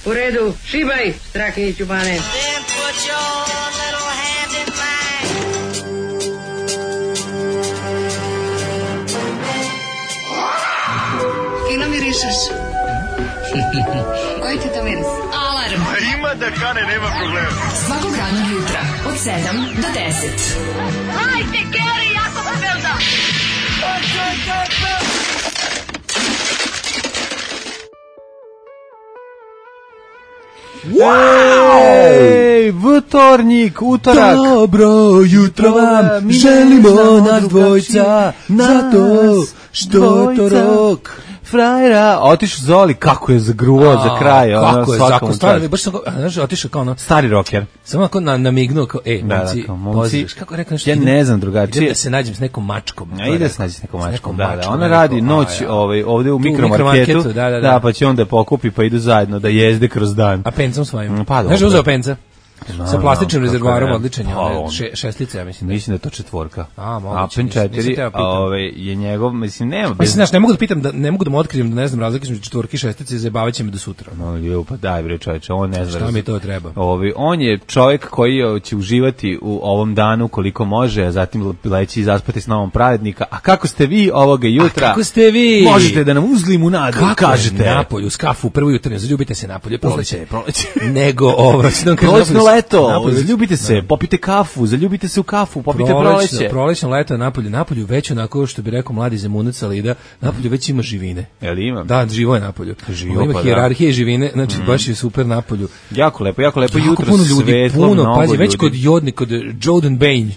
U redu, šibaj, Strahinjić u bane. Fino mirišeš. Koji ti to miris? Alarm. Ima da kane, nema problema. Svakog radnog jutra, od 7 do 10. Hajde, Geri, jako se velda. Ej, vtornik, utorak. Dobro jutro vam želimo nas dvojca, zato što to rok. Frajera, otišao Zoli, kako je zagruvao za kraj. Kako je zakon, stvarno, baš sam, znaš, otišao kao ono... Stari rocker. Samo ako namignuo, kao, momci, kako rekao nešto? Ja ne znam drugačije. Idem da se nađem s nekom mačkom. Ide da se nađi s nekom mačkom, da. Ona radi noć ovde u mikromarketu, da, pa će onda pokupi, pa idu zajedno da jezde kroz dan. A pencom svojim? Pa, znaš, uzeo penca? Sa plastičnim rezervoarom odličan je, šestlice, ja mislim. Mislim da je to četvorka. Moguće. Apen 4, je njegov, mislim, nema. Mislim, znaš, ne mogu da pitam, ne mogu da mu otkrijem da ne znam razlike između četvorke i šestice, zajebavaće me do sutra. No, pa daj bre čoveče, on ne zna. Šta mi to treba? On je čovjek koji će uživati u ovom danu koliko može, a zatim leći i zaspati s novom pravednika. A kako ste vi ovoga jutra? A kako ste vi? Možete da nam uzlimu nadu, kažete. Napolju, s kafu, prvo jutarnje, zaljubite se napolje, proleće. Nego, leto, zaljubite se, popite kafu, zaljubite se u kafu, popite proleće. Prolećno leto napolju već onako što bi rekao mladi Zemunac Alida, napolju već ima živine. Jel ima? Da, živo je napolju. Živo, ima hijerarhije živine, znači baš je super napolju. Jako lepo jutro, svetlo, mnogo pazi, ljudi. već kod Jordan Bane,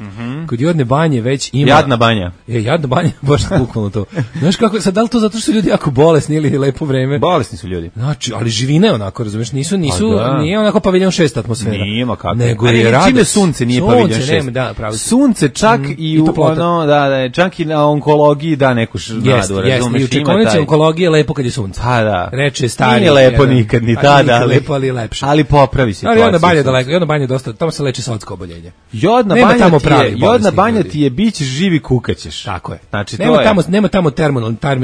kod Jodne banje već ima... Jadna banja. Jadna banja, baš bukvalno to. Znaš kako, sad da li to zato što su ljudi jako bolesni ili lepo vreme? Bolesni su ljudi. Znači, ali živine onako, razumeš, nije onako paviljon 6 atmosfera. Nije, ma kako. Nego je radost. Čime sunce nije paviljon 6. Da, pravo. Sunce čak i u čak i na onkologiji da neku nadu, razumeš. I u čekonici onkologije je lepo kad je sunce. Pa da. Reče stari. Nije lepo nikad, ni tada, ali lepo, ali lepše. Ali popravi se. Ali Jodna banja daleko, Jodna banja dosta, tamo se leči sodsko oboljenje. Jodna banja ti je biće živi kukaćeš. Tako je. Znači nema tamo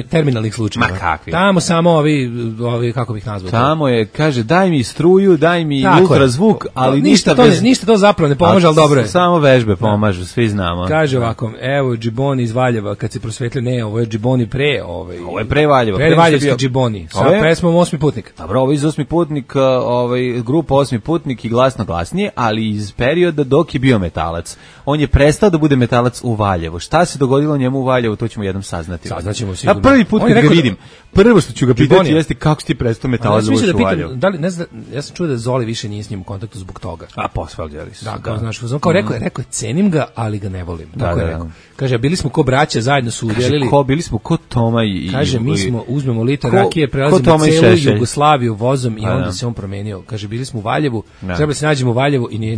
terminalnih slučajeva. Ma kakvi? Tamo samo ovi kako bih nazvao. Tamo je, kaže, daj mi struju, daj mi ultrazvuk, ali ništa to zapravo ne pomaže, ali dobro je. Samo vežbe pomažu, svi znamo. Kaže ovako, evo Džiboni iz Valjeva, kad se prosvetlio, ne, ovo je Džiboni pre, ovo je pre Valjeva. Pre Valjevski Džiboni, sa pesmom Osmi putnik. Dobro, ovo iz Osmi putnik, grupa Osmi putnik i Glasno glasnije, ali iz perioda dok je bio metalac. On je prestao da bude metalac u Valjevu. Šta se dogodilo njemu u Valjevu, to ćemo jednom saznati. Saznaćemo sigurno. Ja prvi put kad ga vidim, prvo što ću ga pitati jeste kako si ti prestao metalac u Valjevu. Ja sam čuo da Zoli više nije s njim u kontaktu zbog toga. A posvađali su. Da, kao znaš, kao rekao je, cenim ga, ali ga ne volim. Tako je rekao. Kaže, bili smo ko braća, zajedno su udelili. Bili smo ko Toma i... Kaže, mi smo, uzmemo litar rakije, prelazimo celu Jugoslaviju vozom i onda se on promenio. Kaže, bili smo u Valjevu, trebali se nađemo u Valjevu i nije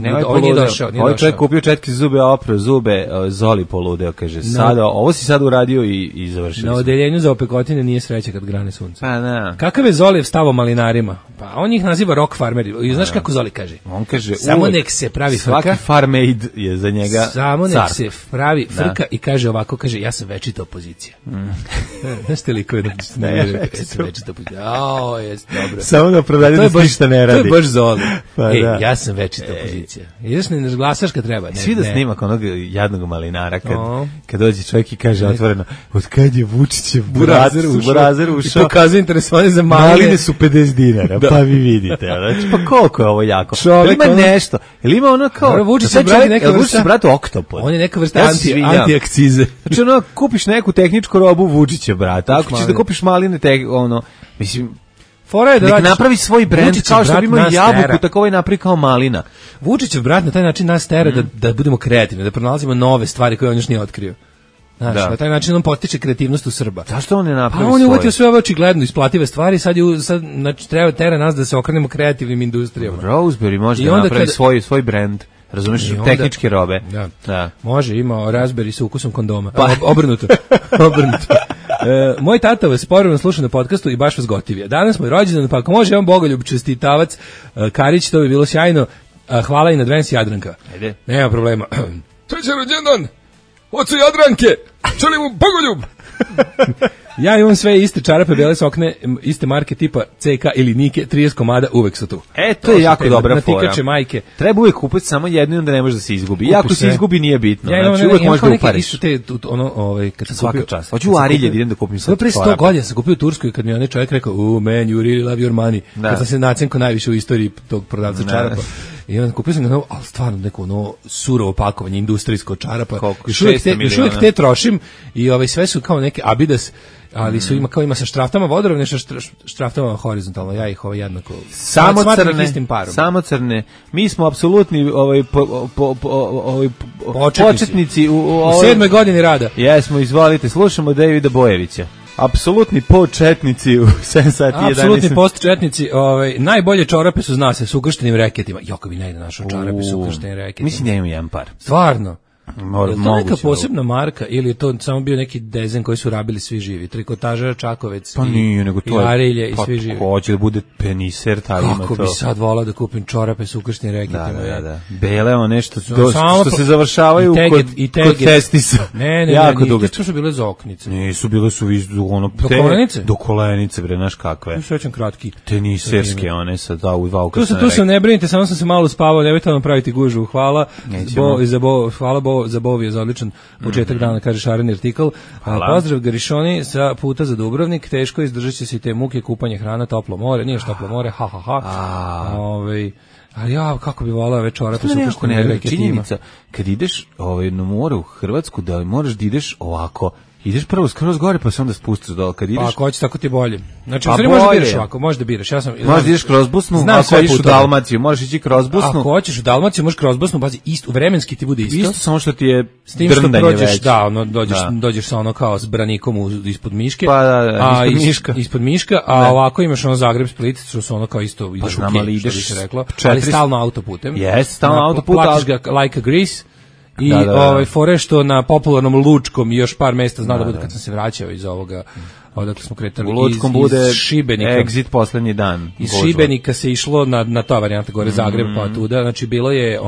došao. Ovaj čovjek kupio četki zube, oprao zube, Zoli poludeo, kaže, sada, ovo si sad uradio i završili. Na odeljenju za opekotine nije sreće kad grane sunce. Pa da. Kakav je Zolijev stav o malinarima? Pa on ih naziva rock farmeri. I znaš kako Zoli kaže? On kaže, samo nek se pravi frka. Svaki farmaid je za njega samo nek se pravi frka i kaže ovako, kaže, ja sam večita opozicija. Znaš te likove da ja sam večita opozicija. Dobro. Samo da prodajte da ništa ne radi. To je baš Zoli. Ja sam večita opozicija. Ideš ne glasaš kad treba. Svi da snimak onog jadnog malinara kad dođe čovjek i kaže otvoreno, od kad je Vučićev burazer ušao i pokazuje interesovanje za maline su 50 dinara, pa vi vidite. Znači, pa koliko je ovo jako? Ima nešto. Ili ima ono kao... Vučićev brat oktopod. On je neka vrsta anti-akcize. Znači, ono, kupiš neku tehničku robu Vučićev brata. Ako ćeš da kupiš maline, mislim... Nek napravi svoj brend, kao što bi imao jabuku, tako ovaj napravi kao malina. Vučićev brat na taj način nas tera da budemo kreativni, da pronalazimo nove stvari koje on još nije otkrio. Znaš, na taj način on potiče kreativnost u Srba. Zašto on ne napravi on je uvatio sve ove očigledno isplative stvari, sad znači, treba tera nas da se okrenemo kreativnim industrijama. Roseberry može da napravi svoj brend. Razumiješ, tehničke robe. Da. Može, ima Raspberry sa ukusom kondoma. Obrnuto. Moj tata vas povremeno sluša na podcastu i baš vas gotivije. Danas moj rođendan, pa ako može, on bogoljub čestitavac Karić, to bi bilo sjajno. Hvala i na Advance Jadranka. Ajde. Nema problema. To je rođendan. Ocu Jadranke. Želim mu bogoljub. Ja imam sve iste čarape, bele sokne, iste marke tipa CK ili Nike, 30 komada, uvek su tu. To je jako dobra fora. Natikače majke. Treba uvek kupiti samo jednu i onda ne može da se izgubi. I ako se izgubi nije bitno. Ja znači uvek možeš da upariš. Isto te, kad sam Svaka kupio... čast. Hoću u Arilje da idem da kupim sad. Pre 100 godina sam kupio u Turskoj kad mi onaj čovjek rekao, man, you really love your money. Kad sam se nacenko najviše u istoriji tog prodavca čarapa. I onda kupio sam ga novo, ali stvarno neko ono surovo pakovanje, industrijsko čarapa. Još uvijek te trošim i sve su kao neke Adidas, ali su ima sa štraftama vodorovne, sa štraftama horizontalno, ja ih jednako samo crne. Mi smo apsolutni početnici u 7. godini rada. Jesmo, izvolite, slušamo Davida Bojevića. Apsolutni početnici u 7 sati 11. Apsolutni postčetnici, najbolje čorape su zna se s ukrštenim reketima. Joko bi najde našo čorape s ukrštenim reketima. Mislim da imam jedan par. Stvarno? Je to neka posebna marka ili je to samo bio neki dezen koji su rabili svi živi? Trikotaža Čakovec i Arilje i svi živi. Hoće da bude peniser, taj ima to. Kako bi sad volao da kupim čorape s ukrštenim reketima. Da. Bele, nešto što se završavaju kod testisa. Ne, to su bile zoknice. Nisu, bile su do kolenice? Do kolenice, bre, znaš kakve. Tu sećam kratki. Teniserske, one sa u dva ukrštene rekete. Tu se ne brinite, samo sam se malo spavao, nemojte vam praviti gužvu. Hvala za Bovi je za odličan početak dana, kaže Šaren artikl. Pozdrav Garišoni sa puta za Dubrovnik, teško izdržat će se i te muke, kupanje, hrana, toplo more, nije toplo more, ali ja, kako bi volao ove čorape su ukrštene reketima. Činjenica, kad ideš na more u Hrvatsku, da moraš da ideš ovako, ideš prvo skroz gore pa se onda spustiš dole kad ideš. Pa ako hoćeš tako ti bolje. Znači možeš da biraš ovako, možeš da biraš. Možeš da ideš kroz Bosnu, ako ideš u Dalmaciju, možeš ići kroz Bosnu. Ako hoćeš u Dalmaciju, možeš kroz Bosnu, bazi isto, vremenski ti bude isto. Isto samo što ti je s tim što prođeš, dođeš sa kao s branikom ispod Miške. Pa ispod Miška, a ovako imaš Zagreb Split, što su kao isto ideš u Kej, što bi se reklo, ali stalno autoputem. Jes, stalno autoput, platiš ga like a grease. I fore što na popularnom Lučkom i još par mesta zna da bude kad sam se vraćao iz ovoga, odakle smo kretali u Lučkom iz bude Šibenika. Exit poslednji dan. Iz Šibenika se išlo na ta varijanta gore Zagreb pa tuda, znači bilo je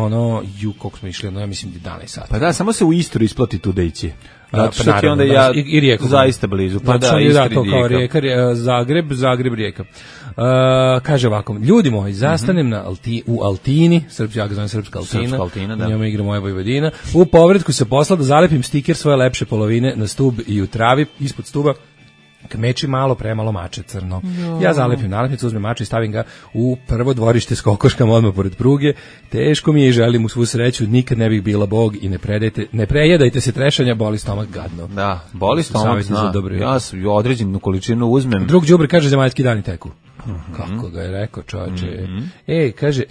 koliko smo išli, ja mislim 11 sati. Pa da, samo se u Istru isplati tuda ići. Zato što ti onda i Rijeku. Zaista blizu. Pa to kao Rijeka, Zagreb, Rijeka. Kaže ovako, ljudi moji, zastanem u Altini, ja ga zovem Srpska Altina, u njome igra moja Vojvodina, u povratku se posla da zalepim stiker svoje lepše polovine na stub i u travi, ispod stuba, kmeči malo, premalo mače crno. Ja zalepim nalepnicu, uzmem mače i stavim ga u prvo dvorište s kokoškama odmah pored pruge. Teško mi je i želim mu svu sreću, nikad ne bih bila Bog i ne prejedajte se trešanja, boli stomak gadno. Da, boli stomak, ja sam određenu količinu uzmem. Drug đubre kaže zemaljski dani teku. Kako ga je rekao, čoveče. Kaže,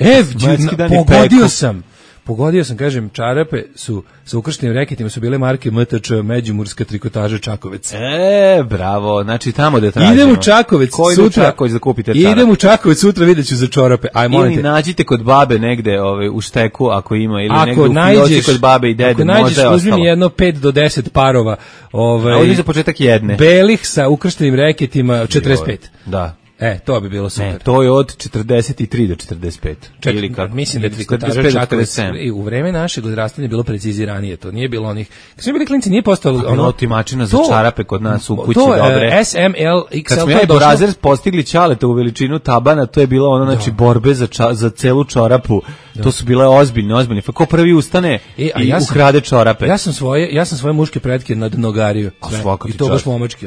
pogodio sam, kažem, čarape su sa ukrštenim reketima su bile marke MTČ, Međimurska trikotaža Čakovec. Bravo, znači tamo da tražimo. Idem u Čakovec sutra. Čakovec da kupite čarape. Idem u Čakovec sutra, vidjet ću za čarape. Ili nađite kod babe negde u šteku, ako ima, ili negde u fioci kod babe i dede, ako nađeš, uzmi mi jedno 5 do 10 parova. Ovdje za početak jedne. Belih sa ukrštenim reketima 45. Da. To bi bilo super. Ne, to je od 43 do 45. Mislim da je trikotaža Čakovec u vreme našeg odrastanja bilo preciziranije. To nije bilo onih... Kad smo bili klinci nije postalo... otimačina za čarape kod nas u kući, dobre. To S, M, L, XL... Kad smo do razred postigli Ćaleta u veličinu tabana, to je bilo znači borbe za celu čorapu. To su bile ozbiljne. Ko prvi ustane i ukrade čorape. Ja sam svoje muške pretke nadnogario. I to baš momački,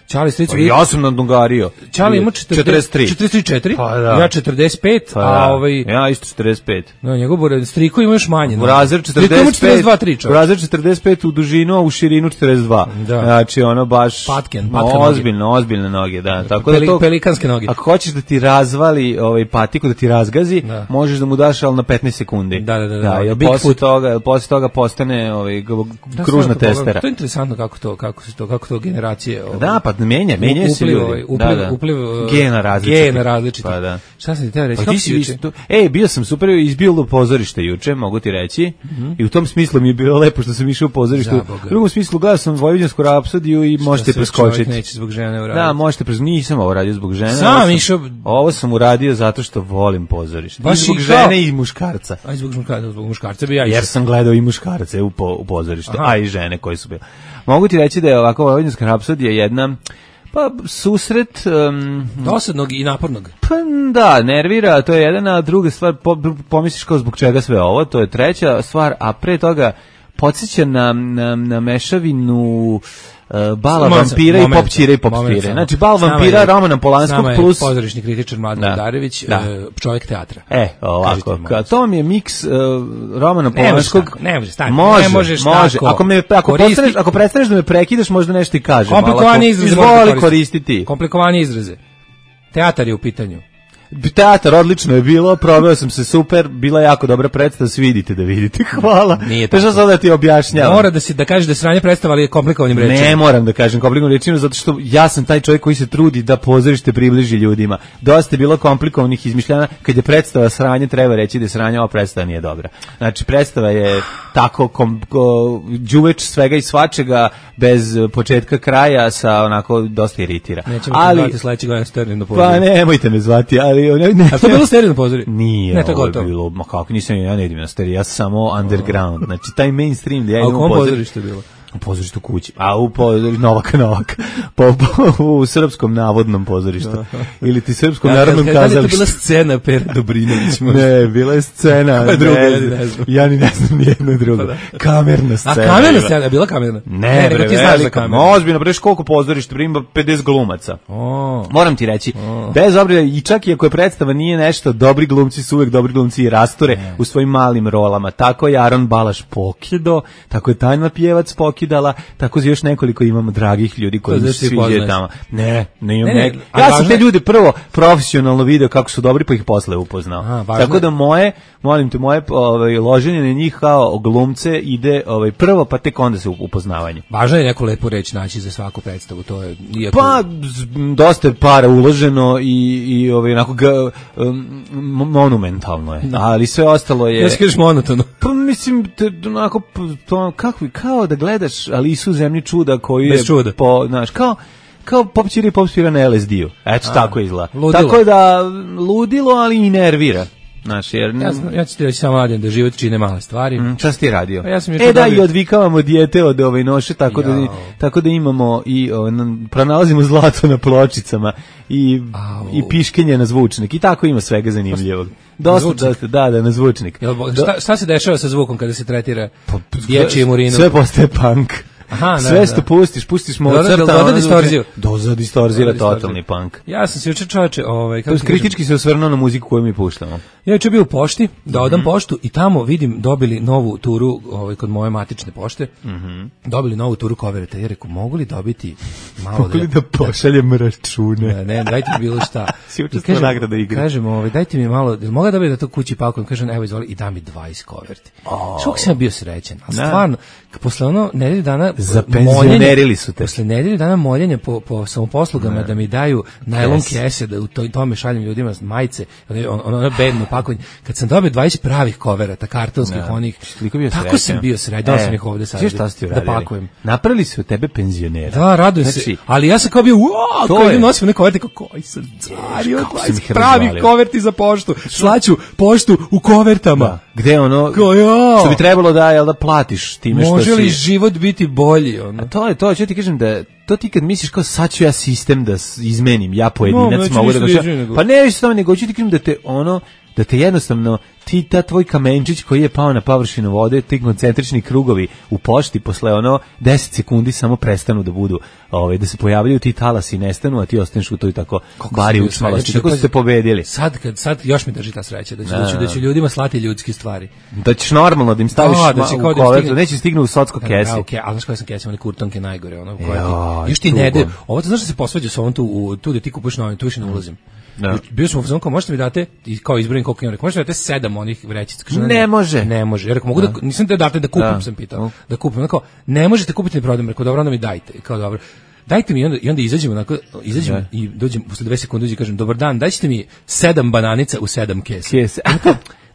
Čali stricu. Ja sam nadnogario. Čali ima 44. Pa da. Ja 45, ja isto 45. No, njegov striko ima još manje. Razred 45. Razred 45 u dužinu, a u širinu 42. Znači baš patken ozbiljne noge, da. Tako da to pelikanske noge. Ako hoćeš da ti razvali patiku, da ti razgazi, možeš da mu daš al na 15 sekundi. Da. Posle toga postane kružna testera. To je interesantno kako to generacije. Da, pa menja se ljudi. Upliv gena različiti. Pa da. Šta sam ti teo reći? Bio sam super, izbilo pozorište juče, mogu ti reći. I u tom smislu mi je bilo lepo što sam išao u pozorište. U drugom smislu gledao sam Vojvođansku rapsodiju i možete preskočiti. Što neće zbog žene uraditi. Da, možete preskočiti. Nisam ovo radio zbog žene. Ovo sam uradio zato što volim pozorište. I zbog žene i muškarca. A zbog muškarca bi ja išao. Jer sam gledao i muškarce u pozorištu, a i žene koje su bile. Mogu ti reći da je ovako Vojvođanska rapsodija jedna Pa susret dosadnog i napornog. Pa da, nervira, to je jedna, a druga stvar pomisliš kao zbog čega sve ovo, to je treća stvar, a pre toga podsjeća na mešavinu bala vampira i popćire i popspire. Znači bal vampira Romana Polanskog plus pozorišni kritičar Mladen Udarević, čovjek teatra. Ovako, to mi je miks Romana Polanskog. Ne može, stani. Može. Ako prestaneš da me prekidaš, možda nešto i kažem. Komplikovani izraze. Izvoli koristiti. Komplikovani izraze. Teatar je u pitanju. Teatar odlično je bilo, proveo sam se super, bila je jako dobra predstava, svi idite da vidite, hvala. Nije tako. Što sad da ti objašnjavam? Mora da kažeš da je sranje predstava, ali je komplikovanim rečima. Ne moram da kažem komplikovanim rečima, zato što ja sam taj čovjek koji se trudi da pozorište približi ljudima. Dosta je bilo komplikovanih izmišljanja, kad je predstava sranje, treba reći da je sranje, ova predstava nije dobra. Znači, predstava je tako đuveč svega i svačega, bez početka kraja, sa onako dosta iritira. Nećemo te zvati sledeći godin sterilno pozorište. Pa nemojte me zvati, ali a to je bilo sterilno pozorište? Nije, ne, to ovo je bilo, ma kako, ja ne idem na stereo, ja sam samo underground, znači taj mainstream gdje ja idem u pozorište bilo? U pozorištu kući, a Novaka, u srpskom navodnom pozorištu, ili ti srpskom narodnom kazalištu. Da li je to bila scena Pera Dobrinović? Ne, bila je scena, ja ni ne znam nijedno drugo. Kamerna scena. A kamerna scena, je bila kamerna? Ne, bre, velika, ozbiljno, preš koliko pozorište, ima 50 glumaca. Moram ti reći, bez obzira, i čak i ako je predstava nije nešto, dobri glumci su uvek dobri glumci i rasture u svojim malim rolama. Tako je Aron Balaš pokido, tako je Tanja Pjevac pokidala, tako još nekoliko imamo dragih ljudi koji se sviđaju tamo. Ne imam neki. Ja sam te ljude prvo profesionalno video kako su dobri, pa ih posle upoznao. Tako da moje loženje na njih kao glumce ide prvo, pa tek onda se upoznavanje. Važno je neku lepu reč naći za svaku predstavu, to je pa dosta je para uloženo i onako monumentalno je. Ali sve ostalo je. Ja se kažeš monotono. Pa mislim onako kao da gledaš Alisu u zemlji čuda koju je kao popćiri i popspira na LSD-u. Eto, tako izgleda. Tako da ludilo, ali i nervira. Ja ću ti reći samo Mladen da život čine male stvari. Šta si ti radio? I odvikavamo dijete od noše, tako da imamo i pronalazimo zlato na pločicama i piškenje na zvučnik i tako ima svega zanimljivog. Dosta, na zvučnik. Šta se dešava sa zvukom kada se tretira dječjim urinom? Sve postaje punk. Sve što pustiš Mozarta, doza distorzira totalni punk. Ja sam se juče čoveče, kritički se osvrnuo na muziku koju mi puštamo. Ja juče bio u pošti, da odam poštu i tamo vidim dobili novu turu kod moje matične pošte. Dobili novu turu kovereta. Ja rekao, mogu li dobiti malo mogu li da pošaljem račune? Ne, dajte mi bilo šta. Si učestvovao nagrada igre. Kažem, dajte mi malo, mogu da dobiti da to kući pakujem? Kažem, evo izvoli i da mi 20 koverti. Što sam bio srećan. A stvarno, posle nedelju dana zapenzionerili su te. Posle nedelju dana moljenja po samoposlugama da mi daju najlon kese, da u tome šaljem ljudima majice, ono bedno pakovanje. Kad sam dobio 20 pravih koverata, kartonskih onih, tako sam bio srećan. Dao sam ih ovde sad da pakujem. Napravili su od tebe penzionera. Da, radujem se. Ali ja sam kao bio, kao idem nosim neke koverte, koji sam cario, 20 pravih koverti za poštu. Slaću poštu u kovertama. Gde ono, što bi trebalo da platiš time što si... Može li život biti bolji? A to je to, ću ti kažem da to ti kad misliš kao sad ću ja sistem da izmenim, ja pojedinac mogu da pa ne više samo nego ću ti kažem da te jednostavno ta tvoj kamenčić koji je pao na površinu vode, ti koncentrični krugovi u pošti posle 10 sekundi samo prestanu da budu, da se pojavljaju ti talasi i nestanu, a ti ostaneš u toj tako bari učmalosti. Tako ste pobedili. Sad još mi drži ta sreća da će ljudima slati ljudske stvari. Da ćeš normalno da im staviš u kovertu, neće stignu u socko kesi. Ali znaš koje sam kesi, one kurtonke najgore, još ti ne ovo to znaš da se posvađa sa ovom tu da ti kupuješ novim, tu više ne ulazim. Bio sam u fazonu kao, možete mi date, kao izbrojim koliko imam, možete mi date 7 onih vrećica. Ne može. Ne može. Ja rekao, mogu da, nisam te date da kupim, sam pitao. Da kupim. Rekao, ne možete kupiti ni prodam. Rekao, dobro, onda mi dajte. Kao, dobro. Dajte mi i onda izađemo i dođem posle 2 sekunde i kažem, dobar dan, dajte mi 7 bananica u 7 kesa.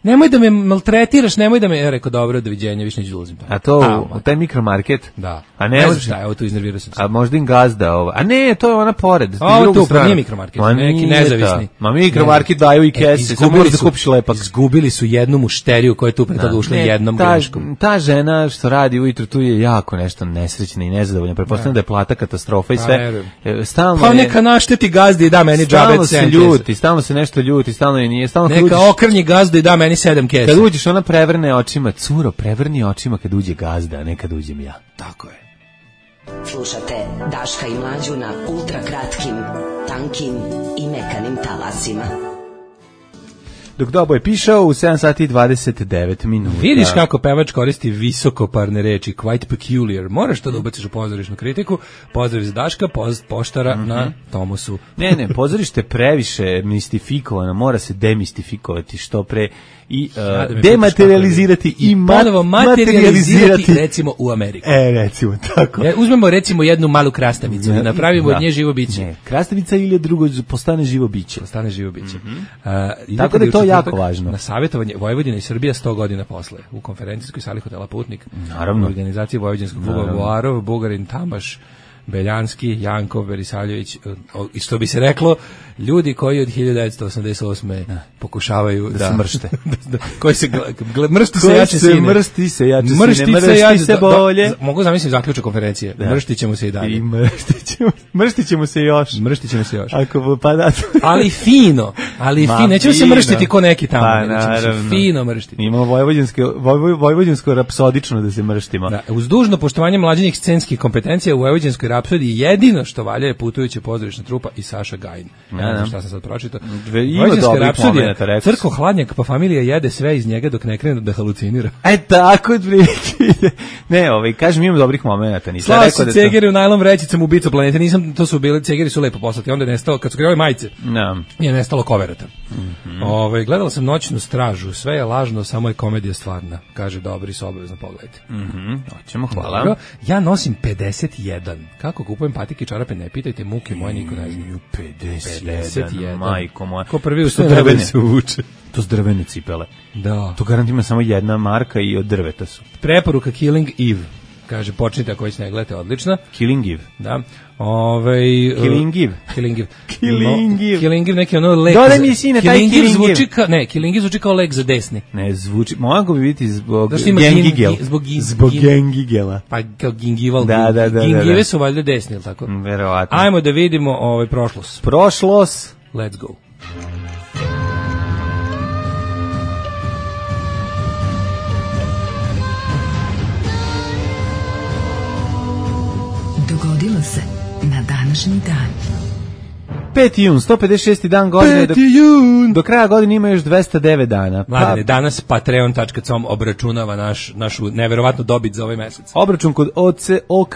nemoj da me maltretiraš, nemoj da me, ja rekao, dobro, doviđenja, više neću dolazim tamo. A to u taj mikromarket? Da. A ne znam šta, evo tu iznervirao sam se. A možda im gazda ovo. A ne, to je ona pored. Ovo tu, pa nije mikromarket, neki nezavisni. Ma mikromarket daju i kese, samo možeš da kupiš lepak. Izgubili su jednu mušteriju koja je tu pre toga ušla jednom greškom. Ta žena što radi ujutru tu je jako nešto nesrećna i nezadovoljna. Pretpostavljam da je plata katastrofa i sve. Stalno pa neka našteti gazdi i da meni džabe 7 stalno se nešto ljuti, stalno je nije, stalno neka okrnji gazdu i da meni 7 kesa. Kad uđeš ona prevrne očima, curo, prevrni očima kad uđe gazda, a ne kad uđem ja. Tako je. Slušate Daška i Mlađu na ultra kratkim, tankim i mekanim talasima. Dok Doboje pišao u 7 sati i 29 minuta. Vidiš kako pevač koristi visokoparne reči, quite peculiar. Moraš to da ubaciš u pozorišnu kritiku. Pozdrav za Daška, poštara na Tomosu. Ne, pozorište previše mistifikovano, mora se demistifikovati što pre i dematerializirati i materializirati, recimo u Ameriku. Recimo, tako. Uzmemo recimo jednu malu krastavicu i napravimo od nje živo biće. Ne, krastavica ili drugo postane živo biće. Postane živo biće. Tako da je to jako važno. Na savjetovanje Vojvodina i Srbija 100 godina posle u konferencijskoj sali hotela Putnik. Naravno. U organizaciji Vojvođanskog kluba Buarov, Bugarin, Tamaš, Beljanski, Jankov, Berisavljević, i što bi se reklo, ljudi koji od 1988. pokušavaju da se mršte. koji se mršti se jače sine. Mršti se jače sine, mršti se bolje. Mogu zamisliti zaključak konferencije. Mrštit ćemo se i dalje. Mrštit ćemo se još. Mrštit ćemo se još. Ako pa da. Ali fino. Nećemo se mrštiti ko neki tamo. Pa naravno. Fino mrštiti. Imamo vojvođansko rapsodično da se mrštimo. Da, uz dužno poštovanje mlađenih scenskih kompetencija u vojvođanskoj rapsodiji jedino što valja je putujuća pozorišna trupa i Saša Gajin. Šta sam sad pročitao. Ima dobrih momenata, rekao. Crko hladnjak, pa familija jede sve iz njega dok ne krene da halucinira. Tako otprilike. Ne, kažem, imam dobrih momenata. Slao se cegeri u najlon vrećicom u ubicu planete. To su bili, cegeri su lepo poslati. Onda je nestalo, kad su krenuli majice, je nestalo koverata. Gledala sam Noćnu stražu. Sve je lažno, samo je komedija stvarna. Kaže dobri su obavezno pogledajte. Hoćemo, hvala. Ja nosim 51. Kako kupujem patike i čarape, ne pitajte, muke moje niko ne zna. 51, majko moja. Ko prvi ustane se uvuče. To su drvene cipele. Da. To garant ima samo jedna marka i od drveta su. Preporuka Killing Eve. Kaže, počnite ako već ne gledate, odlična. Killing Eve. Da. Killing Eve. Killing Eve. Killing Eve, neki ono lek. Dodaj mi sine, taj Killing Eve. Killing Eve zvuči kao lek za desni. Ne, zvuči, mogu bi biti zbog gengigel. Zbog gengigela. Pa kao gingival. Da. Gingive su valjda desni, ili tako? Verovatno. Ajmo da vidimo prošlost. Prošlost. Let's go. Dogodilo se na današnji dan. 5. jun, 156. dan godine. 5. jun. Do kraja godine ima još 209 dana. Mladene, danas patreon.com obračunava našu neverovatnu dobit za ovaj mesec. Obračun kod OK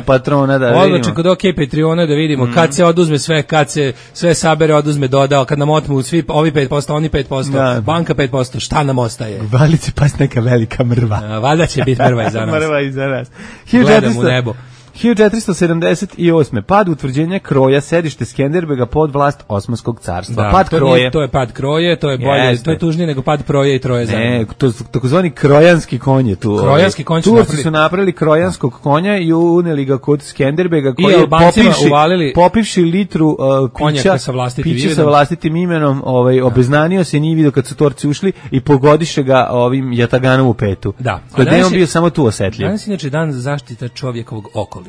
patrona da vidimo. Obračun kod OK Patreona da vidimo kad se oduzme sve, kad se sve sabere, oduzme, dodao, kad nam otmu svi ovi 5%, oni 5%, banka 5%, šta nam ostaje? Valice pas neka velika mrva. Valjda će biti mrva i za nas. Mrva i za nas. Gledam u nebo. 1478. Pad utvrđenja kroja, sedište Skenderbega pod vlast Osmanskog carstva. Pad kroje. To je pad kroje, to je bolje, to je tužnije nego pad proje i troje zajedno. Ne, to takozvani krojanski konj je tu. Krojanski konj su napravili krojanskog konja i uneli ga kod Skenderbega koji je popivši litru pića sa vlastitim imenom, obeznanio se, nije vidio kad su Torci ušli i pogodiše ga ovim jataganom u petu. Da. Da je on bio samo tu osetljiv. Danas inače dan zaštita čovjekovog okoliša.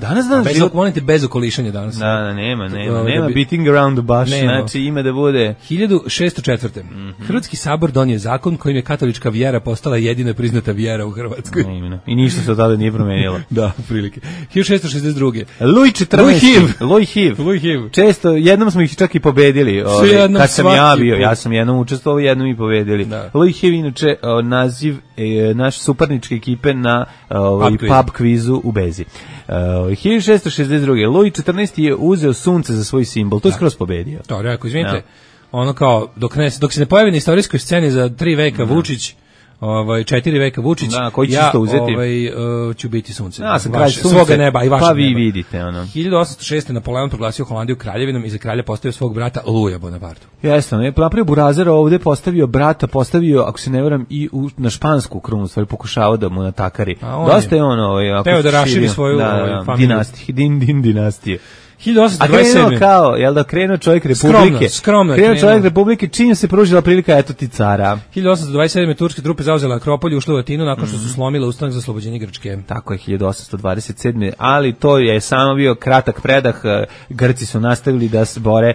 Danas volite bez okolišanja danas. Da, nema beating around the bush, znači ima da bude 1604. Hrvatski sabor donio zakon kojim je katolička vjera postala jedina priznata vjera u Hrvatskoj. I ništa se od tada nije promenilo. Da, prilike. 1662. Louis Hiv. Često, jednom smo ih čak i pobedili. Kad sam ja bio, ja sam jednom učestvovao, jednom i pobedili. Louis Hiv, inače, naziv naš suparničke ekipe na pub kvizu u Bezi. 1662. Louis XIV je uzeo sunce za svoj simbol. To je skroz pobedio. To, rekao, izvinite, ono kao, dok se ne pojavi na istorijskoj sceni za 3 veka Vučić, 4 veka Vučić. Da, koji će isto uzeti? Ću biti sunce. Ja sam kralj sunce. Svoga neba i vašeg pa vi neba. Vidite, ono. 1806. Napoleon proglasio Holandiju kraljevinom i za kralja postavio svog brata Luja Bonapartu. Jeste, ne, napravio burazera ovde, postavio brata, ako se ne varam, i na špansku krunu, stvari pokušavao da mu natakari. Dosta je ono, teo da raširi svoju familiju. Dinastije. 1827. A krenuo kao, jel da krenuo čovjek Republike? Skromno krenuo čovjek Republike, čim se pružila prilika, eto ti cara. 1827. turske trupe zauzele Akropolj i ušle u Atinu nakon što su slomile ustanak za oslobođenje Grčke. Tako je, 1827. Ali to je samo bio kratak predah. Grci su nastavili da se bore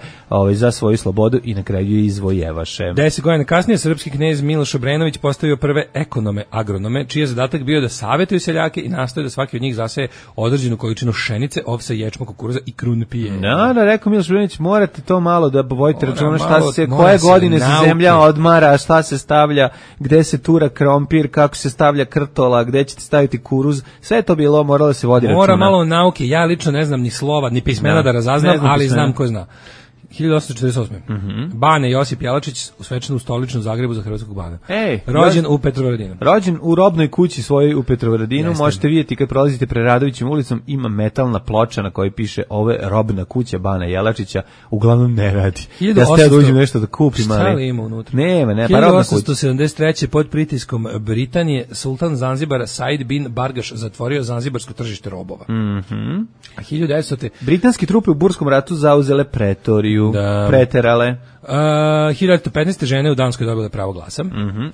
za svoju slobodu i na kraju je izvojevaše. 10 godina kasnije srpski knez Miloš Obrenović postavio prve ekonome agronome, čiji je zadatak bio da savjetuju seljake i nastoje da svaki od njih zaseje određenu količinu pšenice, ovsa, ječma, kukuruza i krunpije. Da, rekao Miloš Obrenović, morate to malo da vodite računa koje godine se zemlja odmara, šta se stavlja, gde se tura krompir, kako se stavlja krtola, gde ćete staviti kuruz, sve to bilo moralo se vodi računa. Mora malo nauke, ja lično ne znam ni slova, ni pismena da razaznam, ali znam ko zna. 1848. Bane Josip Jelačić usvečen u stoličnom Zagrebu za hrvatskog bana. Rođen u Petrovaradinu. Rođen u robnoj kući svojoj u Petrovaradinu. Možete vidjeti kad prolazite Preradovićem ulicom, ima metalna ploča na kojoj piše ove robna kuća Bana Jelačića. Uglavnom ne radi. Da ste da uđem nešto da kupim. Šta li ima unutra? Nema, pa robna kuća. 1873. pod pritiskom Britanije sultan Zanzibara Said bin Bargaš zatvorio zanzibarsko tržište robova. A 1900. Britanski trupe u Burskom ratu zauzele Pretoriju. Preterale. 1915. žene u Danskoj dobile pravo glasa.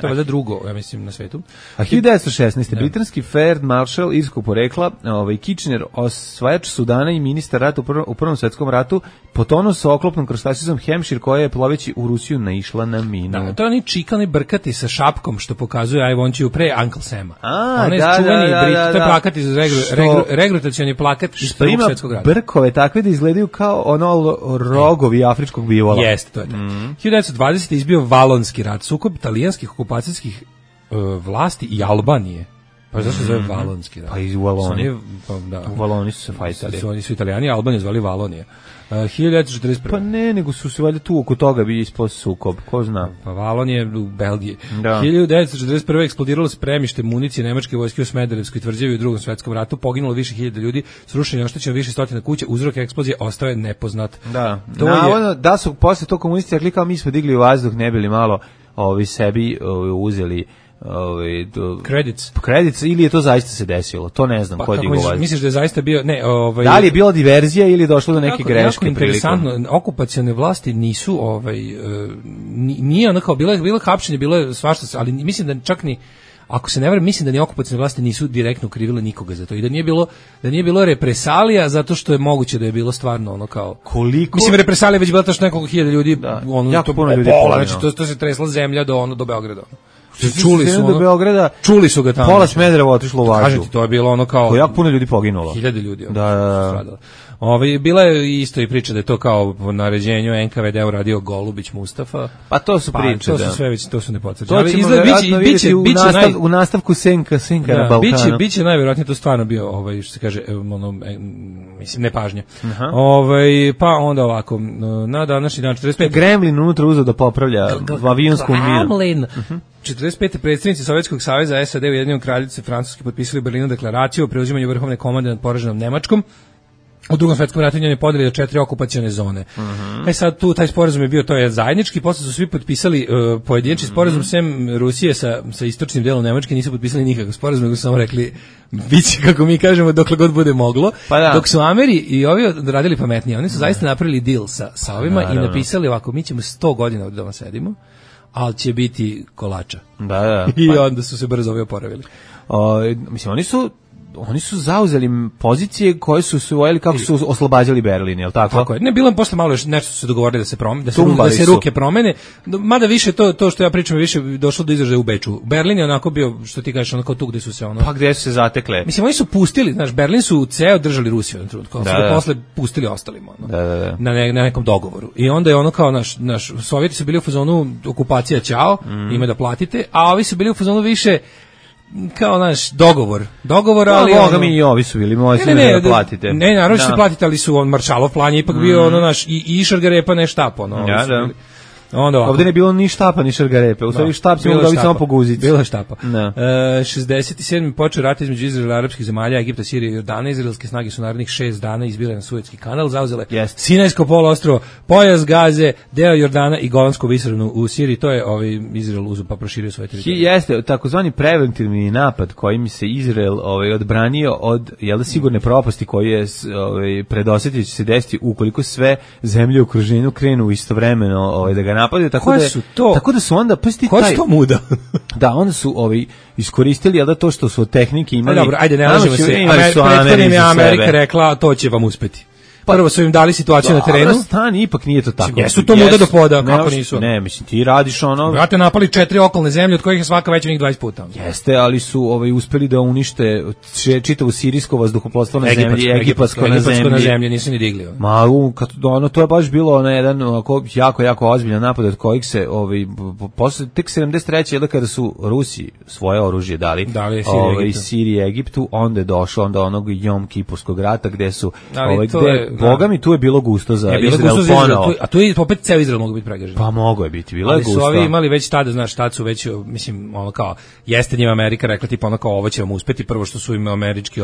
To je da drugo, ja mislim, na svetu. A 1916. britanski Ferd Marshall irskog porekla, Kitchener, osvajač Sudana i ministar rata u Prvom svetskom ratu, potonuo sa oklopnom krstačicom Hampshire koja je ploveći u Rusiju naišla na minu. Da, to je oni čikani brkati sa šapkom što pokazuje I want you pre Uncle Sama. To je plakat iz regrutacioni plakat iz Prvog svjetskog rata. Brkove takve da izgledaju kao ono rogovi afričkog bivola. Jeste, to je tako. 1920. izbio Valonski rat, sukob italijanskih okupacijskih vlasti i Albanije. Pa zašto se zove Valonski rat? Pa i u Valoniji. U Valoniji su se fajtali. Oni su Italijani, Albaniju zvali Valonije. 1941. Pa ne, nego su se valjda tu oko toga bi ispao sukob, ko zna. Pa Valonije u Belgiji. 1941. eksplodiralo spremište municije nemačke vojske u Smederevskoj tvrđavi u Drugom svetskom ratu, poginulo više hiljada ljudi, srušeno i oštećeno više stotina kuća, uzrok eksplozije ostao je nepoznat. Da, da su posle to komunisti rekli kao mi smo digli u vazduh, ne bili malo sebi uzeli credits ili je to zaista se desilo, to ne znam, ko je digao vazduh. Misliš da je zaista bio, da li je bila diverzija ili je došlo do neke greške? Interesantno, okupacione vlasti nisu nije onako, bilo hapšenje, bilo je svašta, ali mislim da čak ni, ako se ne varam, mislim da ni okupacione vlasti nisu direktno krivile nikoga za to i da nije bilo represalija zato što je moguće da je bilo stvarno ono kao koliko, mislim represalija već bila to što nekoliko hiljada ljudi, jako puno ljudi, znači to se tresla zemlja do Beograda. Čuli su ga tamo. Pola Smedereva otišlo u važu. Kažete, to je bilo ono kao jako puno ljudi poginulo. Hiljade ljudi. Da. Bila je isto i priča da je to kao po naređenju NKVD uradio Golubić Mustafa. Pa to su priče, to su sve već, to su nepotvrđene. Ali biće u nastavku Senka na Balkanu. Biće najvjerojatnije to stvarno bio što se kaže mislim nepažnja. Pa onda ovako na današnji dan 45. Gremlin unutra uzeo da popravlja avionsku minu. 45. predsjednici Sovjetskog saveza, SAD, Ujedinjene Kraljice, Francuski potpisali u Berlinu deklaraciju o preuzimanju vrhovne komande nad poraženom Nemačkom. U Drugom svjetskom ratu njeni podijeli 4 okupacione zone. Sad tu taj sporazum je bio, to je zajednički, posle su svi potpisali pojedinačni sporazum, sem Rusije sa istočnim delom Nemačke nisu potpisali nikakav sporazum, nego su samo rekli biće kako mi kažemo dokle god bude moglo. Dok su Ameri i ovi radili pametnije, oni su zaista napravili deal sa ovima i napisali ovako, mi ćemo 100 godina ovdje doma sedimo, ali će biti kolača. I onda su se brzo ovi oporavili. Mislim, oni su zauzeli pozicije koje su osvojili kako su oslobađali Berlin, je li tako? Tako je. Ne, bilo je posle malo još nešto su se dogovorili da se promene, da se ruke promene. Mada više to što ja pričam više došlo do izražaja u Beču. Berlin je onako bio, što ti kažeš, onako tu gde su se Pa gde su se zatekle? Mislim, oni su pustili, znaš, Berlin su ceo držali Rusiju na trenutku, su ga posle pustili ostalima, na nekom dogovoru. I onda je ono kao naš Sovjeti su bili u fazonu okupacija ćao, ima da platite, a ovi su bili u fazonu više kao naš dogovor, ali mi i ovi su bili, da platite. Ne, naravno ćete platiti, ali su Maršalov plan je ipak bio naš i Išargarepa ne štap, Ovde ne bilo ni štapa, ni šargarepe. U stvari štap se mogu dobiti samo po guzici. Bilo je štapa. 67. počeo rat između Izraela i arapskih zemalja, Egipta, Sirije i Jordana. Izraelske snage su narednih 6 dana izbile na Suetski kanal, zauzele Sinajsko poluostrvo, pojas Gaze, deo Jordana i Golansku visoravnu u Siriji. To je Izrael uzeo pa proširio svoje teritorije. Jeste takozvani preventivni napad kojim se Izrael odbranio od sigurne propasti koji je predosetio će se desiti ukoliko sve zemlje u okruženju krenu istovremeno da ga napadaju, tako da su onda ko je to muda? Da, onda su iskoristili to što su od tehnike imali. Dobro, ajde, ne lažemo se. Prethodnim je Amerika rekla, to će vam uspeti. Prvo su im dali situaciju na terenu. Stani, ipak nije to tako. Jesu to muda do poda, kako nisu? Ne, mislim, ti radiš Brate, napali 4 okolne zemlje, od kojih je svaka veća njih 20 puta. Jeste, ali su uspeli da unište čitavu sirijsko vazduhoplovstvo na zemlji, egipatsko na zemlji. Nisu ni digli. To je baš bilo jedan jako ozbiljan napad od kojih se posle tek 73. kada su Rusi svoje oružje dali Siriji i Egiptu, onda je došlo do onog Jom Kipurskog rata gde su Boga mi tu je bilo gusto za Izrael ponovo. A tu je opet ceo Izrael mogu biti pregažen. Pa mogo je biti, bilo je gusto. Ali su ovi imali već tada, znaš, tad su već, mislim, kao, jeste njima Amerika rekla tipa kao ovo će vam uspeti, prvo što su im američki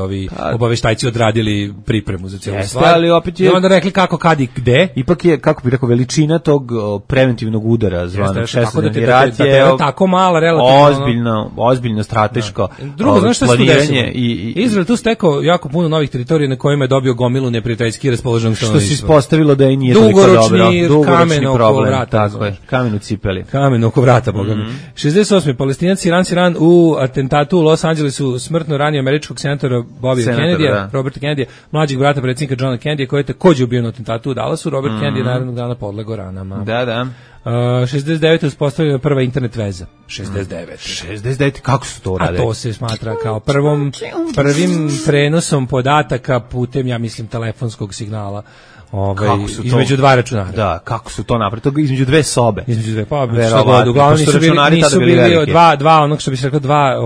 obaveštajci odradili pripremu za cijelu stvar. Ali opet je... I onda rekli kako, kad i gde. Ipak je, kako bih rekao, veličina tog preventivnog udara zvanog 16. rat je tako mala, relativno. Ozbiljno strateško planiranje. Izrael tu stekao jako puno novih teritorija na kojima je dobio gomilu neprijateljski raspoloženog stanovništva. Što se ispostavilo da je nije toliko dobro. Dugoročni problem, tako je. Kamen u cipeli. Kamen oko vrata, boga mi. 68. Palestinac Iran u atentatu u Los Angelesu smrtno ranio američkog senatora Bobija Kennedya, Roberta Kennedya, mlađeg brata predsjednika Johna Kennedya, koji je također ubio na atentatu u Dallasu. Robert Kennedy narednog dana podlegao ranama. Da. 69. uspostavljena prva internet veza. 69. Kako su to uradili? A to se smatra kao prvim prenosom podataka putem, ja mislim, telefonskog signala. Između dva računara. Da, kako su to napravili? To između dve sobe. Između dve, uglavnom nisu bili dva, onog što bi se rekao, dva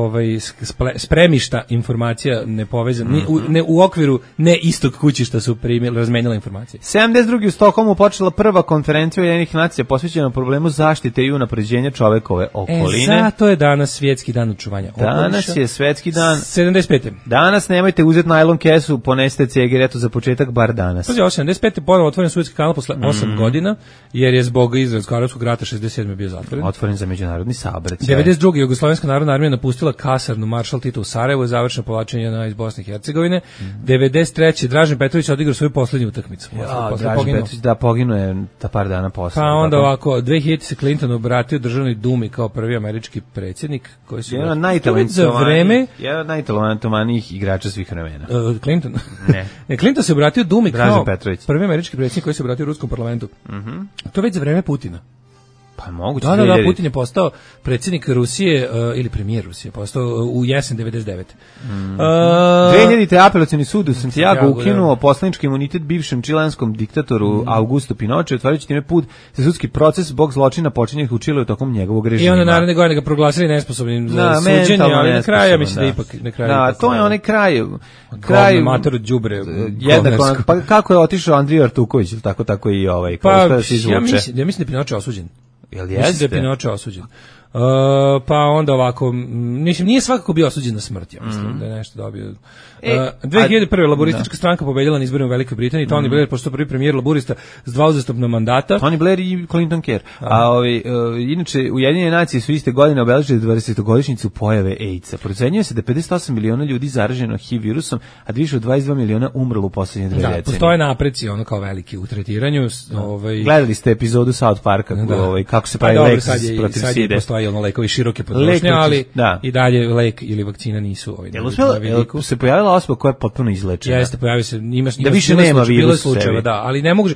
spremišta informacija nepovezane, u okviru ne istog kućišta su razmenjala informacije. 72. u Stokholmu počela prva konferencija Ujedinjenih nacija posvećena problemu zaštite i unapređenja čovekove okoline. Zato je danas svjetski dan očuvanja okoliša. Danas je svetski dan. 75. Danas nemojte uzeti najlon kesu, ponesite cigaretu za početak, bar danas. 75. ponovo otvoren Suetski kanal posle 8 godina, jer je zbog Izraelsko-arapskog rata 67. bio zatvoren. Otvoren za međunarodni saobraćaj. 92. Jugoslovenska narodna armija napustila kasarnu Maršal Tito u Sarajevu i završeno povlačenje iz Bosne i Hercegovine. 93. Dražen Petrović odigrao svoju poslednju utakmicu. Dražen Petrović poginuo je par dana posle. Pa onda ovako, 2000 se Clinton obratio državnoj dumi kao prvi američki predsjednik, koji su jedan od najtalentovanijih igrača svih vremena. Clinton? Ne. Clinton se obratio dumi kao prvi američki predsjednik koji se obratio ruskom parlamentu. To već za vreme Putina. Pa moguće. Da, Putin je postao predsjednik Rusije ili premijer Rusije, postao u jesen 99. 2000. apelacioni sud u Santiago ukinuo poslanički imunitet bivšem čilanskom diktatoru Augusto Pinochet, otvarajući time put za sudski proces zbog zločina počinjenih u Čileu tokom njegovog režima. I onda naredne godine ga proglasili nesposobnim za suđenje, ali na kraju ja mislim da ipak na kraju. Da, to je onaj kraj mator đubre. Jednako, pa kako je otišao Andrija Artuković, ili tako i ovaj, kako da se izvuče. Ja mislim da je Pinochet osuđen. Mislim da je Pinochet osuđen. Pa onda ovako, nije svakako bio osuđen na smrt, ja mislim da je nešto dobio. 2001. laboristička stranka pobedila na izborima u Velikoj Britaniji, Tony Blair postao prvi premijer laborista s 2 uzastopna mandata. Tony Blair i Clinton Kerr. Inače, Ujedinjene nacije su iste godine obeležile 20-godišnjicu pojave AIDS-a. Procenjuje se da 58 miliona ljudi zaraženo HIV virusom, a više od 22 miliona umrlo u posljednje 2 decenije. Da, postoje napreci kao veliki u tretiranju. Gledali ste epizodu South Parka, kako se pravi lek protiv side. Postoji lekovi široke potrošnje, ali i dalje lek ili vakcina nisu Jel se pojavila osoba koja je potpuno izlečena? Jeste, pojavio se, da više nema virusa. Da, ali ne mogu,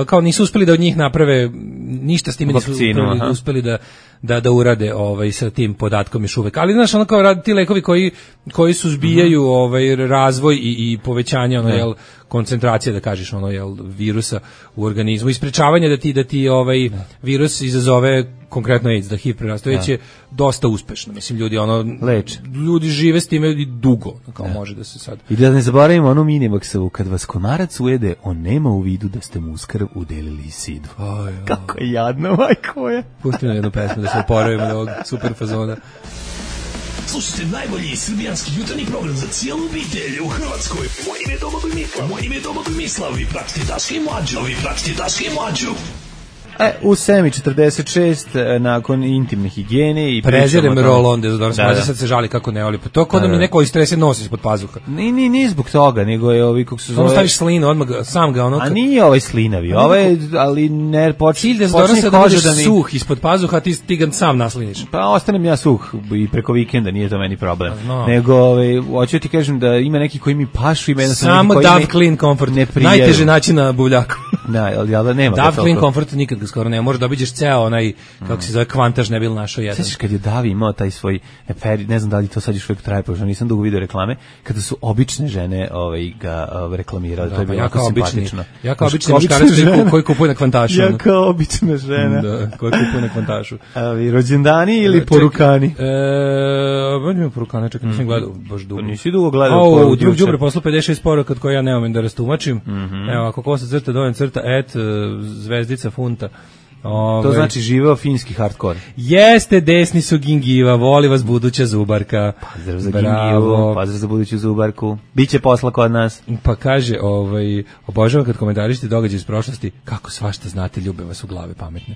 kao nisu uspeli da od njih naprave ništa s time, nisu uspeli da urade sa tim podatkom još uvek. Ali znaš, ono kao radi ti lekovi koji suzbijaju razvoj i povećanje jel, koncentracije, da kažeš, jel, virusa u organizmu i sprečavanje da ti virus izazove konkretno AIDS, da HIV preraste, već je dosta uspešno. Mislim, ljudi leče. Ljudi žive s time i dugo, kao može da se sad. I da ne zaboravimo onu Minimaksovu, kad vas komarac ujede, on nema u vidu da ste mu uz krv udelili sidru. Kako je jadno, majko je. Pusti nam jednu pesmu da se oporavimo od ovog super fazona. Slušajte najbolji srbijanski jutarnji program za cijelu obitelj u Hrvatskoj. Moje ime je Domagoj Mislav. Vi pratite Daška i Mlađu. U 7:46 nakon intimne higijene i prezirem roll-on dezodorans, sad se žali kako ne voli. Pa to kod da mi neko istrese nosi ispod pazuha. Ni zbog toga, nego je kako se zove. Staviš slinu, odmah sam ga A nije slinavi, ali ne počne dezodoransa da budeš suh ispod pazuha, ti ga sam nasliniš. Pa ostanem ja suh i preko vikenda, nije to meni problem. Nego hoću ti kažem da ima neki koji mi pašu, ima samo Dove Clean Comfort. Najteže naći na buvljaku. Da, nema. Dove Clean Comfort nikad skoro ne možeš da obiđeš ceo onaj kako se zove kvantaž ne bil našao jedan. Sećaš kad je Davi imao taj svoj ne znam da li to sad još uvijek traje, pošto nisam dugo video reklame, kada su obične žene ga reklamirale, to je bilo jako simpatično. Ja kao obični muškarac koji kupuje na kvantašu. Ja kao obična žena. Da, koji kupuje na kvantašu. Ali rođendani ili porukani? Budemo porukani, čekaj, nisam gledao baš dugo. Nisi dugo gledao poruku. Drug đubre poslu 56 poruka koje ja ne umem da rastumačim. Evo, ako kosa crta, dojem crta, zvezdica funta. To znači živeo finski hardcore. Jeste, desni su gingiva, voli vas buduća zubarka. Pozdrav za gingivu, pozdrav za buduću zubarku. Biće posla kod nas. Pa kaže, obožavam kad komentarišite događaje iz prošlosti, kako svašta znate, ljube vas u glave pametne.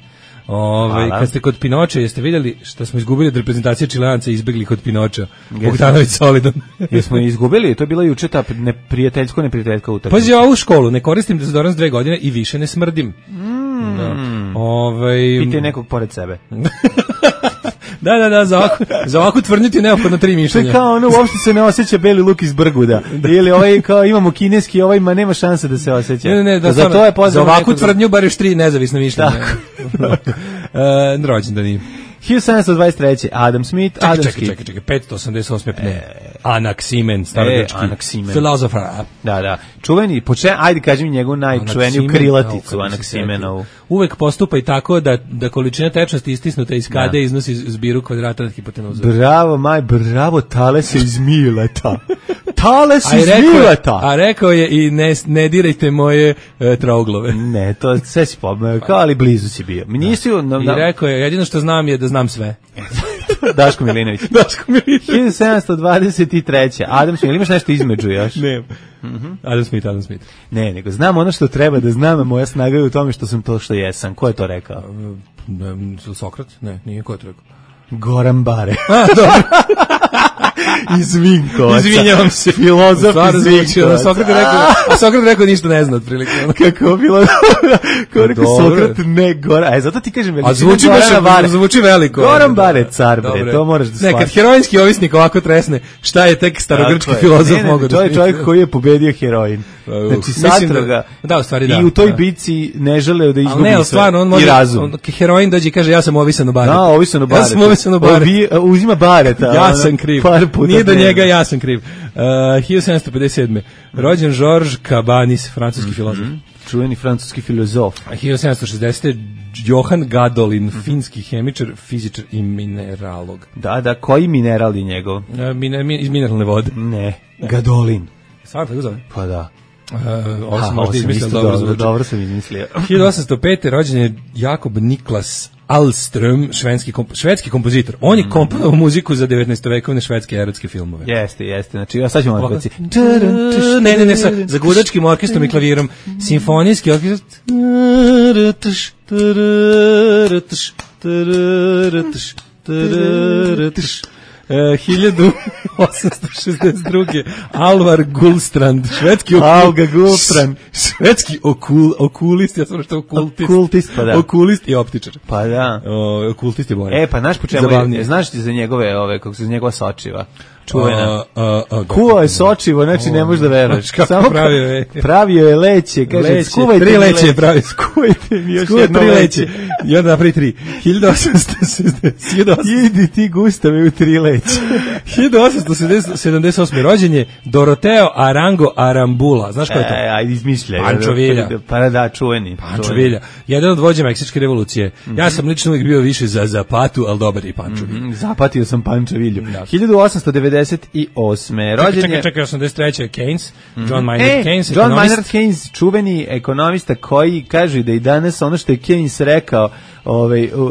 Kad ste kod Pinoča, jeste vidjeli što smo izgubili od reprezentacije Čileanca i izbegli kod Pinoča? Bogdanović solidan. Jesmo izgubili, to je bila juče ta neprijateljska utakmica. Pazi, ovu školu, ne koristim dezodorans 2 godine i više ne smrdim. Pitaj nekog pored sebe. Da, za ovakvu tvrdnju ti je neophodno 3 mišljenja. To je kao uopšte se ne osjeća beli luk iz Brguda. Ili kao imamo kineski, ma nema šanse da se osjeća. Ne, za ovakvu tvrdnju bar još 3 nezavisna mišljenja. Rođendan im. 1723. Adam Smith. Čekaj, 588. pne. Anaximen, starogrčki filozof. Da. Čuveni, ajde kaži mi njegovu najčuveniju krilaticu Anaximenovu. Uvek postupa i tako da količina tečnosti istisnuta iz kade iznosi zbiru kvadrata nad hipotenuzom. Bravo, Tales je iz Mileta. Tales iz Mileta. A rekao je i ne dirajte moje trouglove. Ne, to sve si pomekao, ali blizu si bio. I rekao je, jedino što znam je da znam sve. Daško Milinović. 1723. Adam Smith, ili imaš nešto između još? Ne. Adam Smith. Ne, nego znam ono što treba da znam, a moja snaga je u tome što sam to što jesam. Ko je to rekao? Sokrat? Ne, nije, ko je to rekao? Goran Bare. Dobro. Iz Vinkovaca. Izvinjavam se. Filozof iz Vinkovaca. Sokrat rekao ništa ne zna otprilike. Kako bilo? Kako rekao Sokrat ne Goran. Zato ti kažem veliko. A zvuči veliko. Goran Bare, car bre, to moraš da shvatiš. Ne, kad heroinski ovisnik ovako tresne, šta je tek starogrčki filozof mogao da... To je čovjek koji je pobedio heroin. Znači satroga. Da, u stvari da. I u toj bici ne želeo da izgubi sve. Ne, stvarno, on može... Heroin dođe i kaže, ja sam ovisan u baretu. Da, ovisan u baretu. Uzima bareta. Ja sam kriv. Nije do njega, ja sam kriv. 1757. Rođen Georges Cabanis, francuski filozof. Čuveni francuski filozof. 1760. Johann Gadolin, finski hemičar, fizičar i mineralog. Da, koji mineral je njegov? Iz mineralne vode. Ne, Gadolin. Stvarno tako zove? Pa da. Ovo sam možda izmislio dobro sam izmislio. 1805. rođen je Jakob Niklas Alström, švedski kompozitor. On je komponovao muziku za 19-vekovne švedske erotske filmove. Jeste. Znači, ja sad ćemo odbaci. Ne, za gudačkim orkestrom i klavirom. Simfonijski orkestr. 1862. Alvar Gullstrand, švedski okulist, ja sam što okultist, pa da. Okulist i optičar. Pa da. Okultist je bolje. Pa znaš po čemu, znaš ti za njegove, kako se njegova sočiva? čuvena. Kuo je sočivo, znači ne možeš da veruješ. Samo pravio je leće, kaže, skuvajte tri leće pravi. Skuvajte mi još jedno leće. I onda napravi 3. 1860. Idi ti Gustave u 3 leće. 1878. rođenje Doroteo Arango Arambula. Znaš ko je to? Ajde izmišljaj. Pancho Villa. Pa da, čuveni. Pancho Villa. Jedan od vođa Meksičke revolucije. Ja sam lično uvijek bio više za Zapatu, ali dobar i Pancho Villa. Zapatio sam Pancho Villu. 1898. rođenje. Čekaj, 83. Keynes. John Maynard Keynes. John Maynard Keynes, čuveni ekonomista koji kaže da i danas ono što je Keynes rekao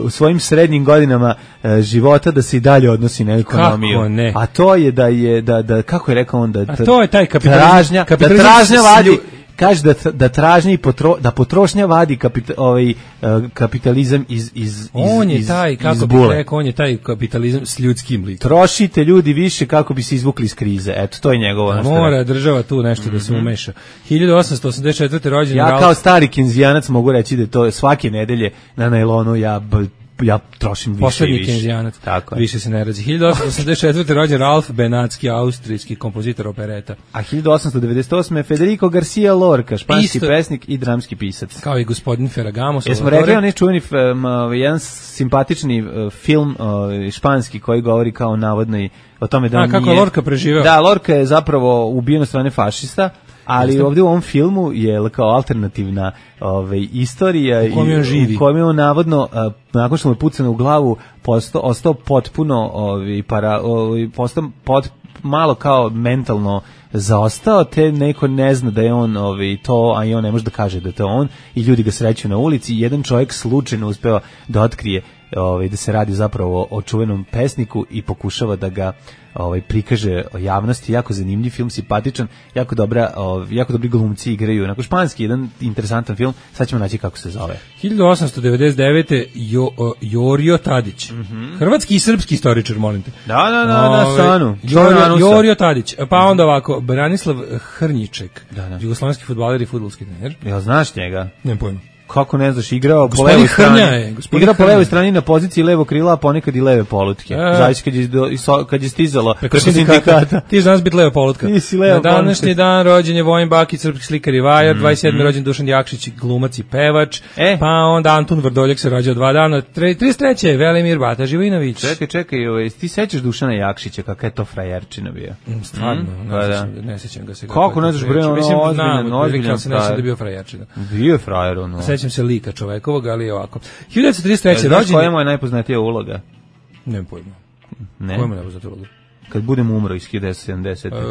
u svojim srednjim godinama života da se i dalje odnosi na ekonomiju. Kako ne? A to je da kako je rekao on a to je taj kapitalizam vadi, kaže da potrošnja vadi kapitalizam iz on je taj, kako bih rekao, on je taj kapitalizam s ljudskim likom. Trošite ljudi više kako bi se izvukli iz krize. Eto, to je njegovo. Mora država tu nešto da se umeša. 1884. rođen ja kao stari kinzijanac mogu reći da to svake nedelje na najlonu ja trošim više poslednji i više. Kenzianac, više se ne razi. 1884. rođen Ralph Benatski, austrijski kompozitor opereta. A 1898. Federico Garcia Lorca, španski pesnik i dramski pisac. Kao i gospodin Ferragamo. Jesmo rekli on je čuveni jedan simpatični film španski koji govori kao navodno o tome da kako nije... Lorca preživeo. Da, Lorca je zapravo ubijen od strane fašista, ali ovdje u ovom filmu je kao alternativna istorija u kojem je on navodno nakon što mu je pucano u glavu ostao potpuno malo kao mentalno zaostao, te neko ne zna da je on to, a i on ne može da kaže da je to on, i ljudi ga sreću na ulici. Jedan čovjek slučajno uspeo da otkrije da se radi zapravo o čuvenom pesniku i pokušava da ga prikaže javnosti. Jako zanimljiv film, simpatičan, jako dobri glumci igraju. Onako španski, jedan interesantan film, sad ćemo naći kako se zove. 1899. Jorio Tadić. Hrvatski i srpski istoričar, molim te. Da, stanu. Jorio Tadić. Pa onda ovako, Branislav Hrnjiček, jugoslovenski fudbaler i fudbalski trener. Ja znaš njega? Nemam pojma. Kako ne znaš, igrao po levoj strani. Igrao po levoj strani na poziciji levo krila, a ponekad i leve polutke. Zavisi kad je stizalo preko sindikata. Ti znaš biti leva polutka. Na današnji dan rođen je Vojin Bakić, srpski slikar i vajar, 27. rođen Dušan Jakšić, glumac i pevač, pa onda Antun Vrdoljak se rođao 2 dana, 33. Velimir Bata Živinović. Čekaj, ti sećaš Dušana Jakšića, kakva je to frajerčina bio? Stvarno, ne sećam ga se. Kako ne znaš, bre, ozbiljan se neće da bio frajerčina. Bio je frajer, ono. Sećam se lika čovekovog, ali je ovako. 1933. rođen. Koja je moja najpoznatija uloga? Nemam pojma. Ne? Koja je moja najpoznatija uloga? Kad budem umro iz 1970. Kad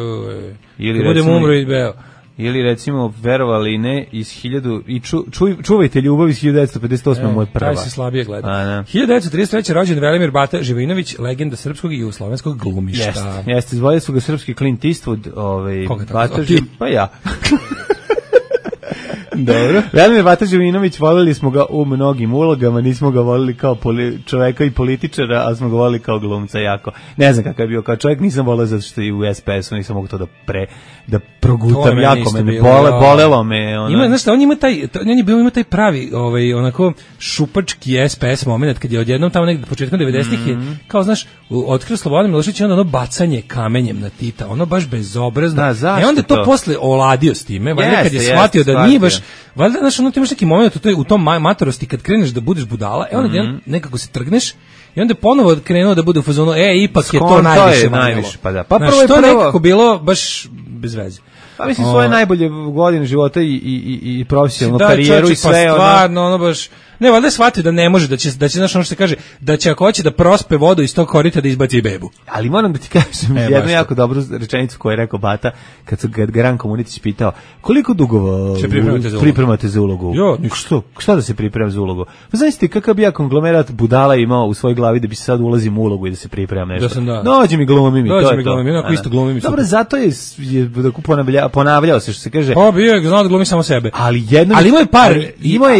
budem umro i beo. Ili recimo, verovali ne, iz 1000 i čuvajte ljubav iz 1958. moj prva. Taj se slabije gleda. 1933. rođen Velimir Bata Živinović, legenda srpskog i jugoslovenskog glumišta. Jeste, zvali su ga srpski Clint Eastwood, Bata pa ja. Dobro. Velimir Bata Živinović, volili smo ga u mnogim ulogama, nismo ga volili kao čoveka i političara, ali smo ga volili kao glumca jako. Ne znam kakav je bio kao čovjek, nisam volio zato što i u SPS-u nisam mogu to da progutam, jako me bolelo me. Znaš šta, on ima taj pravi, onako šupački SPS moment, kad je odjednom tamo negde početkom 90-ih je, kao znaš, otkrio Slobodan Milošević i onda ono bacanje kamenjem na Tita, ono baš bezobrazno. Da, onda je to posle oladio s time, valjda kad je shvatio da nije baš, valjda, znaš, ono ti imaš neki moment u tom matorosti kad kreneš da budeš budala, onda nekako se trgneš i onda ponovo krenuo da bude u fazonu, ipak je to najviše. Pa da. Pa prvo je nekako bilo baš bez veze. Pa mislim, svoje najbolje godine života i profesionalnu karijeru i sve. Pa stvarno, ono baš... Ne, valjda je shvatio da ne može, da će znaš ono što se kaže, da će ako hoće da prospe vodu iz tog korita da izbaci i bebu. Ali moram da ti kažem jednu jako dobru rečenicu koju je rekao Bata, kad ga Ranko Munitić pitao, koliko dugo pripremate za ulogu? Šta da se priprema za ulogu? Pa znaš kakav bi ja konglomerat budala imao u svojoj glavi da bi se sad ulazim u ulogu i da se pripremam nešto. Dođi mi glumim i to je to. Onako isto glumim i super. Dobro, zato je ponavljao se, što se kaže. Pa bio je znao da glumi samo sebe. Ali imao je par,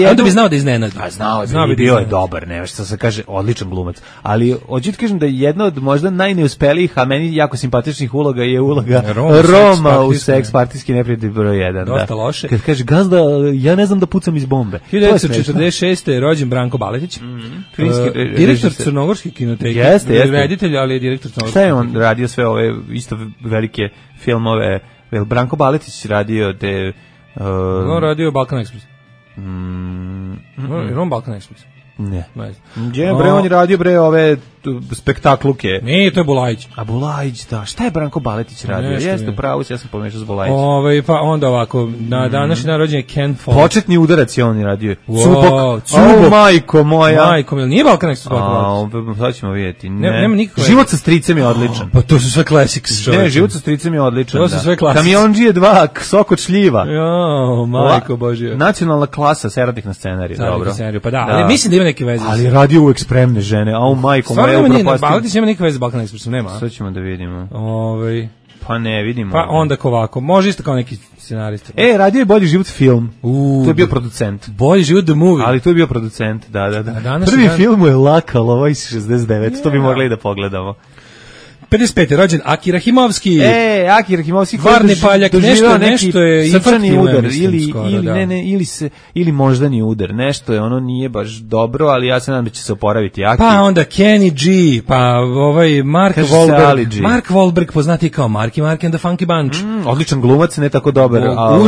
onda bi znao da iznenadi. znao bi, bio je dobar, ne, što se kaže, odličan glumac. Ali hoću ti kažem da je jedna od možda najneuspelijih, a meni jako simpatičnih uloga je uloga Roma u Seks partijski neprijatelj broj 1. Dosta loše. Kad kaže, gazda, ja ne znam da pucam iz bombe. 1946. je rođen Branko Baletić, direktor Crnogorske kinoteke. Jeste. Reditelj, ali je direktor Crnogorske. Šta je on radio sve ove isto velike filmove? Branko Baletić radio te... On radio Balkan Express. Je on Balkan Express? Ne. On je radio ove spektakluke. Ne, to je Bulajić. A Bulajić, da. Šta je Branko Baletić radio? Jeste, pravo ja sam pomešao s Bulajićem. Pa onda ovako, na današnji dan rođen je Ken Follett. Početni udarac je on radio. Cubok. Majko moja. Majko moja. Nije Balkan Express. Sad ćemo vidjeti. Nema nikakve. Život sa stricem je odličan. Pa to su sve classics. Ne, Život sa stricem je odličan. To su sve classics. Kamionđije 2, Sok od šljiva. Jo, majko božje. Nacionalna klasa, Seradnik na scenariju. Dobro. Pa da, ali mislim da ima neke veze. Ali radio uvek spremne žene. Au majko moja. Baletić nema nikakve veze s Balkan Expressom, nema. Sad ćemo da vidimo. Pa ne, vidimo. Pa onda ovako, može isto kao neki scenarista. Radio je Bolji život film. To je bio producent. Bolji život the movie. Ali to je bio producent, da. Prvi film mu je Laka lova iz 69, to bi mogli da pogledamo. 55. rođen Akira Himovski. Akira Himovski. Varni paljak, nešto je srčani udar ili moždani udar. Nešto je, ono nije baš dobro, ali ja se nadam da će se oporaviti. Pa onda Kenny G, pa Mark Wahlberg. Mark Wahlberg poznati kao Marky Mark and the Funky Bunch. Odličan glumac, ne tako dobar, ali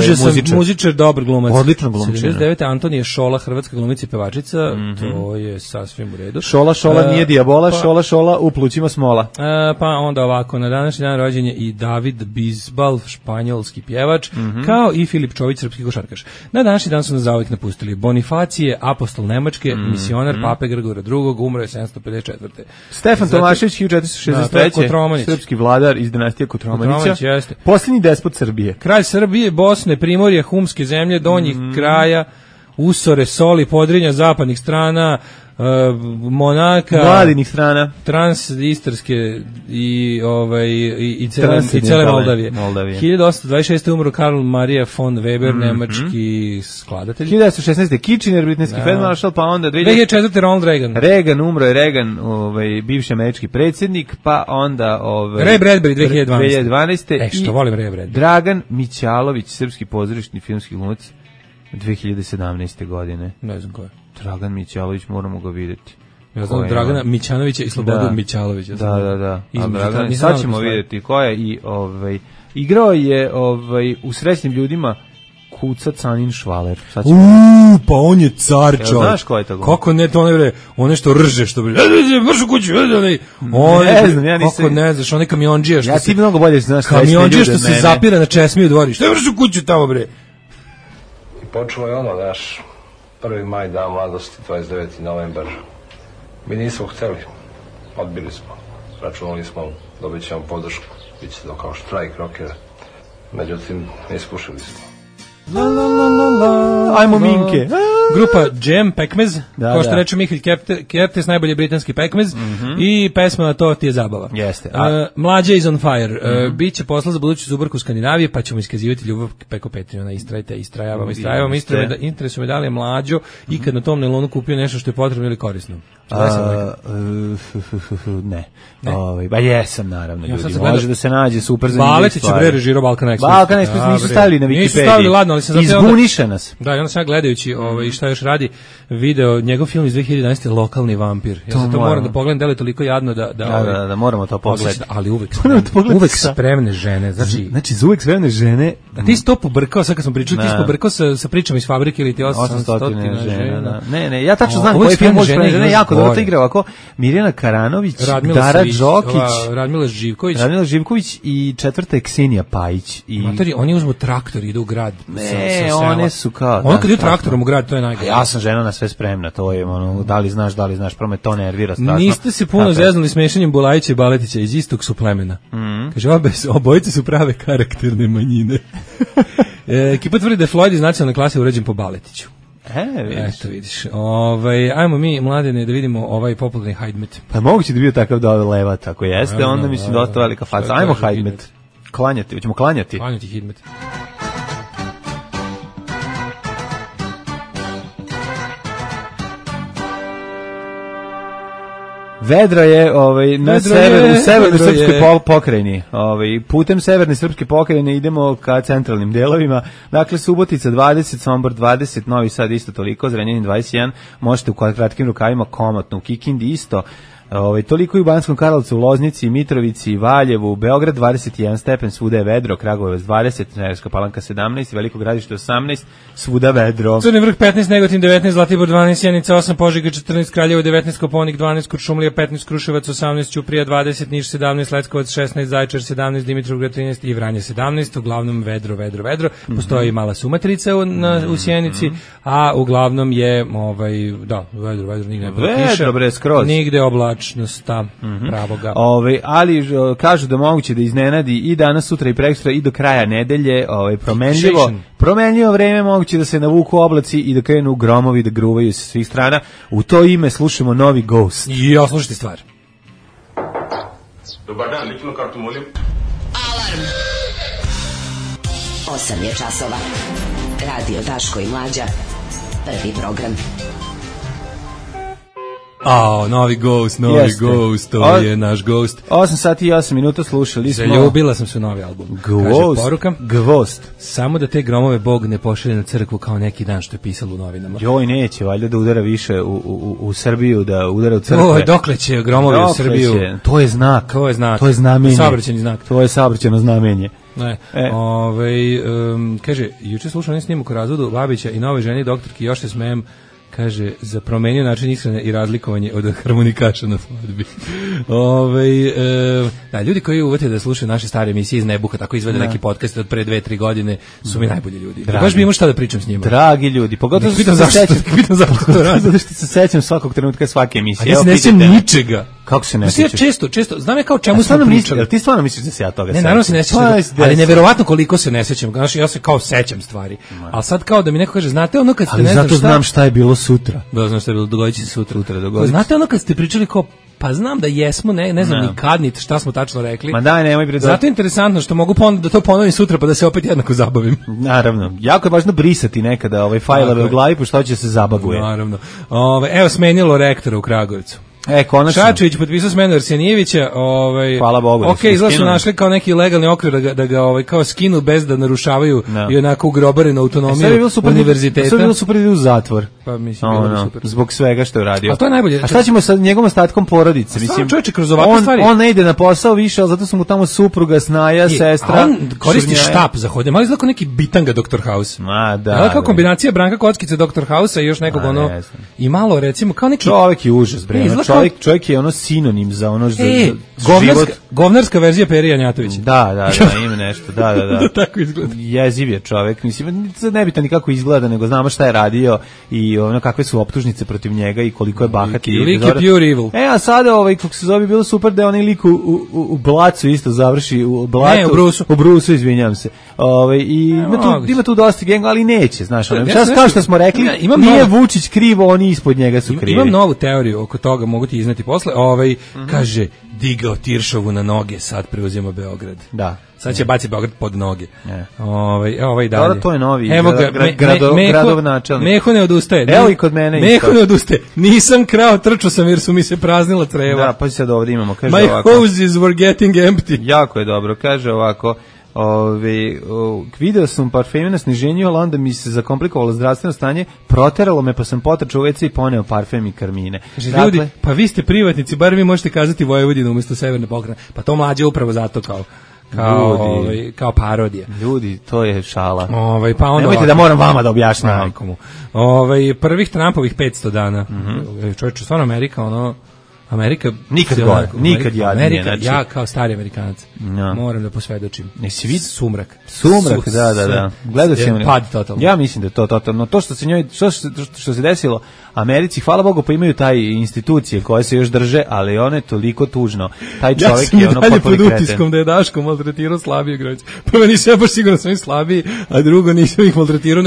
muzičar, dobar glumac. Odličan glumac. 79. Antonija Šola, hrvatska glumica i pevačica. To je sasvim u redu. Šola nije dijabola, Šola u plućima smola. Pa onda ovako, na današnji dan rođen je i David Bisbal, španjolski pjevač, kao i Filip Čović, srpski košarkaš. Na današnji dan su nas zauvijek napustili Bonifacije, apostol Nemačke, misionar Pape Grgora II, umro je 754. Stefan Tomašević, 1463. Srpski vladar iz dinastije Kotromanića. Posljednji despot Srbije. Kralj Srbije, Bosne, Primorje, Humske zemlje, donjih kraja, Usore, Soli, Podrinja, zapadnih strana, Monaka, Vladinih strana, Transistarske i cele Moldavije. 1826. umro Karl Maria von Weber, nemački skladatelj. 1916. Kitchener, britanski feldmaršal, pa onda 2004. Ronald Reagan. Umro je Reagan, bivši američki predsjednik, pa onda Ray Bradbury 2012. Što volim Ray Bradbury. Dragan Mićalović, srpski pozorišni filmski glumac, 2017. godine. Ne znam ko je. Dragan Mićalović, moramo ga vidjeti. Ja znam Dragana Mićanovića i Slobodu Mićalovića. Da. Sad ćemo vidjeti ko je i igrao je u Srećnim ljudima Kuca Canin Švaler. Pa on je car, čovjek. Znaš ko je to? Kako ne, to one što rže, što bi... Vrš u kuću, ne znam, ja nisam... Kako ne znaš, onaj kamionđija što ja ti mnogo bolje znaš kamionđija što se zapira na česmi u dvori. Što je vrš u kuću tamo, bre? I počelo je naš 1. maj, dan mladosti, 29. novembar. Mi nismo hteli, odbili smo. Računali smo, dobit ćemo podršku, bit će to kao štrajk rokera. Međutim, ne iskušali smo. Ajmo Minke. Grupa Jam Pekmez, kao što reče Mihalj Kertes, najbolji britanski pekmez, i pesma na to ti je zabava. Jeste. Mlađa is on fire. Biće posla za buduću zubarku Skandinavije, pa ćemo iskazivati ljubav preko Patreona. Istrajavamo. Interesuje me da li je Mlađo i kad na tom nelonu kupio nešto što je potrebno ili korisno. Ne. Ba jesam, naravno, ljudi. Može da se nađe super zanimljiv Baletić stvari. Baletić je režirao Balkan Express. Balkan Express nisu stavili na Wikipediji. Nisu stavili, ladno, ali sam izbuniše nas. Da, i onda sam ja gledajući šta još radi, video njegov film iz 2011. Lokalni vampir. Ja sam to moram da pogledam, da li je toliko jadno da moramo to pogledati. Ali uvek spremne žene. Znači, za uvek spremne žene. A ti si to pobrkao, sad kad smo pričali, ti si pobrkao sa pričama iz Fabrike ili ti 800 žena. Ne, ja tačno znam koji film spremne žene, jako dobro igra ovako. Mirjana Karanović, Dara Đokić, Radmila Živković i četvrta je Ksenija Pajić. Materi, oni uzmu traktor i idu u grad. Ne, one su kao... Ono kad idu traktorom u grad, to je najgore. Ja sam žena na sve spremna, to je ono, da li znaš, prvo me to nervira strašno. Niste se puno zeznuli smešanjem Bulajića i Baletića, iz istog su plemena. Kaže, obojice su prave karakterne manjine. Ekipa tvrdi da je Floyd iz nacionalne klase urađen po Baletiću. Eto vidiš. Ajmo mi, Mladene, da vidimo ovaj popularni Hajdmet. Pa moguće da bio takav da levat, ako jeste, onda mislim dosta velika faca. Ajmo Hajdmet. Klanjati, hoćemo klanjati. Klanjati Hajdmet. Vedro je na severu, u severnoj srpskoj pokrajini. Putem severne srpske pokrajine idemo ka centralnim delovima. Dakle, Subotica 20, Sombor 20, Novi Sad isto toliko, Zrenjanin 21, možete u kratkim rukavima komotno, u Kikindi isto. Toliko i u Banskom Karlovcu, Loznici, Mitrovici, Valjevu, Beograd 21 stepen, svuda je vedro, Kragujevac 20, Smederevska Palanka 17, Veliko Gradište 18, svuda vedro. Crni Vrh 15, Negotin 19, Zlatibor 12, Sjenica 8, Požega 14, Kraljevo 19, Koponik 12, Kuršumlija 15, Kruševac 18, Ćuprija 20, Niš 17, Leskovac 16, Zaječar 17, Dimitrovgrad 13 i Vranje 17, uglavnom vedro. Postoji mala sumatrica u Sjenici, a uglavnom je vedro, nigde ne piše. Vedro, bre, skroz. Nigde oblačnosta pravoga. Ali kažu da moguće da iznenadi i danas, sutra i prekosutra i do kraja nedelje, promenljivo vreme, moguće da se navuku oblaci i da krenu gromovi, da gruvaju sa svih strana. U to ime slušamo novi Ghost. Ja, slušajte stvar. Dobar dan, ličnu kartu molim. Alarm. 8 je časova. Radio Daško i Mlađa. Prvi program. Novi Ghost, to je naš Ghost. 8 sati i 8 minuta slušali smo. Zaljubila sam se u novi album. Kaže poruka. Ghost. Samo da te gromove Bog ne pošalje na crkvu kao neki dan što je pisalo u novinama. Joj, neće, valjda da udara više u Srbiju, da udara u crkve. Dokle će gromovi u Srbiju? To je znak. To je znamenje. Saobraćajni znak. To je saobraćajno znamenje. Kaže, juče slušao snimak o razvodu Babića i nove ženi doktorki, još se smijem. Kaže, za promenio način ishrane i razlikovanje od harmonikaša na svadbi. Ljudi koji uvete da slušaju naše stare emisije iz Nebuha, tako izvede neki podcast od pre 2-3 godine, su mi najbolji ljudi. Baš bi imao šta da pričam s njima. Dragi ljudi, pogotovo što se sećam. Zato što se sećam svakog trenutka svake emisije. A ja se ne sećam ničega. Kako se ne sećaš? Često, znam je kao čemu smo pričali. Ti stvarno misliš da se ja toga sećam? Ne, naravno se ne sećam, ali neverovatno koliko se ne sećam. Znači, ja se kao sećam stvari. Ali sad kao da mi neko kaže, znate ono kad ste ne znam šta... Ali zato znam šta je bilo sutra. Da, znam šta je bilo, dogodit će se sutra. Znate ono kad ste pričali kao, pa znam da jesmo, ne znam ni kad, ni šta smo tačno rekli. Ma daj, nemoj bre. Zato je interesantno što mogu da to ponovim sutra pa da se opet jednako zabavim. Naravno. Jako je važno brisati nekada fajlove u glavi, pošto će se zabaguje. Naravno. Evo smenilo rektora u Kragujevcu. Konačno. Šačević potpisao smenu Arsenijevića, hvala Bogu. Izgleda su našli kao neki legalni okvir da ga kao skinu bez da narušavaju i onako ugrobarenu autonomiju univerziteta. Sve je bilo super da u zatvor. Pa mislim bilo super. Zbog svega što je uradio. A to je najbolje. A šta ćemo sa njegovom ostatkom porodice? Mislim, čovječe, kroz ovakve stvari. On ne ide na posao više, al zato su mu tamo supruga, snaja, sestra. A on koristi štap za hodanje. Malo izgleda kao neki bitanga Dr. House. Da. Kao kombinacija Branka Kockice, Dr. House i još nekog i malo recimo kao neki čovjek je užas, bre. Čovjek je sinonim za govnarska verzija Peri Janjatovića. Da, ima nešto, da. Tako izgleda. Jeziv je čovjek, mislim, nebitan ni kako izgleda, nego znamo šta je radio i kakve su optužnice protiv njega i koliko je bahat. Lik je pure evil. A sada, kako se zove, bilo super da je onaj lik u Blacu isto završi, u Brusu, izvinjam se. I ima tu dosta genga, ali neće, znaš, kao što smo rekli, nije Vučić krivo, oni ispod njega su krivi. Imam novu teoriju oko toga, mogu ti izneti posle. Kaže, digao Tiršovu na noge, sad preuzima Beograd. Da. Sad će baciti Beograd pod noge. Ovaj dalje. Dobro, to je novi gradov načelnik. Meho ne odustaje. Evo i kod mene. Meho ne odustaje. Nisam krao, trčao sam jer su mi se praznila creva. Da, pa sad ovdje imamo. Kaže My hoses were getting empty. Jako je dobro, kaže ovako. Video sam parfeme na sniženju, ali onda mi se zakomplikovalo zdravstveno stanje, proteralo me pa sam potrčao u WC i poneo parfem i karmine. Ljudi, pa vi ste privatnici, bar vi možete kazati Vojvodinu umjesto Severne Pokrajine. Pa to Mlađe upravo zato kao parodija. Ljudi, to je šala. Nemojte da moram vama da objašnjam. Prvih Trumpovih 500 dana. Čovječe, stvarno Amerika nikad jadnije. Znači, ja kao stari Amerikanac moram da posvedočim. Sumrak, da. Gledao sam pad totalno. Ja mislim da je to totalno. To što se desilo Americi, hvala Bogu, pa imaju taj institucije koje se još drže, ali one toliko tužno. Taj čovjek je dalje pod utiskom da je Daško maltretirao slabije građe. Prvo nisam ja baš siguran da sam ih slabiji, a drugo nisam ih maltretirao.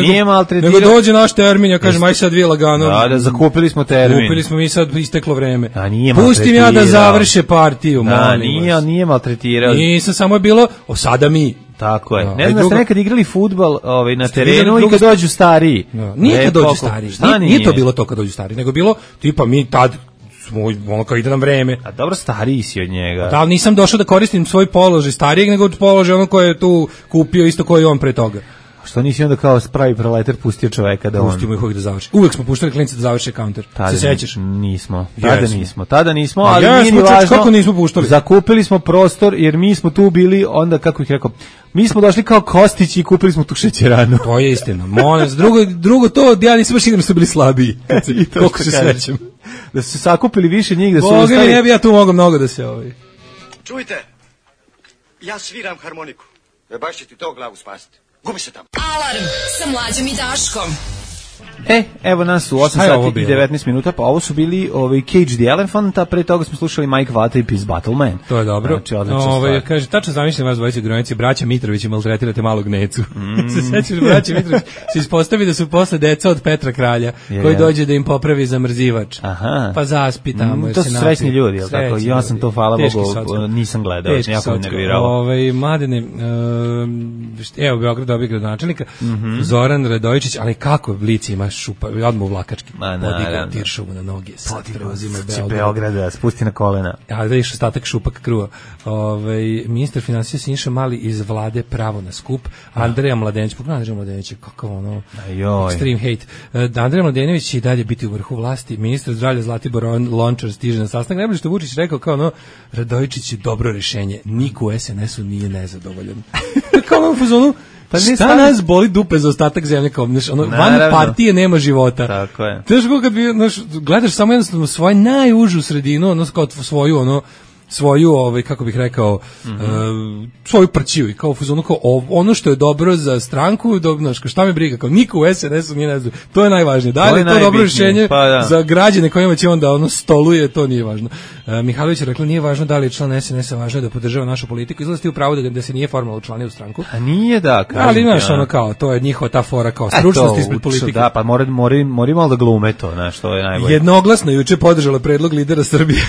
Nego dođe naš termin, ja kažem, aj sad vi lagano. Da, zakupili smo termin. Kupili smo mi sad, isteklo vreme. Pustim ja da završe partiju. Nije maltretirao. Nisam, samo je bilo, sada mi. Tako je. Ne znam da ste nekad igrali fudbal na terenu i kad dođu stariji. Nije kad dođu stariji. Nije to bilo to kad dođu stariji, nego bilo, tipa mi tad ono kao ide nam vreme. A dobro, stariji si od njega. Da, nisam došao da koristim svoj položaj starijeg, nego položaj ono koje je tu kupio isto koji on pre toga. Što nisi onda kao pravi proletar pustio čoveka da on... Pustimo ih uvijek da završi. Uvijek smo puštali klince da završe counter. Se sećaš? Nismo. Tada nismo, ali nije ni važno. Kako nismo puštali? Zakupili smo prostor jer mi smo tu bili, onda, kako ih rekao, mi smo došli kao Kostić i kupili smo tu šećeranu. To je istina. Drugo to, ja nisam baš igram što bili slabiji. Koliko se srećem. Da su se sakupili više njih, da su Boga mi, ne bi ja tu mogao mnogo da se Čujte, ja sviram harmoniku. Baš će ti to glavu spasiti. Gubi se tamo. Alarm sa Mlađom i Daškom. Evo nas u 8 sati i 19 minuta, pa ovo su bili Cage the Elephant, a pre toga smo slušali Mike Vata i Peace Battle Man. To je dobro. Znači, kaže, tačno zamišljam vas dvojice gronici, braća Mitrović i maltretirate malog Necu. Se sećaš, braća Mitrović se ispostavi da su posle deca od Petra Kralja, koji dođe da im popravi zamrzivač. Pa zaspi tamo. To su srećni ljudi, jel tako? Ja sam to, hvala Bogu, nisam gledao, jako me nervirao. Mladene, evo Beograd dobije gradonačelnika, Zoran Radojičić, ali kako Blic ima šupa, odmah u Vlakački, podigao Tiršovu na noge, sad preuzima Beograda, spusti na kolena. Ja da iš ostatak šupak kruva. Ministar finansija Siniša Mali iz vlade pravo na skup, Andreja Mladenović, pogledaj Andreja Mladenović, kakav ono, extreme hate. Andreja Mladenović će i dalje biti u vrhu vlasti, ministar zdravlja Zlatibor Lončar stiže na sastanak, najbolje što Vučić rekao kao ono, Radojičić je dobro rešenje, niko u SNS-u nije nezadovoljan. Kao ono u fazonu, pa šta nas boli dupe za ostatak zemlje, kao van partije nema života. Tako je. Znaš kako kad gledaš samo jednostavno svoju najužu sredinu, kao svoju, kako bih rekao, svoju prćiju i kao fuzonu, kao ono što je dobro za stranku, šta me briga, kao niko u SNS-u nije ne znam, to je najvažnije. Da li je to dobro rješenje za građane kojima će onda stoluje, to nije važno. Mihajlović je rekla, nije važno da li je član SNS-a, važno je da podržava našu politiku, izlazi u pravo da se nije formalno učlanio u stranku. A nije da, kažem. Ali znaš, kao, to je njihova ta fora, kao stručnost ispred politike. Da, pa mori malo da glume to, znaš, to je najbolje. Jednoglasno juče podržala predlog lidera Srbije.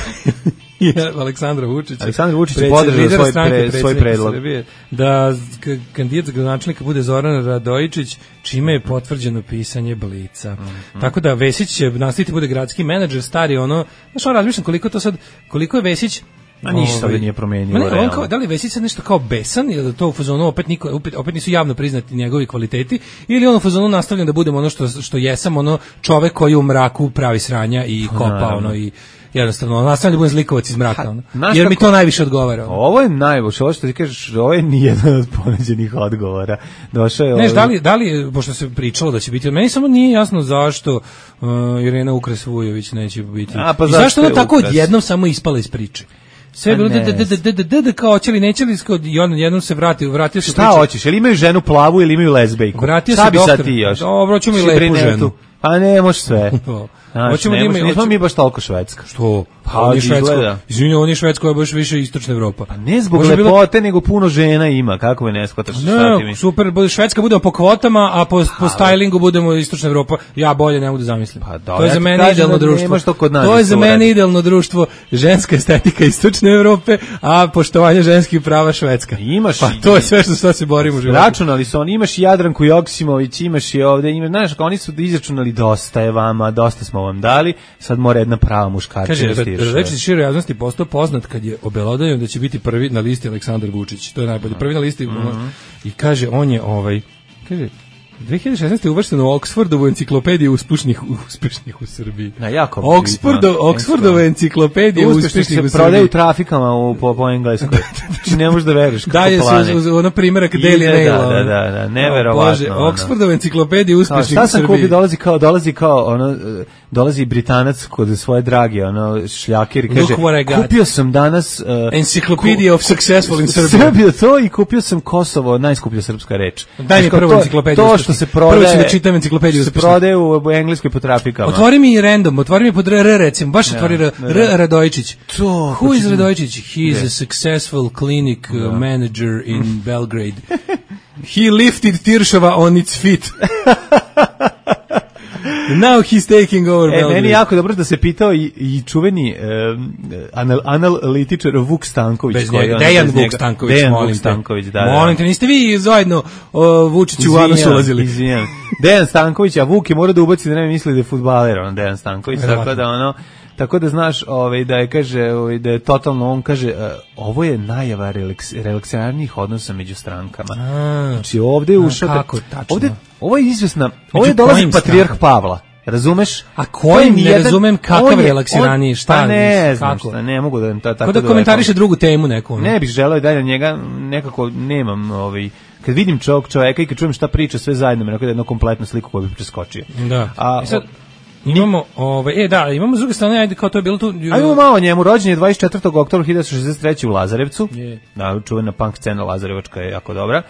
Aleksandar Vučić je podržao svoj predlog da kandidat za gradonačelnika bude Zoran Radojičić, čime je potvrđeno pisanje Blica. Tako da Vesić će nastaviti bude gradski menadžer, stari ono, znaš, razmišljam koliko je Vesić. A ništa nije promenilo. Da li Vesić sad nešto kao besan ili da to u fazonu opet nisu javno priznati njegovi kvaliteti, ili on u fazonu nastavlja da budemo ono što jesam, ono čovek koji u mraku pravi sranja i kopa ono i jednostavno nastavlja da budem zlikovac iz mraka, jer mi to najviše odgovara. Ovo je najbolje, ovo što ti kažeš, ovo je nijedan od ponuđenih odgovora. Došao je Neš, da li, pošto se pričalo da će biti, meni samo nije jasno zašto Irena Ukres Vujović neće biti. I zašto ona tako odjednom samo ispala iz priče? Sve bilo da kao hoćeli nećeli i on jednom se vratio se. Šta hoćeš? Jel imaju ženu plavu ili imaju lezbejku? Šta bi sad ti još? Dobro, ćemo i lepu ženu. Pa ne, može sve. Hoćemo da imamo, nismo mi baš toliko Švedska. Što? Pa on je Švedska. Izvinite, on je Švedska, je baš više istočna Evropa. Pa ne zbog lepote, nego puno žena ima. Kako me ne shvataš? Ne, super, Švedska budemo po kvotama, a po stylingu budemo istočna Evropa. Ja bolje ne mogu da zamislim. To je za mene idealno društvo. To je za mene idealno društvo, ženska estetika istočne Evrope, a poštovanje ženskih prava Švedska. Imaš. Pa to je sve što se borimo u životu. Računali su oni, imaš Jadranku Joksimović, imaš i ovde, imaš, znaš, oni su izračunali dosta je vama, dosta smo vam dali, sad mora jedna prava muškarčina stiže. Radojičić široj javnosti postao poznat kad je obelodanio da će biti prvi na listi Aleksandar Vučić. To je najbolje. Prvi na listi i kaže on je kaže 2016. je uvršten u Oxfordovu enciklopediju uspešnih u Srbiji. Oxfordova enciklopedija uspešnih u Srbiji. Se prodaju trafikama po engleskoj. Znači ne možeš da veruješ kako plane. Daje se ono primjerak Daily Mail. Da, neverovatno. Oxfordova enciklopedija uspešnih u Srbiji. Šta sam kupio, dolazi Britanac kod svoje drage, šljaker i kaže, kupio sam danas Encyclopedia of Successful in Serbia. Srbija to i kupio sam Kosovo, najskuplja srpska reč. Daj mi prvu enciklopediju. Što se prodaje, prvo ću da čitam enciklopediju. Se prodaje u engleskoj po trafikama. Otvori mi random, otvori mi pod R recimo, baš otvori R Radojičić. Who is Radojičić? He is a successful clinic manager in Belgrade. He lifted Tiršova on its feet. Now he's taking over Belgrade. Meni jako dobro da se pitao i čuveni analitičar Vuk Stanković. Dejan Vuk Stanković, da. Molim te, niste vi zajedno Vučiću u anus ulazili? Izvijem. Dejan Stanković, a Vuk je mora da ubaci da ne misli da je fudbaler, Dejan Stanković, tako da Tako da znaš, da je kaže, da je totalno, on kaže, ovo je najava relaksarnih odnosa među strankama. Znači ovde je ušao, kako tačno? Ovo je izvesna, ovo je dolazi patrijarh Pavla. Razumeš? A kojim ne razumem kakav relaksirani, šta? Pa ne znam šta, ne mogu da tako kako da komentariše drugu temu neku. Ne bih želeo da njega nekako nemam kad vidim čoveka i kad čujem šta priča sve zajedno, me nekako da jednu kompletnu sliku koju bih preskočio. Da. Sad imamo imamo s druge strane, ajde kao to je bilo tu. Ajmo malo njemu, rođen je 24. oktobra 1963. u Lazarevcu. Da, čuvena punk scena Lazarevačka je jako dobra.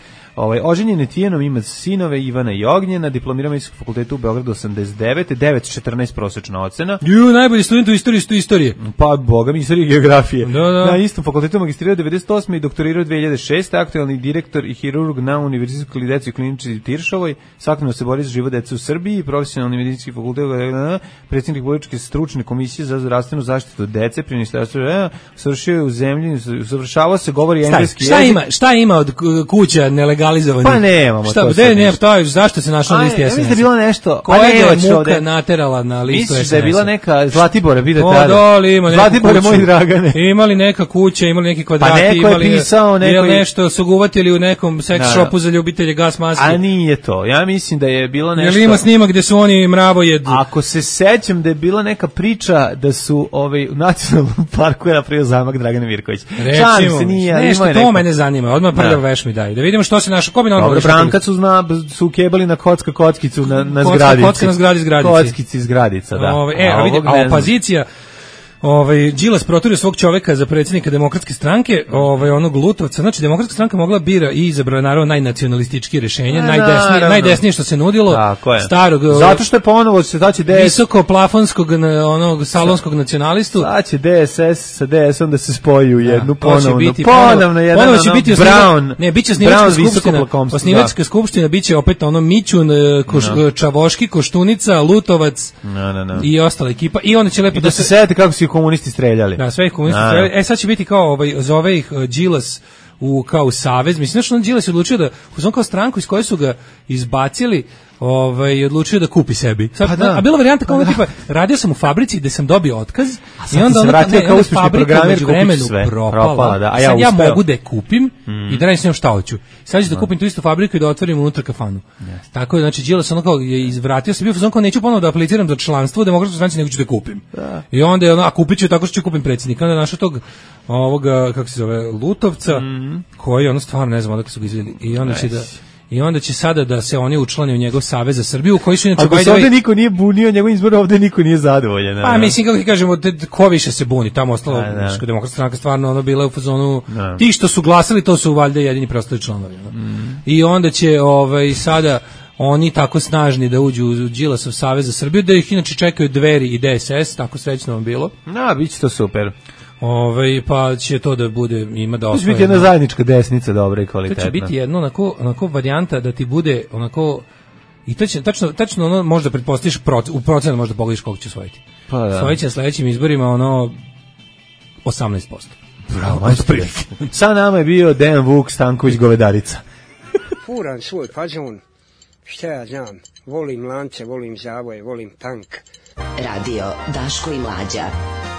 Oženjen je Tijenom, ima sinove Ivana i Ognjena, diplomirao Medicinskog fakulteta u Beogradu 89, 9,14 prosečna ocena. Najbolji student u istorije. Pa, boga mi, istorije i geografije. Da. Na istom fakultetu magistrirao 98. i doktorirao 2006. Aktualni direktor i hirurg na Univerzitetskoj deci u klinici Tiršovoj, svakodnevno se bori za život dece u Srbiji, profesionalni medicinski fakultet, predsjednik Republičke stručne komisije za zdravstvenu zaštitu dece, pri ministarstvu, savršio je u zemlji, usavršavao se, govori engleski jezik. Šta ima od kuća nelegalizovanih? Pa nemamo to. Zašto se našla na listi SNS? Mislim da je bilo nešto. Koja je muka naterala na listu SNS? Misliš da je bila neka Zlatibora, vidi tada. Zlatibora, moj Dragane. Imali neka kuća, imali neki kvadrati, pa neko je pisao, nešto su uvatili u nekom sex shopu za ljubitelje gas maske. A nije to. Ja mislim da je bilo nešto. Jel ima snimak gde su oni mravojed? Ako se sećam da je bila neka priča da su u nacionalnom parku je napravio zamak Dragana Mirković. Recimo, nešto to mene zanima. Odmah prljav veš mi daj. Da vidimo što se naša Dobro, Branka su ukebali na kockicu na zgradici. Kocka na zgradici. Kockici zgradica, da. A opozicija Đilas proturio svog čoveka za predsjednika Demokratske stranke, onog Lutovca. Znači, Demokratska stranka mogla bira i izabrala naravno najnacionalistički rješenje, najdesnije što se nudilo. Tako je. Starog, zato što je ponovo se daće DS visoko plafonskog onog salonskog nacionalistu. Daće DSS sa DS-om da se spoji u jednu ponovno jedan Brown. Ne, biće osnivačka skupština, biće opet Mićun, Čavoški, Koštunica, Lutovac i ostala ekipa. I onda će lepo da se sete kako su komunisti streljali. Da, sve ih komunisti streljali. Sad će biti kao zove ih Đilas kao savez. Mislim što on Đilas je odlučio da on kao stranku iz koje su ga izbacili, odlučio da kupi sebi. Sad, a bila varijanta kao tipa radio sam u fabrici gde sam dobio otkaz i onda kao uspešni programer kupiš sve. Propala. Da. A ja mogu da je kupim i da radim s njom šta hoću. Sad ću da kupim tu istu fabriku i da otvorim unutra kafanu. Tako je, znači Đilas kao je izvratio se, bio fazon kao neću ponovo da apliciram za članstvo u Demokratskoj stranci, nego ću da kupim. I onda je a kupit ću tako što ću kupim predsjednika. Onda našao tog kako se zove Lutovca, koji stvarno ne znam odakle su ga izveli. I onda će sada da se oni učlane u njegov savez za Srbiju, koji su inače... Ako se ovde niko nije bunio, njegov izbor ovde niko nije zadovoljan. Pa mislim, kako kažemo, ko više se buni, tamo ostalo, Demokratska stranka stvarno bila u fazonu, ti što su glasali, to su valjda jedini preostali članovi. I onda će sada oni tako snažni da uđu u Đilasov savez za Srbiju, da ih inače čekaju Dveri i DSS, tako srećno vam bilo. Bit će to super. Pa će to da bude, ima da osvoje. To će biti jedna zajednička desnica dobra i kvalitetna. To će biti jedno onako varijanta da ti bude onako, i to će tačno ono možda pretpostaviš u procenu možda pogledaš koliko će osvojiti. Pa da. Osvojit će na sledećim izborima 18%. Bravo, sa nama je bio Dejan Vuk Stanković Govedarica. Furan svoj fazon, šta ja znam, volim lance, volim zavoje, volim tank. Radio Daško i Mlađa.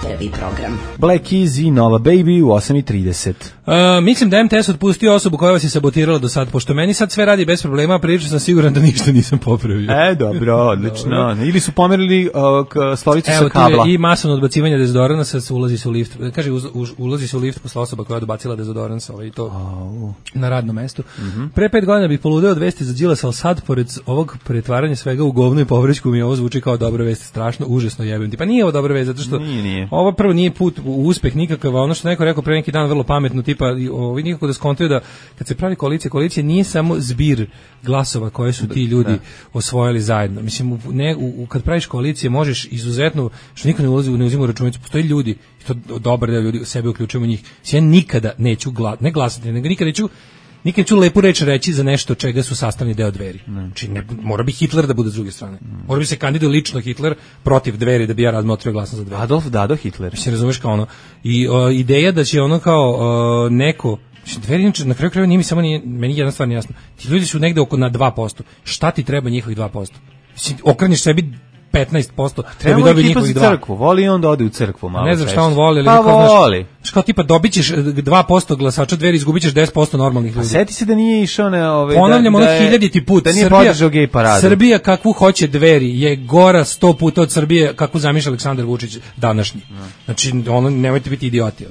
Prvi program. Black Keys i Nova Baby u 8:30. Mislim da je MTS otpustio osobu koja vas je sabotirala do sad, pošto meni sad sve radi bez problema, prilično sam siguran da ništa nisam popravio. Dobro, odlično. Ili su pomerili stolicu sa kabla. Evo, i masovno odbacivanje dezodoransa, ulazi se u lift. Kaže, ulazi se u lift posle osoba koja je odbacila dezodorans, i to na radnom mestu. Pre 5 godina bih poludeo od vesti za Đilasa, ali sad, pored ovog pretvaranja svega u govno i povrećku, mi ovo zvuči kao dobra vest, strašno, užasno jebem ti. Pa nije ovo dobra vest, zato što ovo prvo nije put u uspeh nikakav, a ono što neko rekao pre neki dan vrlo pametno, tipa ovi nikako da skontaju da kad se pravi koalicija nije samo zbir glasova koje su ti ljudi osvojili zajedno. Mislim, kad praviš koalicije možeš izuzetno, što niko ne uzima u računicu, postoji ljudi, i to dobar deo ljudi, sebe uključujemo njih. Ja nikada neću ne glasati, nego nikad neću lepu reč reći za nešto čega su sastavni deo Dveri. Znači, mora bi Hitler da bude s druge strane. Mora bi se kandiduje lično Hitler protiv Dveri da bi ja razmotrio glasno za Dveri. Adolf Dado Hitler. Mislim, razumeš kao ono. I ideja da će ono kao neko... Dveri, na kraju krajeva meni jedna stvar nije jasna. Ti ljudi su negde oko na 2%. Šta ti treba njihovih 2%? Mislim, okreneš sebi 15%, da bi dobio njihovih 2%. Crkvu. Voli on da ode u crkvu malo. Ne znam šta on voli, ali pa voli. Znaš, kao tipa dobićeš 2% glasača Dveri, izgubićeš 10% normalnih ljudi. Seti se da nije išao na ponavljam ono 1000. put. Da nije podržao gej paradu. Srbija kakvu hoće Dveri je gora 100 puta od Srbije kakvu zamišlja Aleksandar Vučić današnji. Znači, ono, nemojte biti idioti.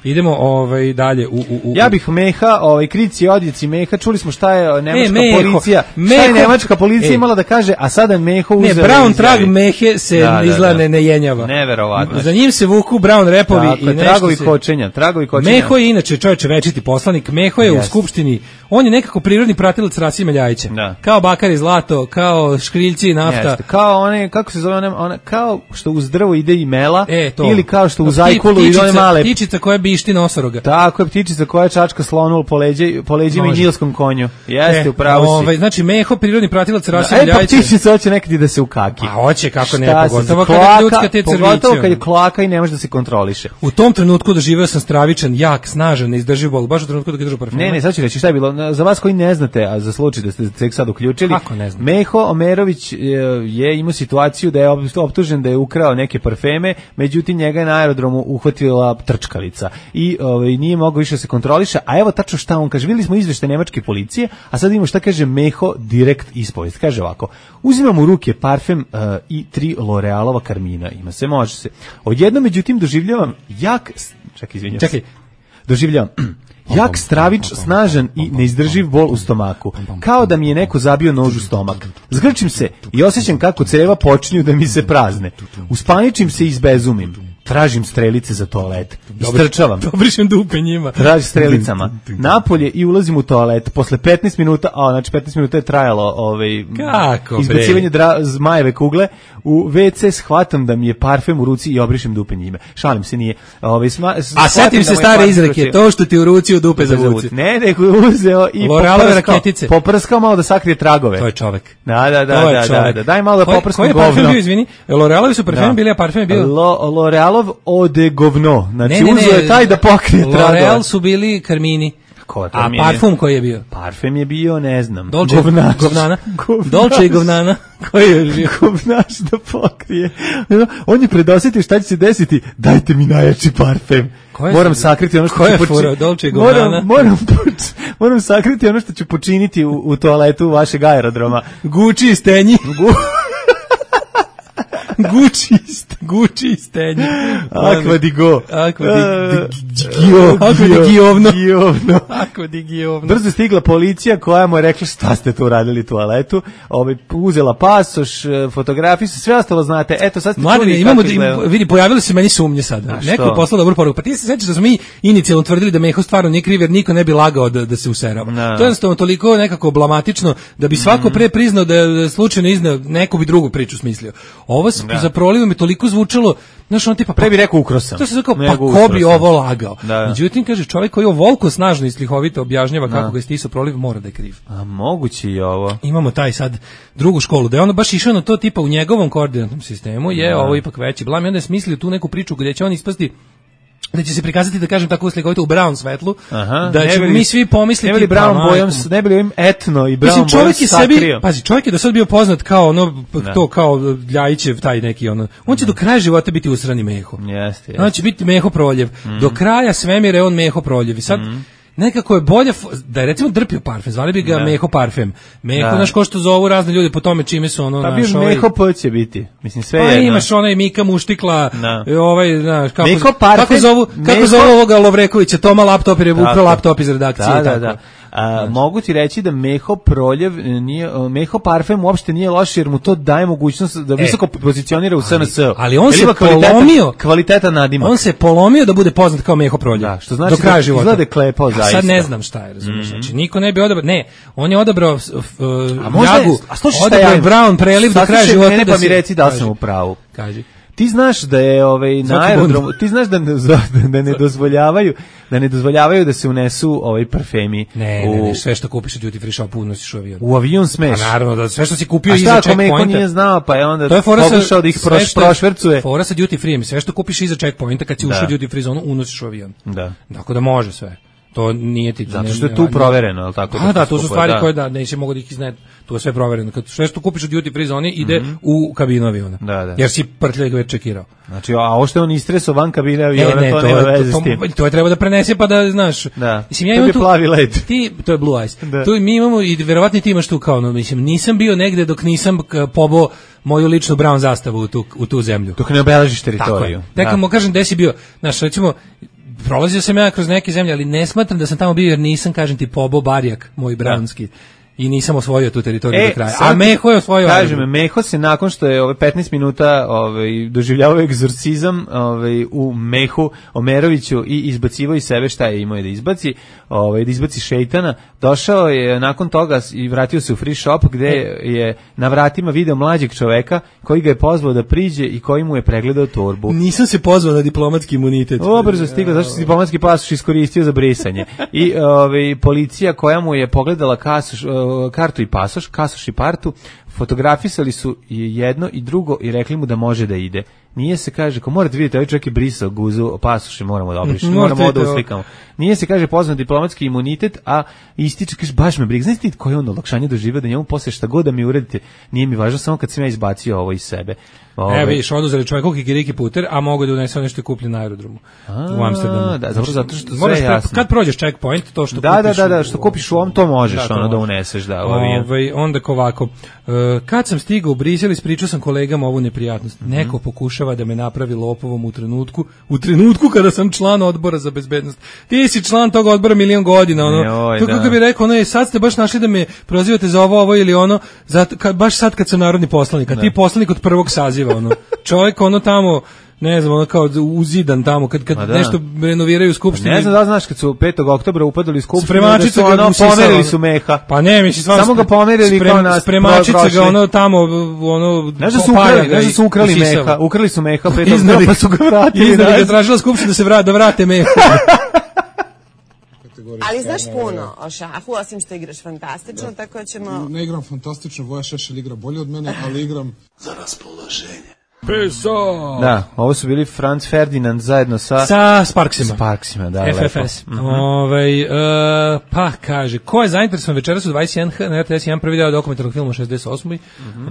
Idemo dalje Ja bih Meha, krici odjeci Meha, čuli smo šta je nemačka policija. Šta je nemačka policija imala da kaže, a sada Meho uzeo. Ne, Brown trag Mehe se izgleda ne jenjava. Neverovatno. Za njim se vuku Brown repovi i nešto tragovi kočenja. Meho je inače čovječe večiti poslanik, Meho je u skupštini, on je nekako prirodni pratilac Rasima Ljajića. Kao Bakar i Zlato, kao Škriljci i nafta. Jeste. Kao one, kako se zove one, kao što uz drvo ide i mela, ili kao što u zajkulu ide one male. Ptičica koja bišti nosoroga. Tako je, ptičica koja čačka slonu po leđima i nilskom konju. Jeste, upravo si. Znači, Meho, prirodni pratilac Rasima Ljajića. Pa ptičica hoće nekad da se ukaki. A hoće, kako ne, pogotovo kad je ljudska te crvice. Pogotovo kad je kloaka i ne može da se kontroliše. U tom trenutku doživeo sam stravičan, jak, snažan, neizdrživ bol. Baš u trenutku da ga držu parfema. Ne, sad ću reći šta je bilo. Za vas koji ne znate, a za slučaj da ste tek sad uključili, Meho Omerović je imao situaciju da je optužen da je ukrao neke parfeme, međutim njega je na aerodromu uhvatila trčkalica i nije mogao više se kontroliše, a evo tačno šta on kaže. Videli smo izveštaj nemačke policije, a sad vidimo šta kaže Meho direkt ispovest. Kaže ovako: uzimam u ruke parfem i 3 L'Orealova karmina. Ima se, može se. Odjednom, međutim, doživljavam jak stravič, snažan i neizdrživ bol u stomaku. Kao da mi je neko zabio nož u stomak. Zgrčim se i osjećam kako creva počinju da mi se prazne. Uspaničim se i izbezumim. Tražim strelice za toalet. Istrčavam. Dobrišem dupe njima. Tražim strelicama. Napolje i ulazim u toalet. Posle 15 minuta, znači 15 minuta je trajalo izbacivanje zmajeve kugle, u WC shvatam da mi je parfem u ruci i obrišem dupe njime. Šalim se, nije. A setim se stare izreke, to što ti u ruci u dupe zavuci. Ne, nego je uzeo i poprskao malo da sakrije tragove. To je čovek. Da. Daj malo da poprskam govno. Koji je parfem bio, izvini? L'Orealovi su parfemi bili, a parfem je bio? L'Orealov eau de govno. Znači, uzeo je taj da pokrije tragove. L'Oreal su bili karmini. A parfum koji je bio? Parfem je bio, ne znam. Govnana. Dolce i govnana. Koji je bio? Govnaš da pokrije. On je predosjetio šta će se desiti. Dajte mi najjači parfem. Moram sakriti ono što ću počiniti. Dolce i govnana? Moram sakriti ono što ću počiniti u toaletu vašeg aerodroma. Gucci i stenji. Gucci i stenje. Aqua di go. Aqua di Giovno. Brzo stigla policija koja mu je rekla šta ste tu radili u toaletu. Uzela pasoš, fotografiju, sve ostalo znate. Eto, sad ste čuli kako izgleda. Vidi, pojavili se meni sumnje sada. Neko je poslao dobru poruku. Pa ti se sećaš da smo mi inicijalno tvrdili da Meho stvarno nije kriv jer niko ne bi lagao da se userava. To je jednostavno toliko nekako blamatično da bi svako pre priznao da je slučajno izneo, neko bi drugu priču smislio. Ovo za prolivom je toliko zvučalo, znaš, on tipa pre bi rekao ukrosam. To se rekao, pa ko bi ovo lagao? Međutim, kaže, čovjek koji ovo volko snažno i slihovito objašnjava kako ga je stisao proliv, mora da je kriv. A moguće je ovo. Imamo taj sad drugu školu, da je ono baš išao na to tipa u njegovom koordinatnom sistemu, je ovo ipak veći blam i onda je smislio tu neku priču gdje će on ispasti da će se prikazati, da kažem tako slikovito, u brown svetlu, da ćemo mi svi pomisliti... Ne bili brown bojom, ne bili ovim etno i brown bojom sakrio. Pazi, čovjek je do sad bio poznat kao ono, to kao Ljajićev, taj neki ono, on će do kraja života biti usrani Meho. Jeste. On će biti Meho Proljev. Do kraja svemira je on Meho Proljev. I sad, nekako je bolje da je recimo drpio parfem, zvali bi ga Meho parfem. Meho, znaš ko što zovu razne ljude po tome čime su ono naš ovaj... Meho P će biti, mislim sve jedno. Pa imaš onaj Mika Muštikla, ovaj, znaš, kako zovu ovoga Lovrekovića, Toma laptop jer je ukrao laptop iz redakcije. Da. Mogu ti reći da Meho Proljev nije, Meho parfem uopšte nije loš jer mu to daje mogućnost da visoko pozicionira u SNS. Ali on se polomio, kvaliteta nadimak. On se polomio da bude poznat kao Meho Proljev. Da, što znači da izgleda klepao zaista. Sad ne znam šta je, razumiješ, znači niko ne bi odabrao, ne, on je odabrao Jagu, odabrao Brown preliv do kraja života. Pa mi reci da sam u pravu. Kaži. Ti znaš da je na aerodromu, ti znaš da ne dozvoljavaju da se unesu parfemi. Ne, sve što kupiš u duty free shopu unosiš u avion. U avion smeš. A naravno, da sve što si kupio iza checkpointa. A šta ako Meko nije znao, pa je onda pokušao da ih prošvercuje. Fora sa duty free, sve što kupiš iza checkpointa kad si ušao u duty free zonu unosiš u avion. Da. Tako da može sve. To nije ti. Zato što je tu provereno, je li tako? Da, to su stvari koje da neće mogu da ih izneti. To je sve provereno. Kad sve što kupiš u duty free zoni ide u kabinu aviona. Da. Jer si prtljaj ga već čekirao. Znači, a ovo što je on istresao van kabine aviona, to nema veze s tim. To je treba da prenese pa da, znaš. Da. Mislim, ja imam tu plavi led. To je blue ice. Tu mi imamo i verovatno ti imaš tu kao, mislim, nisam bio negde dok nisam pobao moju ličnu brown zastavu u tu zemlju. Dok ne obeležiš teritoriju. Tako mu kažem gde si bio. Znaš, recimo, prolazio sam ja kroz neke zemlje, ali ne smatram da sam tamo bio jer nisam, kažem ti, pobao barjak moj brownski. I nisam osvojio tu teritoriju do kraja. A Meho je osvojio. Kažem, Meho se nakon što je 15 minuta doživljavao egzorcizam u Mehu Omeroviću i izbacivao iz sebe šta je imao da izbaci, da izbaci šejtana, došao je nakon toga i vratio se u free shop gde je na vratima video mlađeg čoveka koji ga je pozvao da priđe i koji mu je pregledao torbu. Nisam se pozvao na diplomatski imunitet. Brzo stigla, zašto si diplomatski pasoš iskoristio za brisanje. I policija koja mu je pogledala kartu i pasoš, kasoš i partu, fotografisali su jedno i drugo i rekli mu da može da ide. Nije se, kaže, ko morate vidjeti, ovaj čovjek je brisao guzu, pasoše moramo da obrišemo, moramo da uslikamo. Nije se, kaže, pozvan diplomatski imunitet, a ističe, kaže, baš me briga. Znaš ti koje je on olakšanje doživio da njemu posle šta god da mi uradite, nije mi važno, samo kad sam ja izbacio ovo iz sebe. Vidiš, oduzeli čovjeku kikiriki puter, a mogu da unese nešto kupljen na aerodromu u Amsterdamu. Da, zato što sve je jasno. Kad prođeš checkpoint, to što kupiš... Da, što kupiš u ovom, to možeš da uneseš, da. Onda ovako, kad sam stigao u Brisel, ispričao sam kolegama ovu neprijatnost. Neko pokušava da me napravi lopovom u trenutku kada sam član odbora za bezbednost. Ti si član tog odbora milion godina, to kako bi rekao, sad ste baš našli da me prozivate za ovo ili ono, baš sad kad sam narodni poslanik, a ti poslanik od prvog saziva, čovjek tamo, ne znam, kao uzidan tamo, kad nešto renoviraju u skupštini. Ne znam da znaš, kad su 5. oktobra upadali u skupštinu, spremačica ga pomerili su Meha. Pa ne, mislim, samo ga pomerili kao nas. Spremačica ga tamo, ne da su ukrali Meha, ukrali su Meha 5. oktobra, pa su ga vratili. Iznad ga tražila skupština da vrate Meha. Ali znaš puno o šahu, osim što igraš fantastično, tako da ćemo... Ne igram fantastično, Voja Šešelj igra bolje od mene, ali igram za raspoloženje. Peso! Da, ovo su bili Franz Ferdinand zajedno sa Sparksima. Sparksima, da, FFS. Pa kaže, ko je zainteresovan večeras u 21H na RTS 1 prvi deo dokumentarnog filma 68.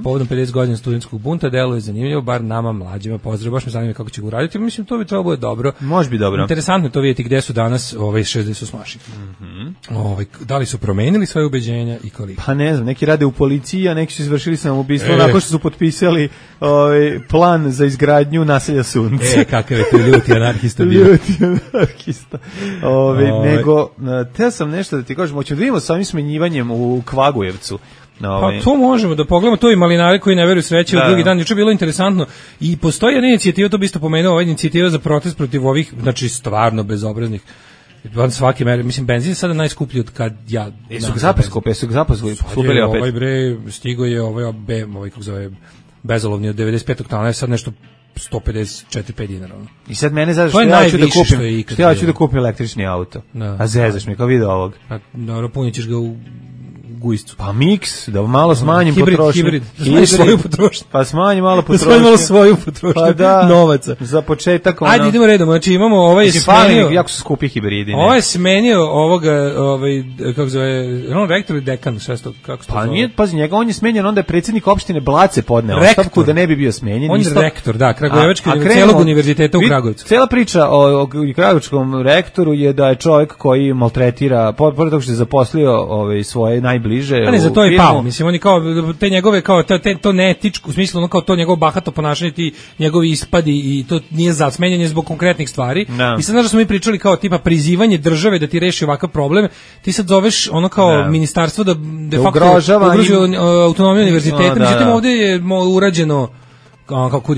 Povodom 50 godina studentskog bunta, delo je zanimljivo, bar nama mlađima. Pozdrav, baš me zanima kako će ga uraditi. Mislim, to bi trebalo bude dobro. Može bi dobro. Interesantno je to vidjeti gde su danas 68-maši. Da li su promenili svoje ubeđenja i koliko? Pa ne znam, neki rade u policiji, a neki su izvršili samoubistvo nakon što su potpisali plan za izgradnju naselja Sunce. Kakav je to ljuti anarhista bio. Ljuti anarhista. Nego, teo sam nešto da ti kažem, hoćemo da vidimo sa ovim smenjivanjem u Kvagujevcu. Pa to možemo da pogledamo, to i malinari koji ne veruju sreće u drugi dan. Juče bilo interesantno i postoji jedna inicijativa, to bi isto pomenuo, ova inicijativa za protest protiv ovih, znači stvarno bezobraznih. Svaki mer, mislim, benzin je sada najskuplji od kad ja... Su ga zapaskupili, skupili opet. Ovaj bre, stigo je ovaj kako zove, bezolovni od 95. tona, je sad nešto 154-5 dinara. I sad mene znaš što ja ću da kupim električni auto. A zezaš mi kao video ovog. Dobro, punit ćeš ga u gujscu. Pa miks, da malo smanjim potrošnju. Hibrid, da svoju potrošnju. Pa smanji malo potrošnju. Da smanji malo svoju potrošnju, pa da, novaca. Za početak Ajde, idemo redom, znači imamo ovaj smenio... Jako su skupi hibridi. Ovaj smenio ovoga, kako zove, on rektor ili dekan, sve što, kako se to zove? Pa nije, pazi, njega on je smenjen, onda je predsjednik opštine Blace podneo ostavku da ne bi bio smenjen. On je rektor, da, Kragujevački celog univerziteta u Kragujevcu. Cela priča o Kragujevačkom rektoru je da je čovjek koji maltretira, pored toga što je zaposlio svoje najbliže. A ne, za to je pao, mislim, oni kao, te njegove, kao, to neetičko, u smislu, ono kao to njegovo bahato ponašanje, ti njegovi ispadi i to nije za smenjanje zbog konkretnih stvari. No. I sad, znaš da smo mi pričali kao tipa prizivanje države da ti reši ovakav problem, ti sad zoveš ono kao ministarstvo da de facto ugrožuje autonomiju univerziteta, međutim ovdje je urađeno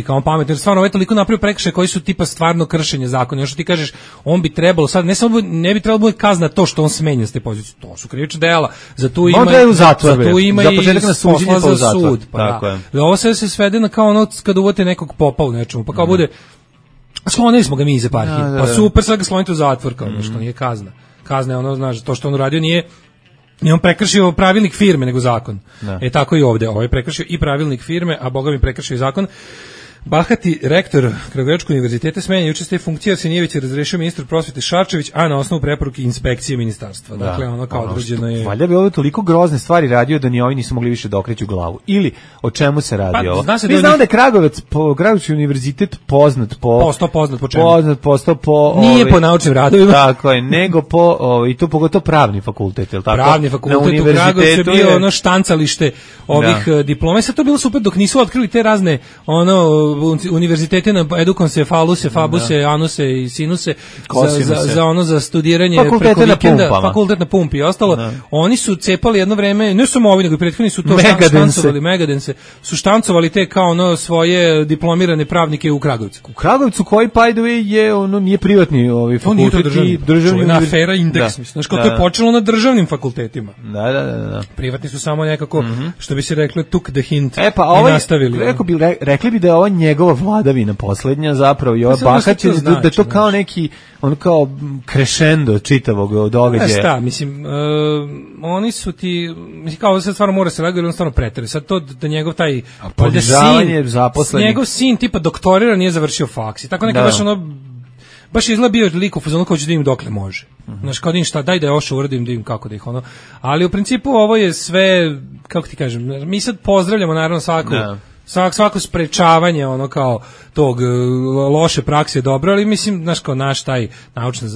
kao pametno, jer stvarno ovaj toliko napravio prekršaje koji su tipa stvarno kršenje zakona. Još što ti kažeš, on bi trebalo sad, ne bi trebalo bude kazna to što on smenja s te pozicije. To su krivična dela. Za tu ima i posla za sud. Pa da. Ovo sve se svede na kao ono kada uvode nekog popa u nečemu, pa kao bude sklonili smo ga mi iz eparhije. Pa super, sad ga slonite u zatvor, kao što nije kazna. Kazna je ono, znaš, to što on uradio nije on prekršio pravilnik firme nego zakon. Tako i ovdje. Ovaj prekršio i pravilnik firme, a boga mi prekršio i zakon. Bahati rektor Kragujevačkog univerziteta smenjen juče s te funkcije, Arsenijević je razrešio ministar prosvete Šarčević, a na osnovu preporuke inspekcije ministarstva. Dakle, ono kao određeno je... Valjda bi ovo toliko grozne stvari radio da ni ovi nisu mogli više da okreću glavu. Ili, o čemu se radi ovo? Mi znamo da je Kragujevački univerzitet poznat po... Postao poznat po čemu? Postao po... Nije po naučnim radovima. Tako je, nego po... I tu pogotovo pravni fakultet, je li tako? Pravni fakultet u Kragujevcu je bio ono štancalište ovih diploma. I sad to bilo super dok nisu otkrili te razne univerzitete na edukonse, faluse, fabuse, anuse i sinuse za studiranje preko vikenda, fakultet na pumpi i ostalo. Oni su cepali jedno vreme, ne samo ovi, nego i prethodni su to štancovali, Megadense, su štancovali te kao svoje diplomirane pravnike u Kragujevcu. U Kragujevcu koji, by the way, je, nije privatni fakultet, državni univerzitet. Afera Indeks, mislim. Znaš, kao to je počelo na državnim fakultetima. Da. Privatni su samo nekako, što bi se rekli, took the hint i nastavili. Rekli bi da je ovo njegova vladavina poslednja zapravo i ova Bahać, da to kao neki ono kao crescendo čitavog događaja. Šta, mislim, oni su ti, mislim, kao sad stvarno mora se reagirati, on stvarno pretere. Sad to da njegov taj ponižavanje zaposlenih. Njegov sin tipa doktorira, nije završio faks i tako neka baš izgleda bio lik u fazonu kao ću da im dokle može. Znaš, kao da im šta, daj da još uradim, da im kako da ih ono. Ali u principu ovo je sve, kako ti kažem, mi sad pozdravljamo naravno svako sprečavanje ono kao tog loše prakse je dobro, ali mislim, znaš, kao naš taj naučna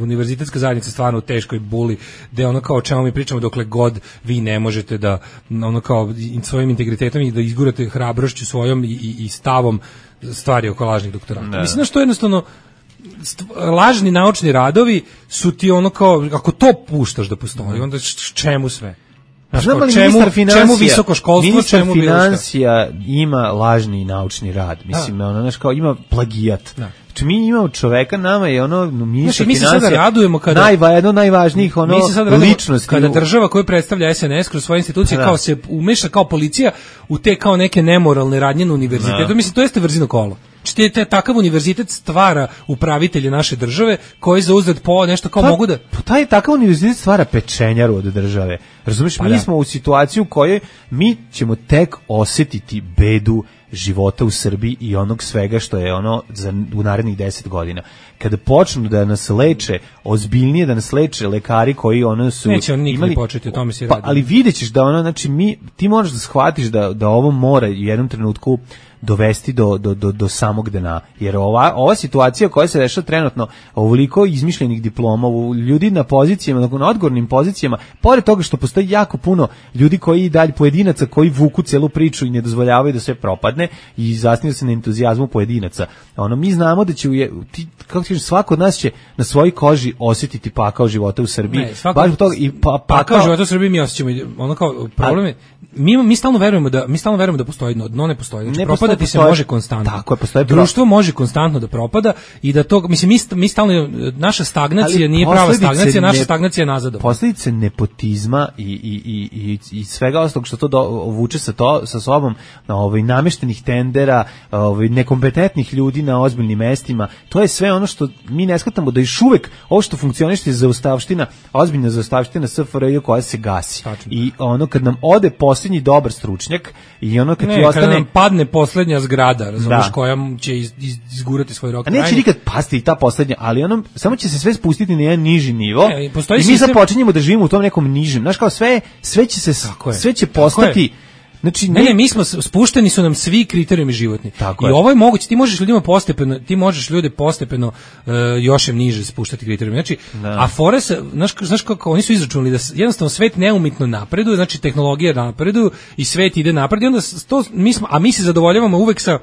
univerzitetska zajednica stvarno u teškoj buli, gde ono kao o čemu mi pričamo dokle god vi ne možete da ono kao svojim integritetom i da izgurate hrabrošću svojom i stavom stvari oko lažnih doktorata. Mislim, znaš, to jednostavno lažni naučni radovi su ti ono kao, ako to puštaš da postoji, onda čemu sve? Znam li čemu visoko školstvo, ministar financija ima lažni naučni rad, mislim, ono, znaš, kao ima plagijat. Znači, mi imamo čoveka, nama je ono ministar financija, mi se sada radujemo kada jedno najvažnijih ličnosti. Kada država koju predstavlja SNS kroz svoje institucije kao se umeša kao policija u te kao neke nemoralne radnje na univerzitetu, mislim, to jeste vrzino kolo. Takav univerzitet stvara upravitelje naše države koji za uzred po nešto kao mogu da... Takav univerzitet stvara pečenjaru od države. Razumiješ, mi smo u situaciji u kojoj mi ćemo tek osjetiti bedu života u Srbiji i onog svega što je ono u narednih 10 godina. Kada počnu da nas leče, ozbiljnije da nas leče lekari koji ono su... Neće on nikad početi, o tome se radi. Ali vidjet ćeš da ono, znači ti možeš da shvatiš da ovo mora u jednom trenutku dovesti do samog dna. Jer ova situacija koja se dešava trenutno, ovoliko izmišljenih diploma, ljudi na pozicijama, na odgovornim pozicijama, pored toga što postoji jako puno ljudi koji i dalje pojedinaca koji vuku celu priču i ne dozvoljavaju da sve propadne i zasnivaju se na entuzijazmu pojedinaca. Mi znamo da će svako od nas će na svojoj koži osjetiti pakao života u Srbiji. Baš zbog toga i pakao života u Srbiji mi osjećamo. Ono kao problem je mi stalno verujemo da postoji dno, ne postoji. Znači, propadati se može konstantno. Tako je, postoji društvo može konstantno da propada i da to, mislim, mi stalno, naša stagnacija nije prava stagnacija, naša stagnacija je nazadovanja. Posljedice nepotizma i svega ostalog što to vuče sa sobom, nameštenih tendera, nekompetentnih ljudi na ozbiljnim mestima, to je sve ono što mi ne shvatamo da još uvek ovo što funkcioniše zaostavština, ozbiljna zaostavština SFRJ koja se gasi. Tačno. I ono kad nam ode posljednji dobar stručnjak i ono kad ti ostane... Kada nam padne posljednja zgrada, razumiješ, koja će izgurati svoj rok. A neće nikad pasti i ta posljednja, ali samo će se sve spustiti na jedan niži nivo i mi sad počinjemo da živimo u tom nekom nižem. Znaš, kao sve će postati... Znači, mi smo spušteni su nam svi kriterijumi životni. I ovo je moguće, ti možeš ljude postepeno još niže spuštati kriterijumi. Znači, a fore se, znaš kako oni su izračunali da jednostavno svet neumitno napreduje, znači tehnologija napreduje i svet ide napred i onda mi se zadovoljavamo uvek sa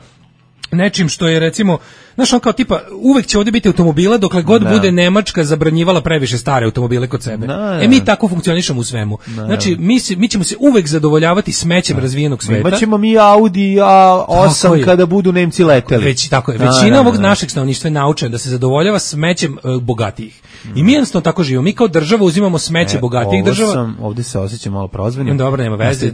nečim što je, recimo, znaš, on kao tipa, uvek će ovdje biti automobila dokle god bude Nemačka zabranjivala previše stare automobile kod sebe. Mi tako funkcionišemo u svemu. Znači, mi ćemo se uvek zadovoljavati smećem razvijenog sveta. Imaćemo mi Audi A8 kada budu Nemci leteli. Tako je. Većina ovog našeg stanovništva je naučena da se zadovoljava smećem bogatijih. I mi jednostavno tako živimo. Mi kao država uzimamo smeće bogatijih država. Ovdje se osjećam malo prozvanim. Dobro, nema veze.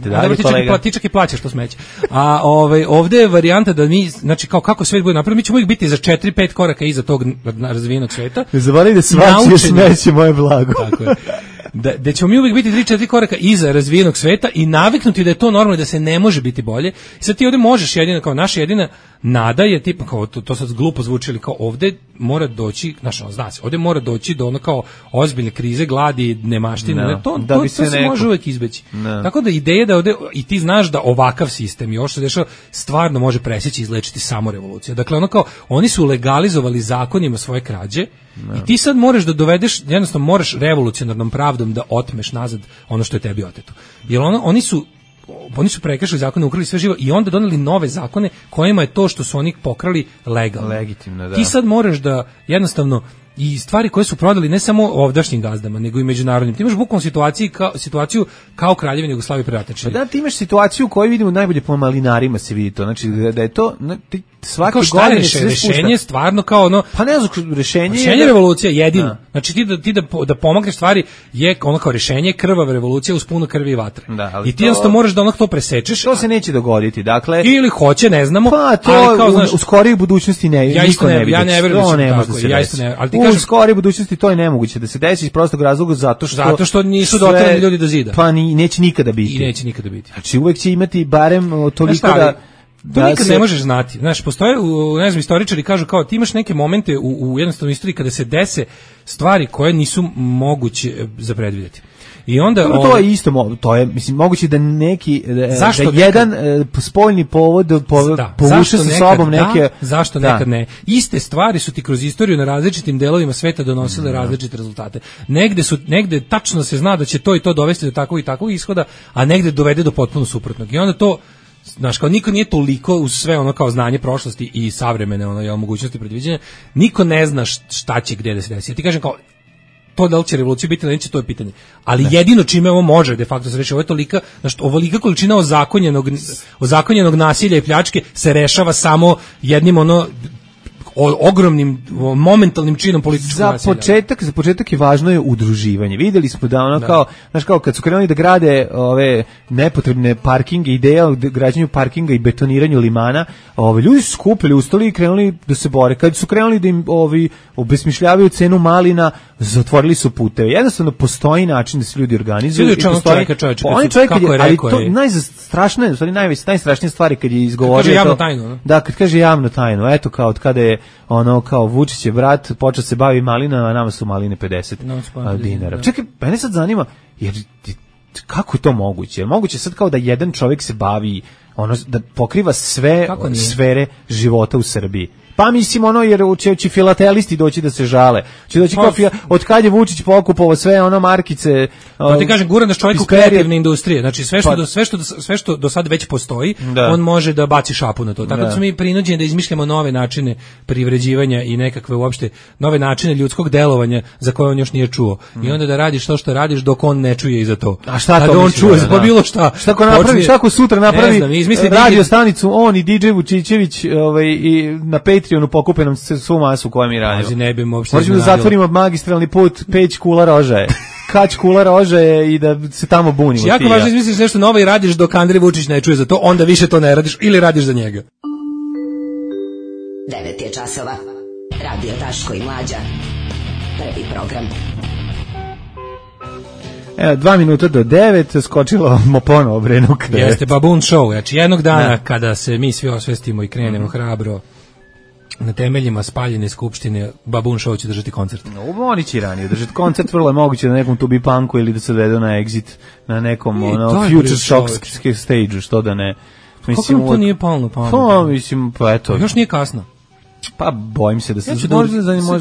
Ti čak i plaćaš to smeće. A ovdje je varijanta da mi, znači, kao kako svet bude napravljen, mi ćemo uvijek biti za 4-5 koraka iza tog razvijenog sveta. Ne zaboravite da svačije smeće moje blago. Tako je. da ćemo mi uvijek biti 3-4 koraka iza razvijenog sveta i naviknuti da je to normalno, da se ne može biti bolje. I sad ti ovde možeš jedina, kao naša jedina nada je tipa kao to sad glupo zvuči, ali kao ovde mora doći, zna se, ovde mora doći do ono kao ozbiljne krize, gladi, nemaštine, to se može uvijek izbeći. Tako da ideja da ovde, i ti znaš da ovakav sistem i ovo što se dešava stvarno može presjeći i izlečiti samo revolucija. Dakle, ono kao, oni su legalizovali zakonima svoje krađe i ti sad moraš da dovedeš, jednostavno moraš revolucionarnom pravdom da otmeš nazad ono što je tebi oteto. Jer oni su prekršili zakone, ukrali sve živo i onda doneli nove zakone kojima je to što su oni pokrali legalno. Legitimno, da. Ti sad moraš da jednostavno i stvari koje su prodali ne samo ovdašnjim gazdama, nego i međunarodnim. Ti imaš bukvalno situaciju kao Kraljevina Jugoslavije pre rata. Pa da, ti imaš situaciju koju vidimo najbolje po malinarima se vidi to. Znači da je to svake godine rešenje stvarno kao ono, pa ne znam, rešenje revolucija jedino. Znači ti da pomogneš stvari je ono kao rešenje krvava revolucija uz puno krvi i vatre. I ti jednostavno moraš da ono to presečeš. To se neće dogoditi. Dakle, ili hoće, ne znamo, pa to ali kao znaš, u skorijoj budućnosti niko ne vidi. Ja ne verujem da se tako. U skorijoj budućnosti to je nemoguće da se desi iz prostog razloga zato što nisu doterani ljudi do zida. Pa neće nikada biti. I neće nikada biti. Znači uvek će imati barem toliko to nikad ne možeš znati. Znaš, postoje, ne znam, istoričari kažu kao ti imaš neke momente u jednostavnoj istoriji kada se dese stvari koje nisu moguće za predvidjeti. I onda to je isto, to je mislim moguće da neki jedan spoljni povod povuče sa sobom neke zašto nekad ne. Iste stvari su ti kroz istoriju na različitim delovima sveta donosile različite rezultate. Negde tačno se zna da će to i to dovesti do takvog i takvog ishoda, a negde dovede do potpuno suprotnog. I onda to, znaš, kao niko nije toliko uz sve ono kao znanje prošlosti i savremene ono mogućnosti predviđanja, niko ne zna šta će gde da se desi. Ja ti kažem kao to da li će revolucija biti ili neće, to je pitanje. Ali jedino čime ovo može de facto se reši, ovo je tolika, znači ovolika količina ozakonjenog nasilja i pljačke se rešava samo jednim ogromnim momentalnim činom političkog nasilja. Za početak je važno je udruživanje. Videli smo da ono kao, znaš, kao kad su krenuli da grade ove nepotrebne parkinge, ideja o građenju parkinga i betoniranju limana, ljudi su skupili ustali i krenuli da se bore. Kad su krenuli da im obesmišljavaju cenu malina, zatvorili su puteve. Jednostavno postoji način da se ljudi organizuju. Najstrašnije stvari kad je izgovorio javnu tajnu. Da, kad kaže javnu tajnu. Eto kao od kada je ono kao Vučićev brat počeo se bavi malinama, a nama su maline 50 dinara. Čekaj, mene sad zanima, jer kako je to moguće? Moguće sad kao da jedan čovjek se bavi, da pokriva sve sfere života u Srbiji. Pa mislim jer će filatelisti doći da se žale. Će doći od kad je Vučić pokupovao sve markice. Pa ti kažem, gura naš čovjek u kreativne industrije. Znači sve što do sad već postoji, on može da baci šapu na to. Tako da smo mi prinuđeni da izmišljamo nove načine privređivanja i nekakve uopšte nove načine ljudskog delovanja za koje on još nije čuo. I onda da radiš to što radiš dok on ne čuje i za to. A šta to on čuje za bilo šta? Šta ko napravi? Šta ko sutra napravi radio stanicu on i DJ Vučićević i na Patreonu pokupe nam svu masu koju mi radimo. Možemo da zatvorimo magistralni put Peć Kula Rožaje. Kać Kula Rožaje i da se tamo bunimo. Jako važno izmisliš nešto novo i radiš dok Andrej Vučić ne čuje za to, onda više to ne radiš ili radiš za njega. 9 je časova. Radio Daško i Mlađa. Prvi program. 2 minuta do 9, skočilo mo ponovo Brenu krevet. Jeste Babun Show, znači jednog dana kada se mi svi osvestimo i krenemo hrabro na temeljima spaljene skupštine, Babun Show će držati koncert. Oni će ranije držati koncert, vrlo je moguće na nekom Tubi Punku ili da se odvedu na Exit, na nekom Future Shock stage, što da ne. Kako nam to nije palo na pamet? Pa, mislim, pa eto. Još nije kasno. Pa bojim se da se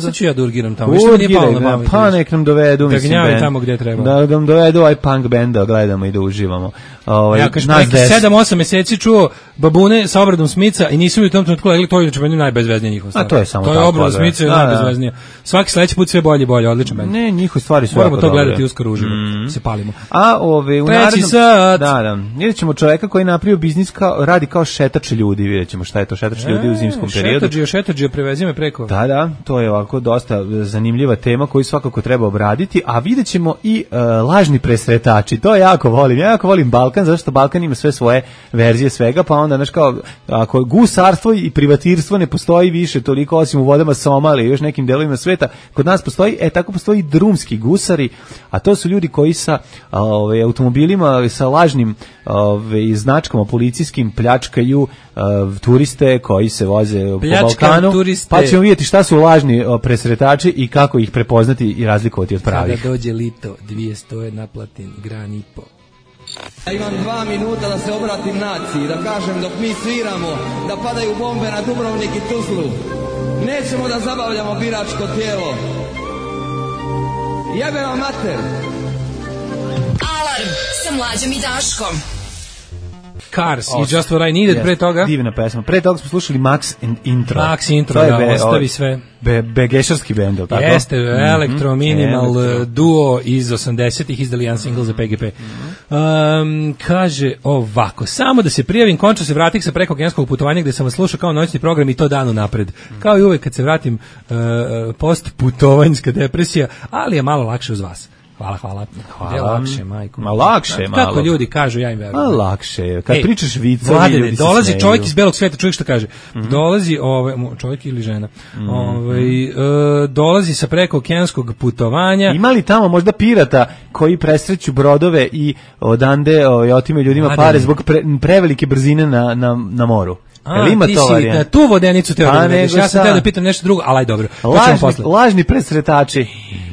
sad ću ja da urgiram tamo. Što mi nije palo na pamet? Pa nek nam dovedu, da gnjavi tamo gde treba. Da nam dovedu punk band da gledamo i da uživamo. Ja kažem, 7-8 meseci čuo babune sa obradom Smica i nisu mi u tom trenutku legli, to je meni najbezveznije njihova stvar. A to je samo tako. To je obrada Smica je najbezveznija. Svaki sledeći put sve bolje, odličan band. Ne, njihove stvari su moramo to gledati uskoro uživo. Se palimo. A u narednom sat. Da. Vidjet ćemo čoveka koji je napravio biznis radi kao šetač ljudi, vidjet ćemo šta je to šetač ljudi u zimskom periodu. Džortađe, prevezi me preko. Da, to je ovako dosta zanimljiva tema koju svakako treba obraditi, a vidjet ćemo i lažni presretači, to jako volim. Ja jako volim Balkan, zašto Balkan ima sve svoje verzije svega, pa onda, znaš, kao, ako gusarstvo i privatirstvo ne postoji više toliko, osim u vodama Somalije i još nekim delovima sveta, kod nas postoji, tako postoji drumski gusari, a to su ljudi koji sa automobilima, sa lažnim značkama policijskim pljačkaju turiste koji se voze po Balkanu, pa ćemo vidjeti šta su lažni presretači i kako ih prepoznati i razlikovati od pravih. Kada dođe lito, 200 naplatim, gran i po. Ja imam 2 minuta da se obratim naciji, da kažem dok mi sviramo, da padaju bombe na Dubrovnik i Tuzlu. Nećemo da zabavljamo biračko tijelo. Jebe vam mater! Alarm sa Mlađom i Daškom. Cars i Just What I Needed, pre toga. Divna pesma. Pre toga smo slušali Max and Intro. Max Intro, da, ostavi sve. Begešarski bend, tako? Jeste, elektro minimal duo iz 80-ih, izdali jedan single za PGP. Kaže ovako, samo da se prijavim, končno se vratih sa prekookeanskog putovanja gde sam vas slušao kao noćni program i to danu napred. Kao i uvek kad se vratim, post putovanjska depresija, ali je malo lakše uz vas. Hvala. Je lakše, majko. Ma lakše, malo. Kako ljudi kažu, ja im verujem. Ma lakše, kad pričaš viceve, Mladene, ljudi se dolazi smeju. čovjek iz belog sveta, čovjek što kaže. Dolazi, čovjek ili žena, dolazi sa prekookeanskog putovanja. Ima li tamo možda pirata koji presreću brodove i odande otimaju ljudima pare zbog prevelike brzine na moru? Ima ti to si na tu vodenicu te odvedeš. Ja sam teo da pitam nešto drugo, ali aj dobro. Lažni presretači.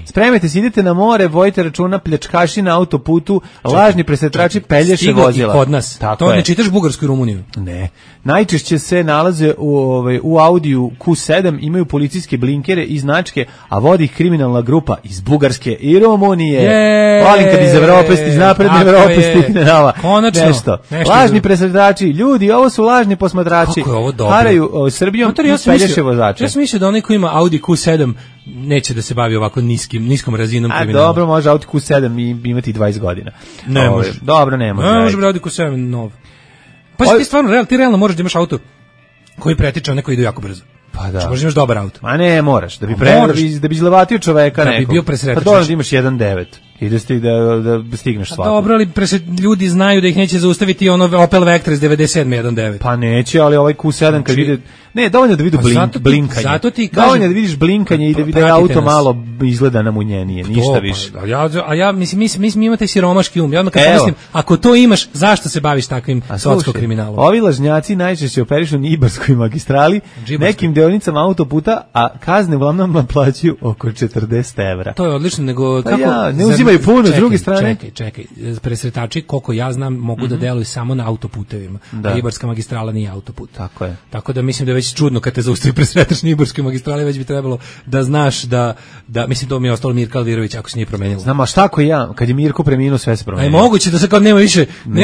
Spremite se, idete na more, vojite računa, pljačkaši na autoputu, lažni presretači pelješe vozila. I kod nas. To ne čitaš Bugarsku i Rumuniju? Ne. Najčešće se nalaze u Audiju Q7, imaju policijske blinkere i značke, a vodi ih kriminalna grupa iz Bugarske i Rumunije. Volim kad iz Evrope, iz napredne Evrope stigne nama. Konačno. Nešto. Lažni presretači. Ljudi, ovo su lažni posmatrači. Kako je ovo dobro? Haraju Srbijom i pelješe vozače. Ja sam mislio da onaj ko ima Audi Q7 neće da se bavi ovako niskom razinom kriminala. A dobro, može Audi Q7 imati 20 godina. Ne može. Dobro, ne može. Ne može Audi Q7 nov. Pa ti stvarno, ti realno možeš da imaš auto koji pretiče, neko ide jako brzo. Pa da. Možeš da imaš dobar auto. Ma ne, moraš. Da bi izlevatio čoveka nekog. Da bi bio presretač. Pa dobro da imaš 1.9. I da stigneš svako. Dobro, ali ljudi znaju da ih neće zaustaviti ono Opel Vectra iz 97 1.9. Pa neće, ali ovaj Q7 kad vide... Ne, dovoljno da vidu blinkanje. Zato ti kažem... Dovoljno da vidiš blinkanje i da auto malo izgleda namunjenije, ništa više. A ja mislim, mi imate siromaški um. Ja odmah kad pomislim, ako to imaš, zašto se baviš takvim socko-kriminalom? Ovi lažnjaci najčešće operišu na Ibarskoj magistrali, nekim deonicama autoputa, a kazne uglavnom naplaćuju oko 40 evra. To je odlično, nego kako... Ne uzimaju puno, s druge strane. Čekaj, presretači, koliko ja znam, mogu da deluju samo na autoputevima. Ibarska magistrala nije autoput. Tako je. Tako da mislim da je već čudno kad te zaustavi presretač na Ibarskoj magistrali, već bi trebalo da znaš da mislim to mi je ostalo Mirka Alvirović ako se nije promenilo. Znam, a šta ako ja, kad je Mirko preminuo, sve se promenilo. Aj moguće da se kao nema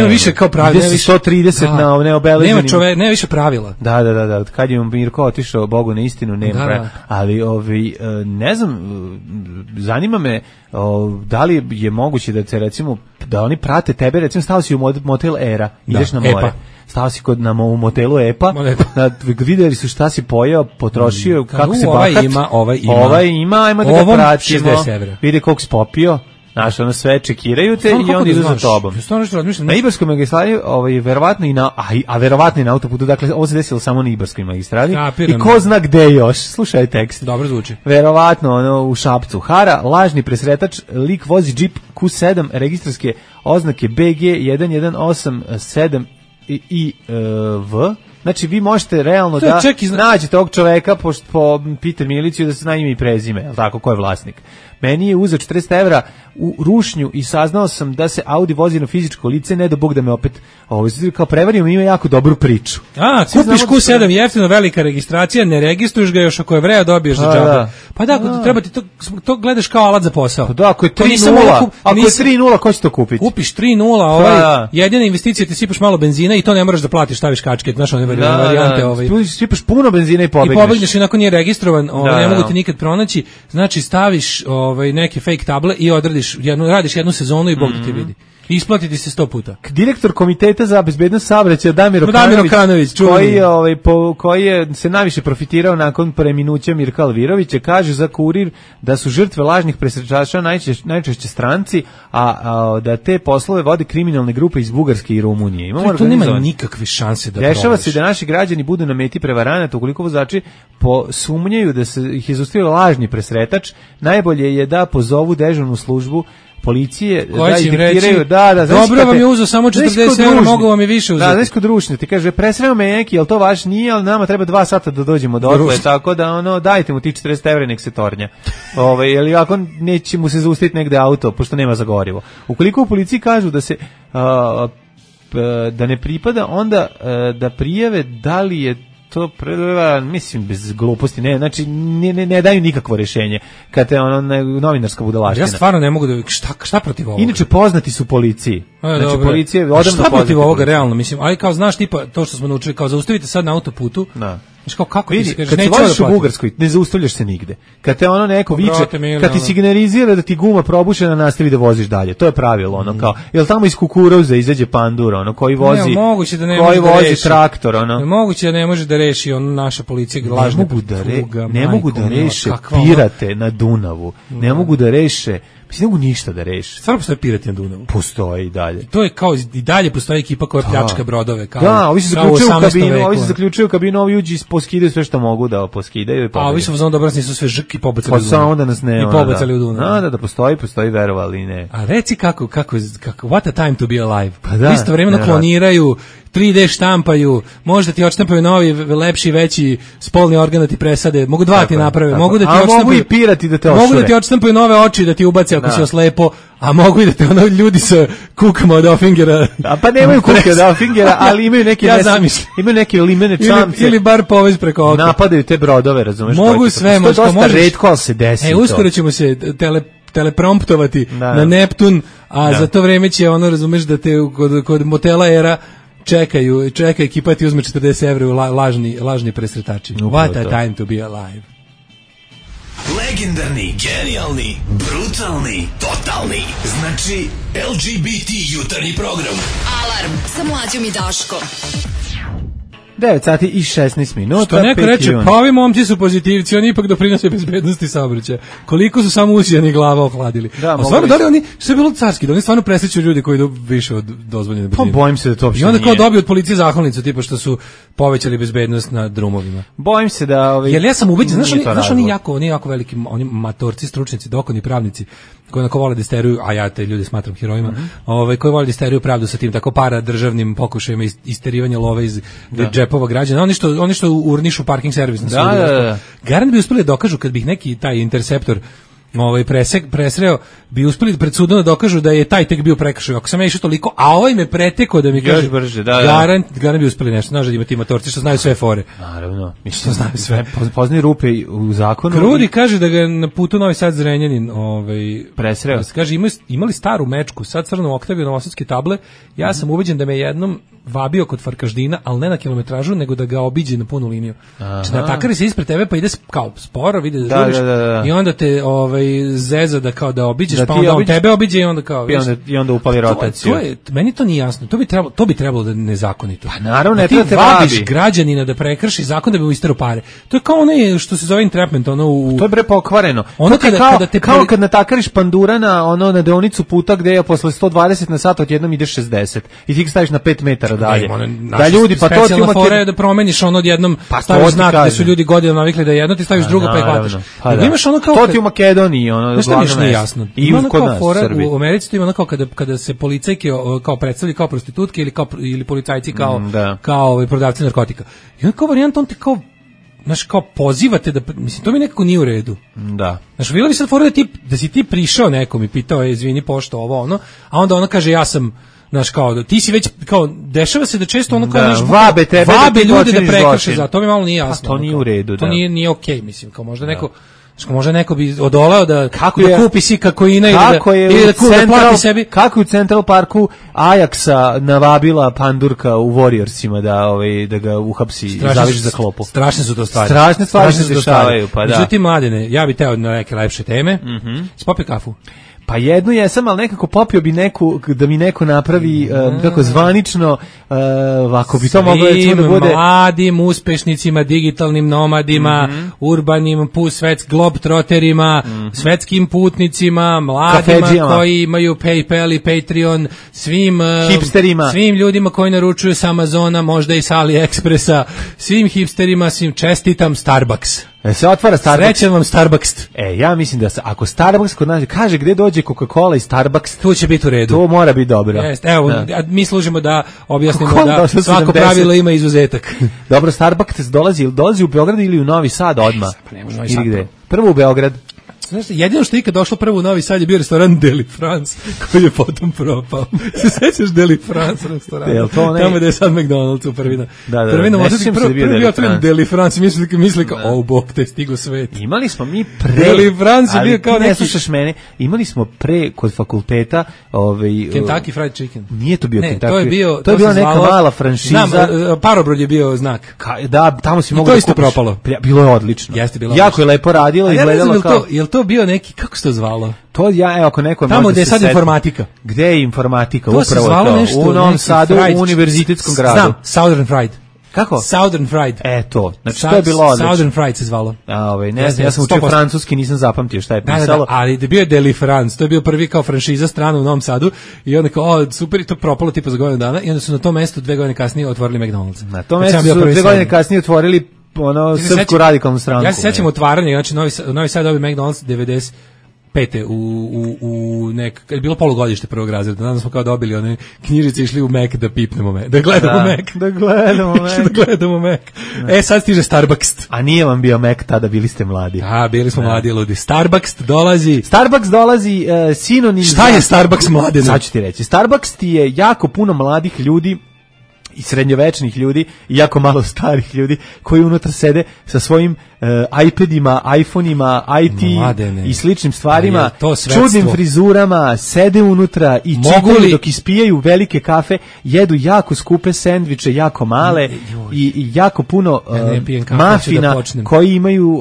više kao pravila, nema više 130 na neobeleženim. Nema više pravila. Da, kad je Mirko otišao Bogu na istinu, nema. Ali ne znam, zanima me da li je moguće da se recimo da oni prate tebe, recimo stao si u motel Era, ideš na more. Stao si u motelu EPA, vidjeli su šta si pojeo, potrošio, kako se bahat. Ovaj ima, ajmo da ga pratimo. Vide koliko si popio. Znaš, ono sve čekiraju te i oni idu za tobom. Na Ibarskoj magistrali, verovatno i na autoputu, dakle, ovo se desilo samo na Ibarskoj magistrali. I ko zna gde još, slušaj tekst. Dobro zvuči. Verovatno, u Šapcu. Hara, lažni presretač, lik vozi džip Q7, registarske oznake BG 1187 IV. Znači, vi možete realno da nađete ovog čoveka po Peter Miliciju da se zna ime i prezime, jel tako, ko je vlasnik. Meni je uzeo 40 evra u rušnju i saznao sam da se Audi vozi na fizičko lice, ne do Bog da me opet kao prevario, ima jako dobru priču. Kupiš Q7, jeftino, velika registracija, ne registruješ ga još, ako je vreja dobiješ za džabe. Pa da, treba ti to gledaš kao alat za posao. Pa da, ako je 3.0, ako je 3.0, ko će to kupiti? Kupiš 3.0, jedina investicija ti sipaš malo benzina i to ne moraš da platiš, staviš kačke, znaš one varijante. Sipaš puno benzina i pobegneš. I pobegneš, inako nije registrovan, ne mogu ti nikad pronaći, znači staviš neke fake table i radiš jednu sezonu i Bog da te vidi. Isplatiti se 100 puta. Direktor komiteta za bezbednost saobraćaja Damir Okanović, koji se najviše profitirao nakon preminuća Mirka Alvirovića, kaže za Kurir da su žrtve lažnih presrečača najčešće stranci, a da te poslove vode kriminalne grupe iz Bugarske i Rumunije. To nema nikakve šanse da prođeš. Dešava se da naši građani budu na meti prevaranata ukoliko vozači sumnjaju da se ih je zaustavio lažni presretač. Najbolje je da pozovu dežurnu službu policije, da diktiraju, dobro vam je uzeo samo 40 evra, mogu vam je više uzeti. Da, nešto drušne, ti kaže, presreo me neki, jel to vaš nije, ali nama treba 2 sata da dođemo do otle, tako da, dajte mu ti 40 evra, nek se tornja. Jer ako neće mu se zaustaviti negde auto, pošto nema za gorivo. Ukoliko u policiji kažu da se, da ne pripada, onda da prijave da li je to mislim bez gluposti, znači ne daju nikakvo rješenje kad te novinarska budalaština. Ja stvarno ne mogu da šta protiv ovoga. Inače poznati su policiji. Znači policija odavno poznata. Šta protiv ovoga realno, mislim, ali kao znaš tipa to što smo naučili, kao zaustavite sad na autoputu. Da. Znači kao kako ti kažeš, kad se voziš u Bugarskoj, ne zaustavljaš se nigde. Kad te neko viče, kad ti signalizira da ti guma probušena, nastavi da voziš dalje. To je pravilo, kao, jel tamo iz kukuruza izađe pandur, koji vozi, koji vozi traktor, Moguće da ne može da reši naša policija lažne. Ne mogu da reše pirate na Dunavu. Ne mogu da reše, ne mogu ništa da reši. Stvarno postoje pirati na Dunavu? Postoji i dalje. To je kao i dalje postoji ekipa koja pljačka brodove. Da, ovi se zaključuju u kabinu, ovi uđi poskidaju sve što mogu da poskidaju. A ovi su dobro nisu sve žrki pobacali u Dunavu. Pa onda nas ne. I pobacali u Dunavu. Da, postoji verovali ne. A reci kako, what a time to be alive. Istovremeno kloniraju, 3D štampaju, možda ti odštampaju novi, lepši, veći spolni organ da ti presade, mogu 2 ti naprave, mogu da ti odštampaju i pirati da te ošure. Mogu da ti odštampaju nove oči da ti ubace ako si oslepo, a mogu i da te ljudi sa kukama od Offingera. Pa nemaju kuke od Offingera, ali imaju neke imaju neke limene čamce. Ili bar povez preko oka. Napadaju te brodove, razumeš? Mogu sve, možda dosta retko ali se desi. Uskoro ćemo se telepromptovati na Neptun, a za to vreme će razumeš da te kod motela Era čeka ekipa ti uzme 40 evra u lažni presretači. What a time to be alive. Legendarni, genijalni, brutalni, totalni. Znači, LGBT jutarnji program. Alarm sa Mlađom i Daškom. 9 sati i 16 minuta. Što neko reče, pa ovi momci su pozitivci, oni ipak doprinose bezbednosti saobraćaja. Koliko su samo usijani glava ohladili. A stvarno, da li oni, što je bilo carski, da oni stvarno presreću ljudi koji idu više od dozvoljene brzine. Pa bojim se da to uopšte nije. I onda kao dobiju od policije zahvalnicu, tipa što su povećali bezbednost na drumovima. Bojim se da... Jer ja sam ubeđen, znaš oni jako veliki, oni matorci, stručnici, dokoni pravnici, koji onako vole da isteruju, a ja te ljude smatram herojima, koji vole da isteruju pravdu sa tim tako para-državnim pokušajima isterivanja love iz džepova građana. Oni što urnišu parking servis na sudu. Garant bi uspeli da dokažu kad bi neki taj interceptor presreo, bi uspeli pred sudom da dokažu da je taj tek bio prekršaj. Ako sam ja išao toliko, a ovaj me pretekao da mi kaže, garant bi uspeli nešto. Znaš da ima ti matorci što znaju sve fore. Naravno, što znaju sve. Poznaju rupe u zakonu. Krudi kaže da ga na putu Novi Sad Zrenjanin presreo. Kaže, imali staru mečku, sad crnu Oktaviju novosadske table, ja sam ubeđen da me jednom vabio kod Farkaždina, ali ne na kilometražu, nego da ga obiđe na punu liniju. Znači, natakari se ispred tebe, pa ide kao sporo, vidi da žuriš, i onda te zeza da kao da obiđeš, pa onda on tebe obiđe i onda kao... I onda upali rotaciju. Meni to nije jasno, to bi trebalo da nezakonito. Pa naravno, ti vabiš građanina da prekrši zakon da bi mu isterao pare. To je kao ono što se zove entrapment, To je bre pokvareno. Kao kad natakariš pandura na deonicu puta gde je posle 120 na sat odjednom ide 60 i ti staviš na 5 metara dalje. Da ljudi, pa to ti ima fora je da promeniš odjednom, staviš znak da su ljudi godinama navikli da jedno, ti staviš drugo pa ih hvataš. Imaš ono kao to ti u Makedoniji, što nije jasno. I kod nas u Srbiji. U Americi to ima ono kao kada se policajke kao predstavljaju kao prostitutke ili policajci kao prodavci narkotika. I onda kao varijanta on ti kao kao pozivate da, mislim, to mi nekako nije u redu. Da. Znaš, bilo bi sad fora da si ti prišao nekom i pitao, izvini pošto ovo, a onda ono kaže ja sam, znaš, kao, ti si već, kao, dešava se da često ono kao vabe ljude da prekrše, za to mi malo nije jasno. Pa to nije u redu, to nije okej, mislim, kao možda neko bi odoleo da kupi si kakoina ili da plati sebi. Kako je u Central Parku Ajaxa navabila pandurka u Warriorsima da ga uhapsi i zaveže za klopu. Strašne su to stvari. Strašne stvari se dešavaju, pa da. Međutim, Mladene, ja bih teo na neke lepše teme. Spopi kafu. Pa jednu jesam, ali nekako popio bi neku, da mi neko napravi kako zvanično, ako bi to moglo da bude... mladim uspešnicima, digitalnim nomadima, urbanim, globetrotterima, svetskim putnicima, mladima kafeđijama, koji imaju PayPal i Patreon, svim hipsterima, svim ljudima koji naručuju sa Amazona, možda i sa AliExpressa, svim hipsterima, svim čestitam Starbucks. Se otvara Starbucks. Srećan vam Starbucks. Ja mislim da ako Starbucks kod nas kaže gde dođe Coca-Cola i Starbucks, tu će biti u redu. To mora biti dobro. Evo, mi služimo da objasnimo da svako pravilo ima izuzetak. Dobro, Starbucks dolazi u Beograd ili u Novi Sad odmah? Pa ne može Novi Sad. Prvo u Beograd. Znaš, jedino što je ikad došlo prvo u Novi Sad je bio restoran Deli France, koji je potom propao. Se sećaš Deli France restorana? Tamo gde je sad McDonald's u prvina. Prvina, prvi otvoren Deli France, misli kao, bog, te stigo svet. Imali smo mi Deli France je bio kao neki... Ne slušaš mene, imali smo kod fakulteta... Kentucky Fried Chicken. Nije to bio Kentucky. To je bila neka mala franšiza. Znam, Parobrod je bio znak. Da, tamo si mogu da kupiš. I to isto propalo. Bilo je odlično. Jako je lepo radilo i gledalo kao... Jel to bio neki, kako se to zvalo? To ako neko tamo gde je sad informatika. Gde je informatika? To se zvalo nešto u Novom Sadu, u univerzitetskom gradu. Znam, Southern Fried. Kako? Southern Fried. To. Znači to je bilo odlično. Southern Fried se zvalo. Ne znam, ja sam učio francuski, nisam zapamtio šta je pisalo. Da, ali da bio je Deli France, to je bio prvi kao franšiza strana u Novom Sadu i onda kao, super, i to propalo tipa za godinu dana i onda su na tom mestu 2 godine kasnije otvorili McDonald's. Na tom mestu su 2 godine kasnije otvorili Srpsku radikalnu stranku. Ja se sećam otvaranja, znači Novi Sad dobio McDonald's 95. u kad je bilo polugodište prvog razreda, danas smo kao dobili one knjižice, išli u Mac da pipnemo Mac, da gledamo Mac. Sad stiže Starbucks. A nije vam bio Mac tada, bili ste mladi. Bili smo mladi ljudi. Starbucks dolazi sinonim. Šta je Starbucks mladine? Sad ću ti reći. Starbucks ti je jako puno mladih ljudi i srednjovečnih ljudi i jako malo starih ljudi koji unutra sede sa svojim iPadima, iPhoneima, IT i sličnim stvarima, čudnim frizurama, sede unutra i čitaju dok ispijaju velike kafe, jedu jako skupe sendviče, jako male i jako puno mafina koji imaju,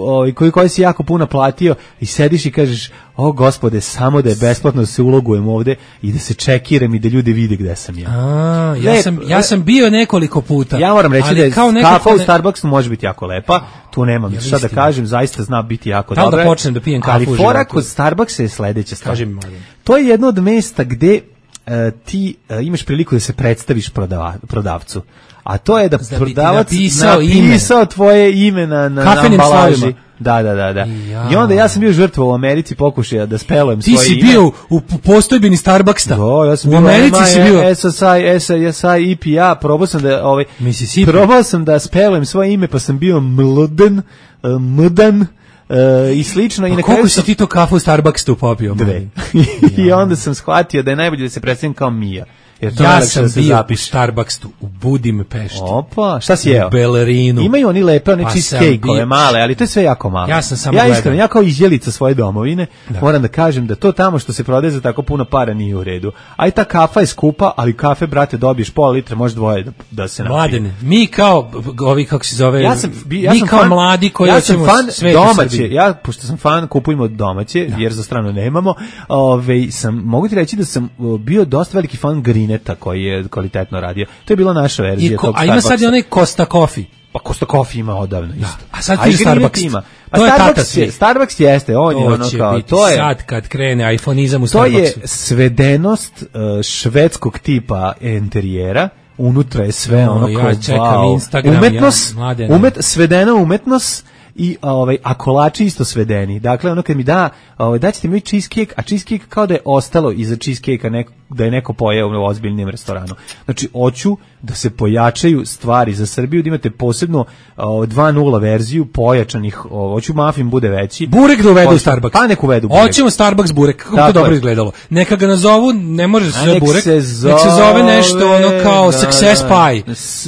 koji si jako puno platio i sediš i kažeš, o gospode, samo da je besplatno se ulogujem ovde i da se čekiram i da ljudi vide gde sam ja. Ja sam bio nekoliko puta. Ja moram reći da je kafa u Starbucksu može biti jako lepa, tu nemam šta da kažem, zaista zna biti jako dobra. Da počnem da pijem kafu u životu. Ali fora kod Starbucksa je sledeća stvar. To je jedno od mesta gde ti imaš priliku da se predstaviš prodavcu. A to je da prodavac napisao tvoje ime na ambalaži. Da. I onda ja sam bio žrtva u Americi pokušaja da spelujem svoje ime. Ti si bio u postojbini Starbucksa. Ja sam u Americi si bio. SSI, EPA, probao sam da spelujem svoje ime, pa sam bio Mdan i slično. I koliko si ti to kafu u Starbucksu popio? 2. I onda sam shvatio da je najbolje da se predstavim kao Mija. Ja sam bio u Starbucksu u Budimpešti. Opa, šta si jeo? U Belerinu. Imaju oni lepe, one cheesecake-ove male, ali to je sve jako malo. Ja sam samo gledao. Iskreno, ja kao izjelica svoje domovine, moram da kažem da to tamo što se prodaje za tako puno para nije u redu. A i ta kafa je skupa, ali kafe, brate, dobiješ pola litra, može 2 da se napije. Mladene, mi kao, kako se zove, mi kao mladi koji hoćemo sve domaće. Ja, pošto sam fan, kupujemo domaće, jer za stranu nemamo. Mogu ti reći da sam bio dosta veliki fan Grineta, koji je kvalitetno radio. To je bila naša verzija tog Starbucksa. A ima sad i onaj Costa Coffee. Pa Costa Coffee ima odavno isto. A sad ti Starbucks ima. To je tata svi. Starbucks jeste, on je ono kao, to je sad kad krene iPhoneizam u Starbucksu. To je svedenost švedskog tipa interijera. Unutra je sve ono kao ja čekam Instagram, umetnost, svedena umetnost i a kolači isto svedeni. Dakle, ono kad mi daćete mi cheesecake, a cheesecake kao da je ostalo iza cheesecake-a da je neko pojeo u ozbiljnim restoranu. Znači, hoću da se pojačaju stvari za Srbiju, da imate posebno 2.0 verziju pojačanih, hoću muffin bude veći. Burek da uvedu u Starbucks. Pa nek uvedu burek. Hoćemo Starbucks burek, kako to dobro izgledalo. Neka ga nazovu, ne može se burek, nek se zove nešto ono kao success pie.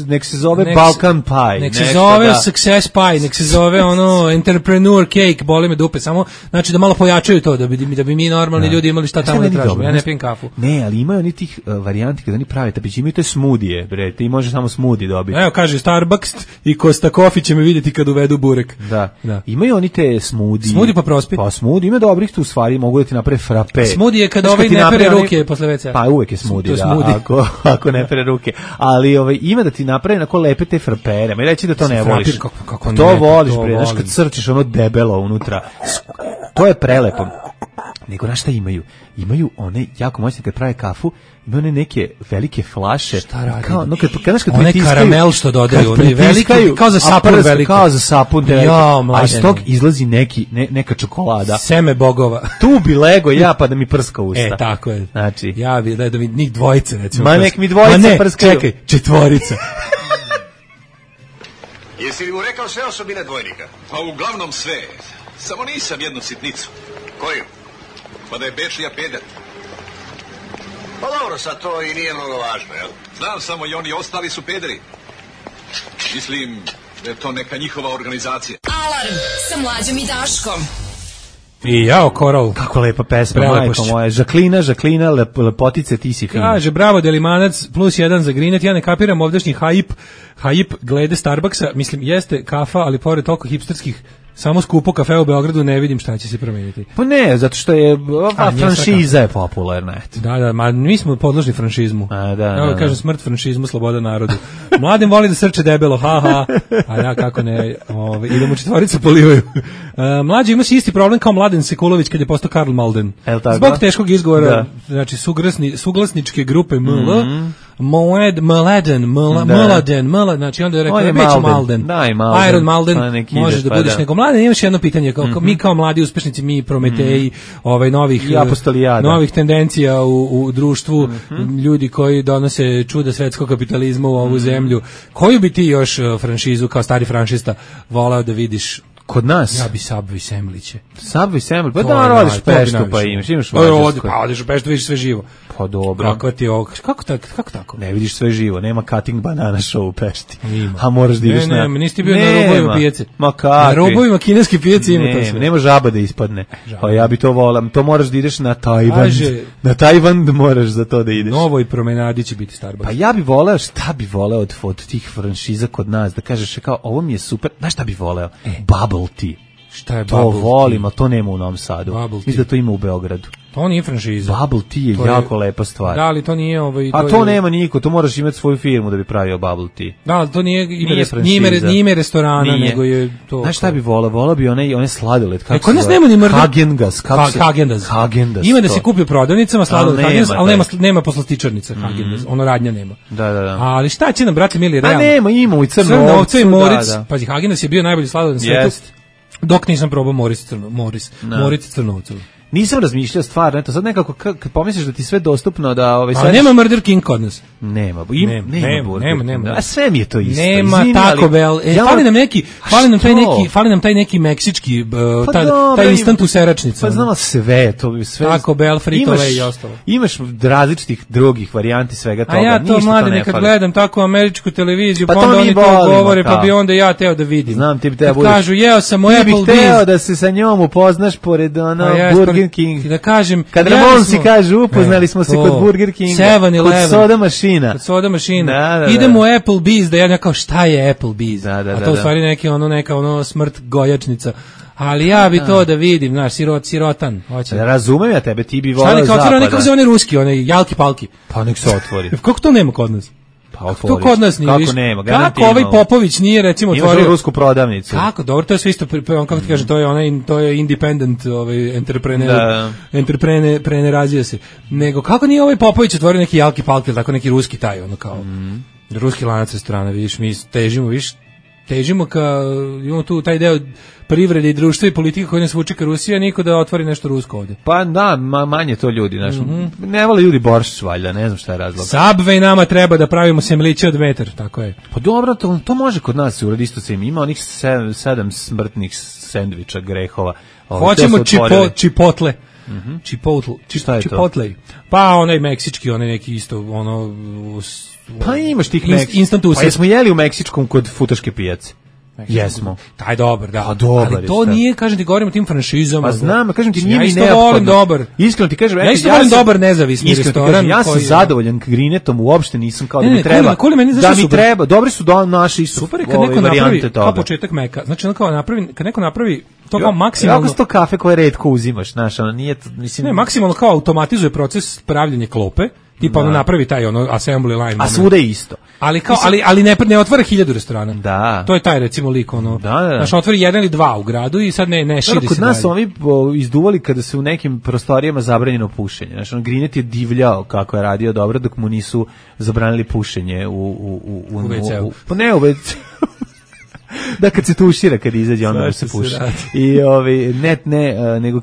Nek se zove Balkan pie. Nek se zove success pie, nek se zove ono entrepreneur cake, boli me dupe, samo znači da malo pojačaju to, da bi mi normalni ljudi imali šta tamo da tražimo. Ja ne pijem kafu. Ne, ali imaju oni tih varijanti kada oni prave tapići, imaju te smudije, bre, ti možeš samo smoothie dobiti. Evo, kaže Starbucks i Costa Coffee će me vidjeti kad uvedu burek. Da. Imaju oni te smoothie. Smoothie pa prospi. Pa smoothie ima dobrih tu stvari, mogu da ti naprave frappe. Smoothie je kad ovaj ne pere ruke posle WC. Pa uvek je smoothie, da, ako ne pere ruke. Ali ima da ti naprave onako lepe te frapere. Ma reći da to ne voliš. To voliš, bre, znaš kad crčiš ono debelo unutra. To je prelepo. Nego na šta imaju? Imaju one jako moćne kad prave kafu, imaju one neke velike flaše. Šta radi? Kao, no, kad one karamel što dodaju, one velike, kao za sapun velike. Kao za sapun. A iz tog izlazi neka čokolada. Seme bogova. Tu bi lego ja pa da mi prska usta. Tako je. Znači. Ja bi da mi njih dvojice, recimo. Ma nek mi dvojice prskaju. Čekaj, četvorica. Jesi li mu rekao sve osobine dvojnika? Pa uglavnom sve. Samo nisam jednu sitnicu. Koju? Pa da je Bečija peder. Pa dobro, sad to i nije mnogo važno, jel? Znam samo i oni ostali su pederi. Mislim da je to neka njihova organizacija. Alarm sa Mlađom i Daškom. I jao, Koral. Kako lepa pesma, majko moja. Žaklina, lepotice, ti si fina. Kaže, bravo, Delimanac, +1 za Grinet. Ja ne kapiram ovdašnji hype glede Starbucksa. Mislim, jeste kafa, ali pored toliko hipsterskih, samo skupo kafe u Beogradu, ne vidim šta će se promeniti. Pa ne, zato što je franšiza je popularna. Da, ma mi smo podložni franšizmu. Da. Kažem, smrt franšizmu, sloboda narodu. Mladim voli da srče debelo, haha. A ja, kako ne, i da mu četvorica polivaju. Mlađi ima si isti problem kao Mladen Sekulović kad je postao Karl Malden. Zbog teškog izgovora, znači suglasničke grupe ML, Mladen, znači onda je rekao, već Malden. Iron Malden, možeš da budiš nego Mladen. Imaš jedno pitanje, mi kao mladi uspešnici, mi Prometeji, novih tendencija u društvu, ljudi koji donose čuda svetskog kapitalizma u ovu zemlju, koju bi ti još franšizu kao stari franšista volao da vidiš? Kod nas? Ja bi Subway Semliće. Subway Semliće? Pa da rodiš Peštu pa imaš Mađarsku. Pa odeš u Peštu, vidiš sve živo. Pa dobro. Kako ti ovo? Kako tako? Ne vidiš sve živo, nema cutting banana show u Pešti. A moraš da ideš na... Ne, nisi bio na rubovima pijace. Ma kakvi? Na rubovima kineske pijace ima to sve. Nema žaba da ispadne. Pa ja bi to volam. To moraš da ideš na Tajvan. Na Tajvan moraš za to da ideš. Novoj promenadi će biti Starbucks. Pa ja bi voleo, šta bi voleo od tih franšiza kod nas, da kažeš kao, ovo mi je super, znaš šta bi voleo? Bubble tea. Šta je to volim, a to nema u Novom Sadu. Mislim da to ima u Beogradu. To nije franšiza. Bubble tea je jako lepa stvar. Da, ali to nije a to nema niko, to moraš imati svoju firmu da bi pravio bubble tea. Da, ali to nije ime restorana, nego je to... Znaš šta bi volao bi one sladoled. Kod nas nema ni mrda. Häagen-Dazs. Ima da se kupi u prodavnicama sladoled Häagen-Dazs, ali nema poslastičarnica Häagen-Dazs. Ono radnja nema. Da. Ali šta će nam, brate mili, realno? A nema, ima u Crnovcu i Moric. Pazi, Häagen-Dazs je bio najbolji sladoled na svijetu. Dok nisam probao Moric Crnovcu. Nisam razmišljao stvarno, eto sad nekako kad pomisliš da ti sve dostupno da a nema Murder King kod nas. Nema. Nema. A sve mi je to isto. Nema Taco Bell. Fali nam taj neki meksički taj instant u seračnici. Pa znamo sve to, sve. Taco Bell, Frito-Lay i ostalo. Imaš različitih drugih varijanti svega toga. A ja to mlade nekad gledam tako američku televiziju, pa onda oni to govore, pa bi onda ja teo da vidim. Znam ti bi teo budeš. Kažu, jeo sam u Applebee's. Ti bi teo da se sa njom upoznaš pored Burger King. Da kažem, kad Ramonsi kaže upoznali smo se kod Burger Kinga, kod soda mašina. Idemo u Applebee's, da ja kao šta je Applebee's? A to u stvari neka smrt gojačnica. Ali ja bi to da vidim, znaš, sirotan. Razumem ja tebe, ti bi volao zapada. Šta neka otvore oni ruski, oni jalki palki. Pa nek se otvori. Kako to nema kod nas? Pa to kod nas nije. Kako nema? Kako ovaj Popović nije recimo otvorio imaš rusku prodavnicu? Kako? Dobro, to je sve isto, kako ti kaže, to je independent, entrepreneur se. Nego kako nije ovaj Popović otvorio neki jalki palki, tako neki ruski taj, ono kao ruski lanac restorana, vidiš, mi težimo ka, imamo tu taj deo privrede i društva i politike koji nas vuče ka Rusiji, a niko da otvori nešto rusko ovdje. Pa da, manje to ljudi, znaš, ne vole ljudi boršč valjda, ne znam šta je razlog. Subway nama treba da pravimo semliće od metar, tako je. Pa dobro, to može kod nas se uradi, isto se ima onih 7 smrtnih sendviča grehova. Hoćemo čipotle. Chipotle. Pa onaj meksički, onaj neki isto, ono... Pa imaš tih instant pa jesmo jeli u meksičkom kod futaške pijace? Jesmo. Taj dobar, da. A dobar ali to nije, kažem ti, govorim o tim franšizama. Pa znam, kažem ti, nije ja mi isto neophodno. volim dobar. Iskreno ti kažem, ja isto volim dobar nezavisni restoran. Ja sam zadovoljan Grinetom, uopšte nisam kao da mi treba. Da mi treba, dobri su naši isto. Super je kad neko napravi kao početak meka. Znači on kao napravi, kad neko napravi to kao maksimalno. Kako sto kafe koje retko uzimaš, znaš, ono nije, mislim. Ne, maksimalno kao automatizuje proces pravljenja klope. Tipa ono napravi taj assembly line. A svuda je isto. Ali kao ali ne otvara 1000 restorana. Da. To je taj recimo lik ono. Da. Znači otvori 1 ili 2 u gradu i sad ne širi se. Kod nas su ovi izduvali kada se u nekim prostorijama zabranjeno pušenje. Znači Grinet je divljao kako je radio dobro dok mu nisu zabranili pušenje u WC-u. Pa ne u WC-u. Da, kad se tušira, kad izađe, onda se puši. I nego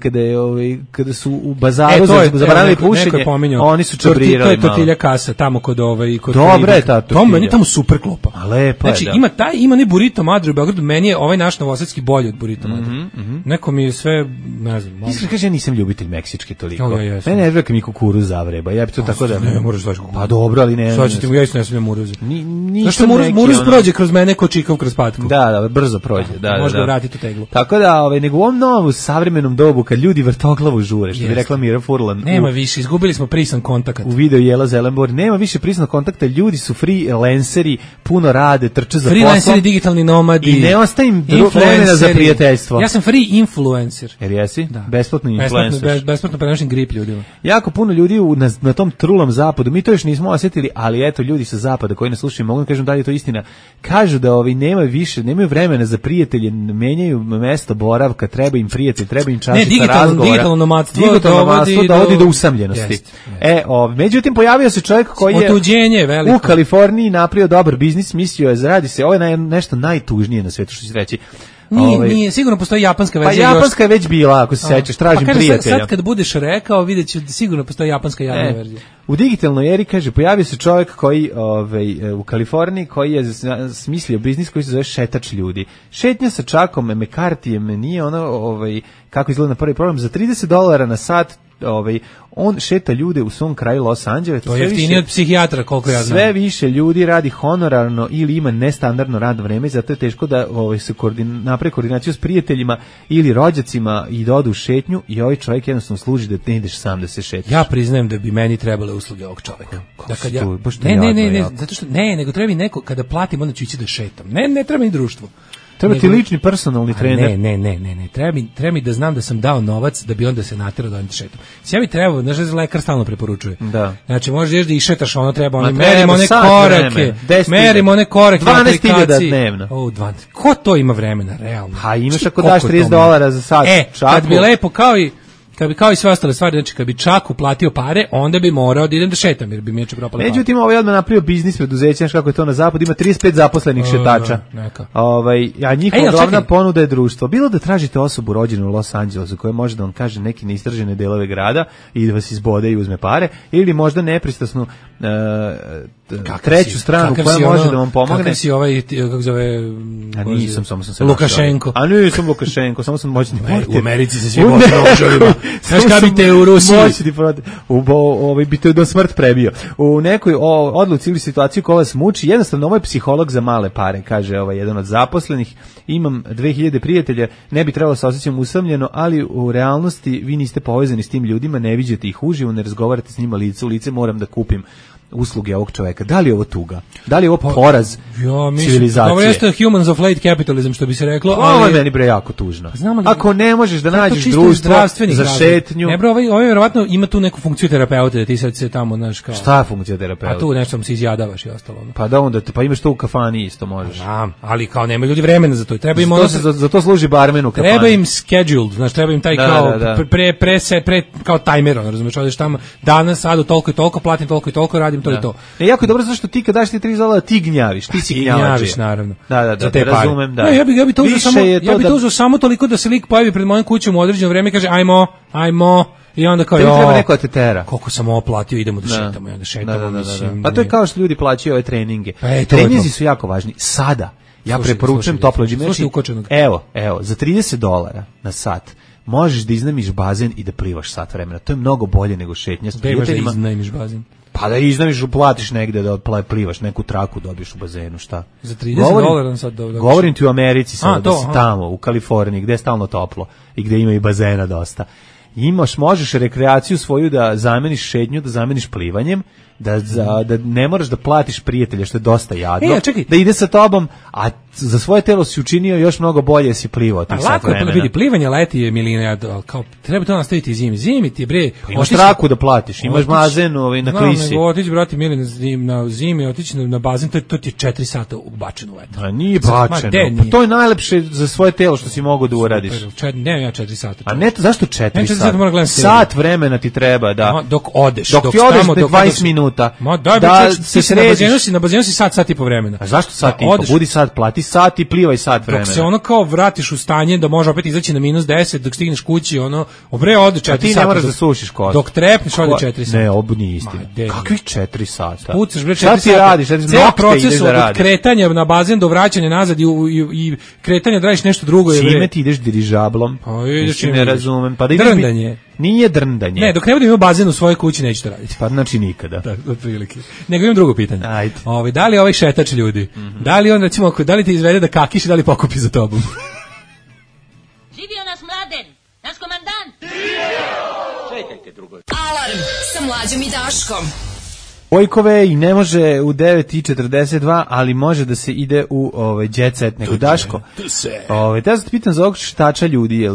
kada su u bazaru zabranili pušenje, oni su čabrirali. To je tortilja kasa, tamo kod Dobra je ta tortilja. Meni je tamo super klopa. A lepa je, znači, ima ne burrito madre u Beogradu, meni je ovaj naš novosadski bolji od burrito madre. Neko mi je sve, ne znam. Iskreno kažem, ja nisam ljubitelj meksičke toliko. Mene ne vreka mi kukuruz zavreba. Ja bi to tako da... Ne, moraš daći kukuruz. Pa dobro, ali ne... Sad ćete mu, ja isto ne smijem muruze. Zašto muruz prođe kroz mene ko čikav kroz patku? Da, brzo prođe. Da, možda vratiti u teglu. Tako da, nego u ovom novom savremenom dobu, kad ljudi vrtoglavu žure, što bi rekla Mira Furlan. Nema više, izgubili smo prisan kontakt. U videu Jela Zelenborg, nema više prisanog kontakta, ljudi su freelanceri, puno rade, trče za poslom. Freelanceri, digitalni nomadi. I ne ostaje im vremena za prijateljstvo. Ja sam free influencer. Jer jesi? Da. Besplatni influencer. Besplatno prenošen grip ljudima. Jako puno ljudi na tom trulom zapadu, mi to još nismo osjetili, ali eto, ljudi sa zapada koji nas slušaju, mogu da kažem da li je to istina, kažu da nemaju vremena za prijatelje, menjaju mesto boravka, treba im prijatelj, treba im čašica razgovora. Digitalno nomadstvo dovodi do usamljenosti. Međutim, pojavio se čovjek koji je u Kaliforniji napravio dobar biznis, mislio je, radi se, ovo je nešto najtužnije na svetu, što ću reći. Nije, sigurno postoji japanska verzija. Pa japanska je već bila, ako se sećaš, tražim prijatelja. Sad kad budeš rekao, vidjet ću, sigurno postoji japanska javna verzija. U digitalnoj eri, kaže, pojavio se čovjek koji u Kaliforniji, koji je smislio biznis koji se zove šetač ljudi. Šetnja sa Čakom, McCarthyjem, nije ono, kako izgleda na prvi problem, za $30 na sat, on šeta ljude u svom kraju Los Angeles. To je jeftinije od psihijatra, koliko ja znam. Sve više ljudi radi honorarno ili ima nestandardno radno vreme, zato je teško da se napravi koordinaciju s prijateljima ili rođacima i da odu u šetnju, i ovaj čovjek jednostavno služi da ne ideš sam da se šetaš. Ja priznajem da bi meni trebale usluge ovog čovjeka. Zato što nego treba mi neko, kada platim, onda ću ići da šetam. Ne treba mi društvo. Treba ti lični personalni trener. Ne. Treba mi da znam da sam dao novac da bi onda se naterao da on šetam. Ja bi trebao, znaš da lekar stalno preporučuje. Da. Znači možeš da išetaš, ono treba, merimo one korake. Merimo one korake. 12.000 dnevno. 12. Ko to ima vremena, realno? Ha, imaš ako daš $30 za sat. Kad bi lepo kao i sve ostale stvari, znači kad bi Čak uplatio pare, onda bi morao da idem da šetam, jer bi mi propalo pare. Međutim, ovaj odmah napravio biznis preduzeće, znaš kako je to na zapadu, ima 35 zaposlenih šetača. A njihova glavna ponuda je društvo. Bilo da tražite osobu rođenu u Los Angelesu koja može da vam kaže neke neistražene delove grada i da vas izbode i uzme pare, ili možda nepristrasnu treću stranu koja može da vam pomogne. Kakav si ovaj, kako zove... A nisam, samo sam se Lukašenko. A nisam Lukašenko, samo sam moćni portir. U Americi se svi moćni nožovima. Znaš kada bi te u Rusiji? Moćni portir. Bi te do smrt prebio. U nekoj odluci ili situaciji koja vas muči, jednostavno ovo je psiholog za male pare, kaže jedan od zaposlenih. Imam 2000 prijatelja, ne bi trebalo se osjećam usamljeno, ali u realnosti vi niste povezani s tim ljudima, ne viđete ih uživo, ne razgovarate s njima lice u lice, moram da kupim usluge ovog čoveka. Da li je ovo tuga? Da li je ovo poraz civilizacije? Ovo jeste humans of late capitalism, što bi se reklo. Ovo je meni jako tužno. Ako ne možeš da nađeš društvo za šetnju... Ne bro, ovo vjerovatno ima tu neku funkciju terapeuta, da ti sad se tamo, znaš kao... Šta je funkcija terapeuta? A tu nešto mu se izjadavaš i ostalo. Pa da onda, pa imaš to u kafani isto možeš. Ali kao nema ljudi vremena za to. Treba im za to služi barmen u kafani. Treba im scheduled, znaš, treba im taj kao kao tajmer, razumeš, odeš tamo danas, sad toliko i toliko, platim toliko i toliko, radim to i to. Jako je dobro zašto ti kad daš ti $30 ti gnjaviš, ti si gnjavaš naravno. Da, razumem, da. Ja bih to uzeo samo toliko da se lik pojavi pred mojom kućom u određeno vreme i kaže ajmo i onda kao treba neko da te tera. Koliko sam oplatio, idemo da šetamo i onda šetamo. Pa to je kao što ljudi plaćaju ove treninge. Treninzi su jako važni. Sada ja preporučujem toplo džime. Evo, za $30 na sat možeš da iznajmiš bazen i da plivaš sat vremena. To je mnogo bolje nego šetnja s prijateljima. Da iznajmiš bazen. Pa Pa da iznaviš, platiš negde da plivaš, neku traku dobiješ u bazenu, šta? Za $30 sad govorim ti u Americi sad, da si tamo, u Kaliforniji, gde je stalno toplo i gde ima i bazena dosta. Možeš rekreaciju svoju da zameniš šetnju, da zameniš plivanjem, da ne moraš da platiš prijatelja, što je dosta jadno, da ide sa tobom, a za svoje telo si učinio još mnogo bolje, si plivao tih sat vremena. Lako je, vidi, plivanje leti je milina, kao, treba to nastaviti zimi ti bre. Pa imaš traku da platiš, imaš bazen na klisi. Otići, brati mili, na zimi, otići na bazen, to ti je 4 sata ubačeno u eto. A nije bačeno, pa to je najlepše za svoje telo što si mogao da uradiš. Ne, ja 4 sata. A ne, zašto 4 sata? Sat vremena ti treba, da. Dok odeš, dok ti odeš 20 minuta. Da se središ. Na bazenu si sat i po vremena. A zašto sat i po? Budi sat, plati sat i plivaj sat vremena. Dok se ono kao vratiš u stanje da može opet izaći na -10, dok stigneš kući, ono, ode 4 sata. A ti ne moraš da sušiš kosu. Dok trepneš, ode 4 sata. Ne, ovo nije istina. Kakvih 4 sata? Pucaš, bre, 4 sata. Šta ti radiš? Ceo proces od kretanja na bazen do vraćanja nazad i kretanja da radiš nešto drugo. Čime ti ideš dirižablom? Ne razumem. Drndanje. Nije drndanje. Ne, dok ne budem imao bazen u svojoj kući, neću to raditi. Pa znači nikada. Tako, otprilike. Nego imam drugo pitanje. Ajde. Da li ovaj šetač ljudi, da li on, recimo, da li te izvede da kakiš i da li pokupi za tobom? Živio naš Mladen, naš komandant! Čekajte drugo. Alarm sa Mlađom i Daškom. Vojkove i ne može u 9:42, ali može da se ide u jet set nego Daško. Da se pitam za ovog šetača ljudi,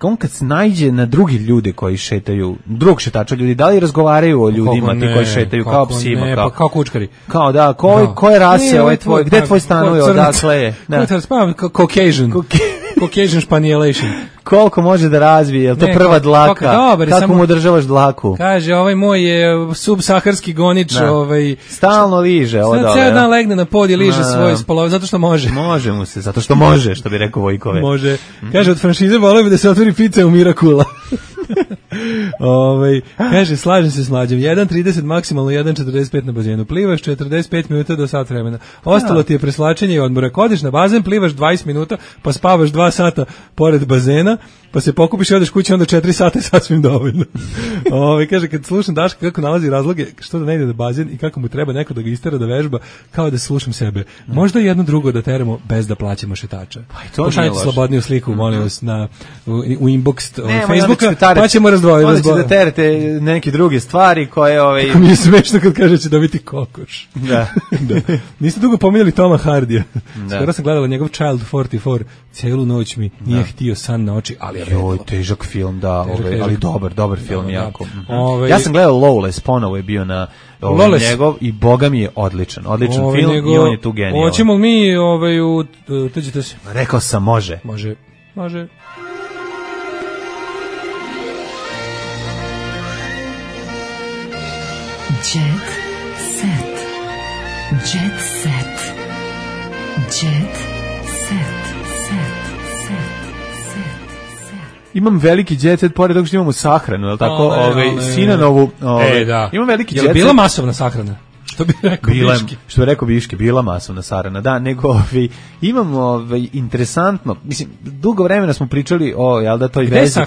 on kad se naiđe na drugi ljude koji šetaju, drugog šetača ljudi, da li razgovaraju o ljudima ti koji šetaju kao psima? Ne, pa kao kučkari. Kao da, koje rase ovaj tvoj, gde tvoj stanuje, odakle je? Caucasian Spanielation. Koliko može da razvije, je li to prva dlaka? Kako mu održavaš dlaku? Kaže, ovaj moj je subsaharski gonič, stalno liže ovo dole. Ceo dan legne na pod i liže svoje spolove, zato što može. Može mu se, zato što može, što bi rekao Vojkove. Može. Kaže, od franšize volio bi da se otvori pizza u Mirakula. Kaže, slažem se s Mlađom, 1:30 maksimalno 1:45 na bazenu, plivaš 45 minuta do sat vremena, ostalo ti je preslačenje i odmora, kodiš na bazen, plivaš 20 minuta, pa spavaš 2 sata pored bazena, pa se pokupiš i odeš kući, onda 4 sata je sasvim dovoljno. Kaže, kad slušam Daška kako nalazi razloge što da ne ide na bazen i kako mu treba neko da ga istera da vežba, kao da slušam sebe. Možda jedno drugo da teramo bez da plaćamo šetača. Pošaljite slobodniju sliku, molim vas, u inbox Facebooka, pa ćemo razdvojiti. Onda će da terete neke druge stvari koje... Kako mi je smešno kad kaže će dobiti kokoš. Da. Niste dugo pominjali Toma Hardija. Skoro sam gledala njegov Child 44, celu noć mi nije htio san na oči, ali joj, težak film, da, ali dobar film, jako. Ja sam gledao Lawless, ponovo je bio na njegov i boga mi je odličan film i on je tu genijalan. Hoćemo mi tuđite se? Rekao sam, može. Može. Jet set. Jet set. Jet set. Imam veliki jet set, pored toga što imamo sahranu, je li tako? Sinanovu. Imam veliki jet set. Je li bila masovna sahrana? Što bi rekao Biški? Bila masovna sahrana, da, nego imamo interesantno, mislim, dugo vremena smo pričali o toj vezi,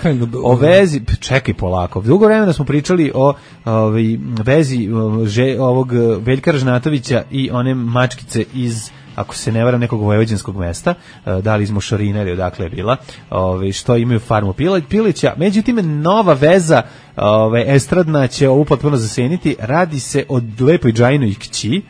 o vezi, čekaj polako, dugo vremena smo pričali o vezi ovog Veljka Ražnatovića i one mačkice iz, ako se ne varam, nekog vojvođanskog mesta, da li iz Mošorina ili odakle je bila, što imaju farmu Pilića. Međutim, nova veza estradna će ovu potpuno zaseniti. Radi se o lepoj Džajinoj kći,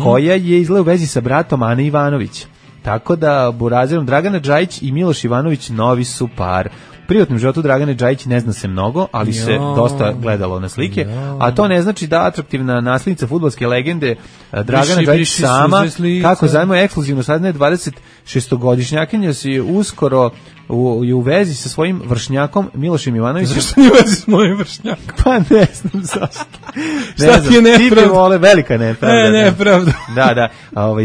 koja je izgleda u vezi sa bratom Ane Ivanović. Tako da burazerom Dragana Džajić i Miloš Ivanović novi su par. Privatnom životu Dragane Džajić ne zna se mnogo, ali se dosta gledalo na slike, a to ne znači da atraktivna naslednica fudbalske legende Dragana Džajić sama, kako zajmo ekskluzivno saznaje 26-godišnjakinja si uskoro u vezi sa svojim vršnjakom Milošem Ivanovićem. Zašto nije u vezi s mojim vršnjakom? Pa ne znam zašto. Šta ti je nepravda? Velika nepravda. Nepravda. Da.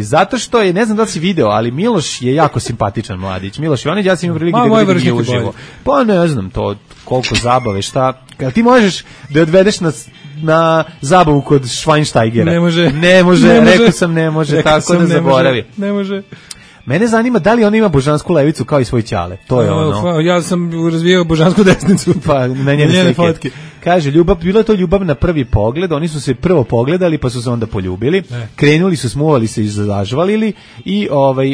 Zato što je, ne znam da si video, ali Miloš je jako simpatičan mladić. Miloš Ivanović, ja sam imao prilike da vidim uživo. Pa ne znam to, koliko zabave, šta. Kad ti možeš da odvedeš na zabavu kod Schweinsteigera. Ne može, rekao sam ne može, tako da zaboravi. Ne može. Mene zanima da li on ima božansku levicu kao i svoj ćale. To je ono. Ja sam razvijao božansku desnicu. Pa na njene slike. Kaže, bila je to ljubav na prvi pogled, oni su se prvo pogledali pa su se onda poljubili, krenuli su, smuvali se i zažvalili i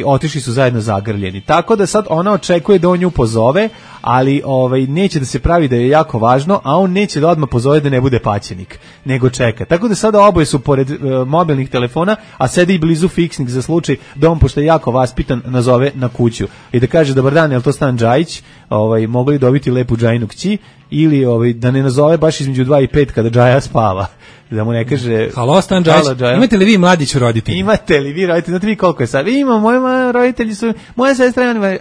otišli su zajedno zagrljeni. Tako da sad ona očekuje da on nju pozove, ali neće da se pravi da je jako važno, a on neće da odmah pozove da ne bude paćenik, nego čeka. Tako da sada oboje su pored mobilnih telefona, a sedi i blizu fiksnih za slučaj da on, pošto je jako vaspitan, nazove na kuću i da kaže, dobar dan, je li to Stan Džajić, mogli dobiti lepu Džajinu kći, ili da ne nazove baš između 2 i 5 kada Džaja spava. Da mu ne kaže... Halo, Stan Džajić, imate li vi mladić roditelji? Imate li vi roditelji? Znate vi koliko je sad? Imam, moji roditelji su... Moja sestra je...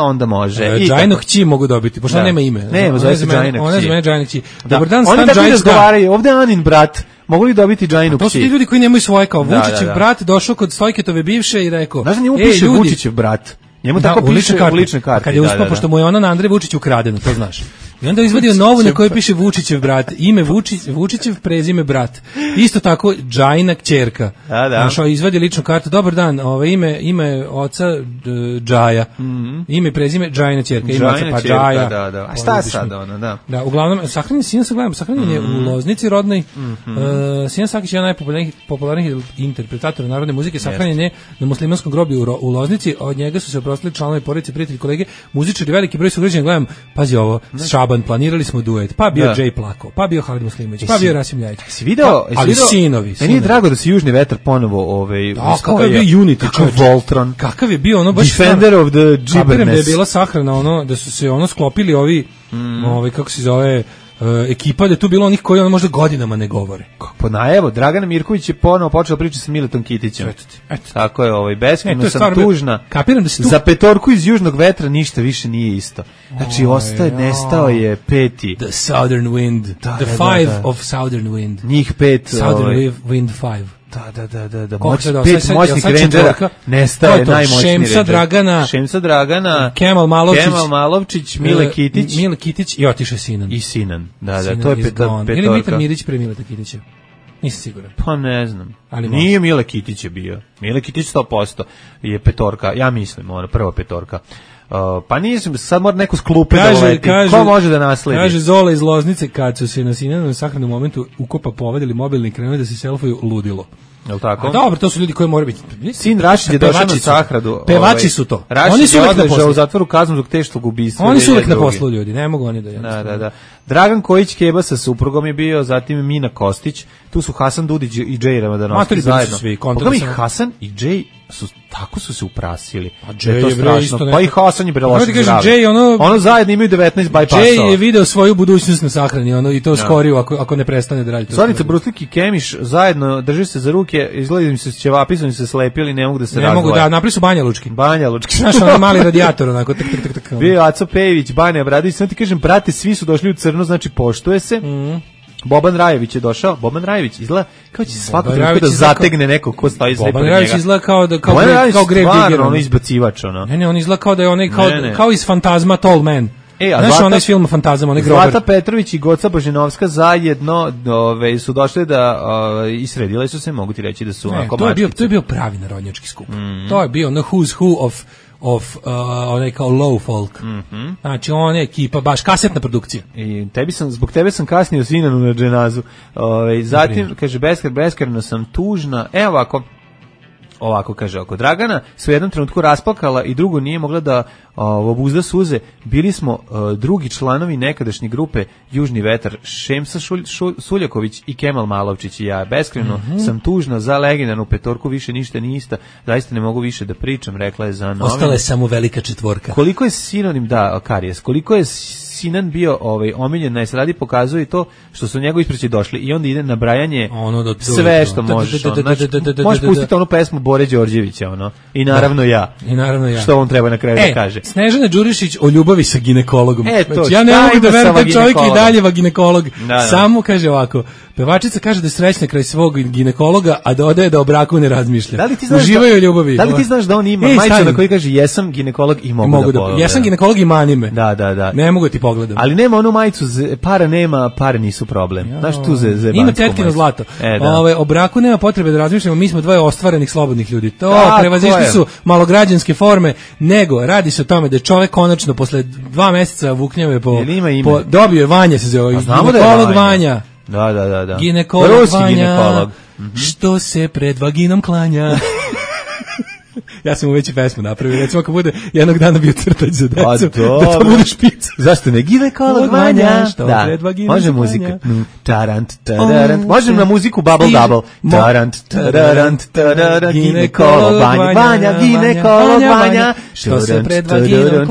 onda može. Džajinu kći mogu dobiti, pošto nema ime. Nema, zove se Džajina kći. Ona je za mene Džajina kći. Dobar dan, Stan Džajić. Oni tako razgovaraju, ovde Anin brat, mogu li dobiti Džajinu kći? To su ti ljudi koji nemaju svoje, kao Vučićev brat došao kod Stojketove bivše i rekao... Znaš da njemu piše Vučićev brat? Njemu tako piše u ličnoj karti. Kad je uspao, pošto mu je ona na Andrej Vučić ukradeno, to znaš. I onda je izvadio novu na kojoj piše Vučićev brat, ime Vučićev, prezime brat. Isto tako Džajina kćerka. Našao izvadi ličnu kartu. Dobar dan, ime oca Džaja. Ime prezime Džajina kćerka, ime oca pa Džaja. Da. A šta sad ona, da. Da, uglavnom sahranjen sin se gledam, sahranjen je u Loznici rodnoj. Sinan Sakić je jedan najpopularnijih interpretatora narodne muzike, sahranjen je na muslimanskom groblju u Loznici. Od njega su se oprostili članovi porodice, prijatelji, kolege, muzičari, veliki broj sugrađana. Gledam, pazi ovo, planirali smo duet, pa bio Jay plako, pa bio Halid Muslimović, pa bio Rasim Ljajić. Si video? Ali sinovi. Meni je drago da se Južni vetar ponovo kakav je bio Unity, Voltron. Kakav je bio ono baš Defender of the Gibberness. Da je bila sahrana da su se sklopili ovi kako se zove ekipa, da je tu bilo onih koji možda godinama ne govore. Pa evo, Dragana Mirković je ponovo počela pričati sa Miletom Kitićem. Tako je, beskrajno sam tužna. Kapiram da se tu... Za petorku iz Južnog vetra ništa više nije isto. Znači, nestao je peti. The Southern Wind. The Five of Southern Wind. Njih pet. Southern Wind Five. Da. Pet moćnih rendera nestaje najmoćniji render. Šemsa Dragana, Kemal Malovčić, Mile Kitić i otišao Sinan. I Sinan, da, to je petorka. Ili Mitar Mirić pre Mileta Kitića? Nisam siguran. Pa ne znam. Nije Mile Kitić je bio. Mile Kitić 100% je petorka, ja mislim, prva petorka. Pa nisam, sad mora neko s klupe da leti. Ko može da nasledi? Kaže Zola iz Loznice, kad su se na Sinanom sahranom momentu ukopa povadili mobilni i krenuli da se selfuju, ludilo. Jel tako? A dobro, to su ljudi koji moraju biti. Sin Rašid je došao na sahradu. Pevači su to. Oni su uvek na poslu. U zatvoru kaznu zbog teškog ubistva. Oni su uvek na poslu, ljudi, ne mogu oni da. Da. Dragan Kojić Keba sa suprugom je bio, zatim Mina Kostić, tu su Hasan Dudić i Džej Ramadanovski zajedno. Pogledaj, Hasan i Džej tako su se uprasili. A je to strašno. Pa i Hasan je prelošen zdravlje. Ono zajedno imaju 19 bypassova. Džej je video svoju budućnost na sahrani, i to skoriju ako ne prestane da radi. Slavica Bruslik i Kemiš zajedno drže se za ruke, izgleda im se ćevapi, su im se slepili, ne mogu da se razdvoje. Ne mogu da, napri su Banja Lučki. Znaš, mali radijator, onako, tak. Bio Aco Pejević, Banja Bradović, sad ti kažem, brate, svi su došli u crno, znači poštuje se. Boban Rajević je došao. Boban Rajević izgleda kao će svako trenutka da zategne neko ko stoji sve pored njega. Boban Rajević izgleda kao Grave Digger, ono izbacivač, ono. Ne, on izgleda kao da je onaj kao iz Fantazma Tall Man. Znaš onaj iz filma Fantazma, onaj grobar. Zlata Petrović i Goca Božinovska zajedno su došle da isredile su se, mogu ti reći da su onako mačkice. To je bio pravi narodnjački skup. To je bio ono who's who of onaj kao low folk. Znači on je ekipa, baš kasetna produkcija. I zbog tebe sam kasnio Sinanu na dženazu. Zatim kaže beskrajno sam tužna. Evo ovako kaže, oko Dragana se u jednom trenutku rasplakala i drugo nije mogla da obuzda suze. Bili smo drugi članovi nekadašnje grupe Južni vetar, Šemsa Suljaković i Kemal Malovčić i ja. Beskrajno sam tužna za legendarnu petorku, više ništa nije ista. Zaista ne mogu više da pričam, rekla je za novine. Ostala je samo velika četvorka. Koliko je sinonim, karijes, koliko je Sinan bio omiljen na estradi, pokazuje to što su njegovi ispreći došli i onda ide nabrajanje sve što možeš. Možeš pustiti onu pesmu Bore Đorđevića, i naravno ja. Što on treba na kraju da kaže. Snežana Đurišić o ljubavi sa ginekologom. Ja ne mogu da verujem da čovjek i dalje ginekolog. Samo kaže ovako, pevačica kaže da je srećna kraj svog ginekologa, a dodaje da o braku ne razmišlja. Uživaju u ljubavi. Da li ti znaš da on ima majicu na kojoj kaže jesam ginekolog i mogu da jesam ginekolog i mani me. Da. Ne mogu ti pogledam. Ali nema onu majicu, para nema, pare nisu problem. Znaš tu zebansku ima tetkino zlato. O braku nema potrebe da razmišljamo, mi smo dvoje ostvarenih slobodnih ljudi. To prevazišli su malograđanske forme, nego radi se o tome da je čovek konačno posle 2 meseca vuknjave dobio je Vanja, se zove, ginekolog Vanja. Da. Ginekolog Vanja, što se pred vaginom klanja. Ja sam mu već i pesmu napravio, recimo ako bude jednog dana bio crtač za decu, da to bude špica. Zašto ne? Ginekolog Vanja, što pred vaginom može muzika. Tarant, tarant, može na muziku Bubble Double. Tarant, tarant, tarant, ginekolog Vanja, ginekolog Vanja, što se pred vaginom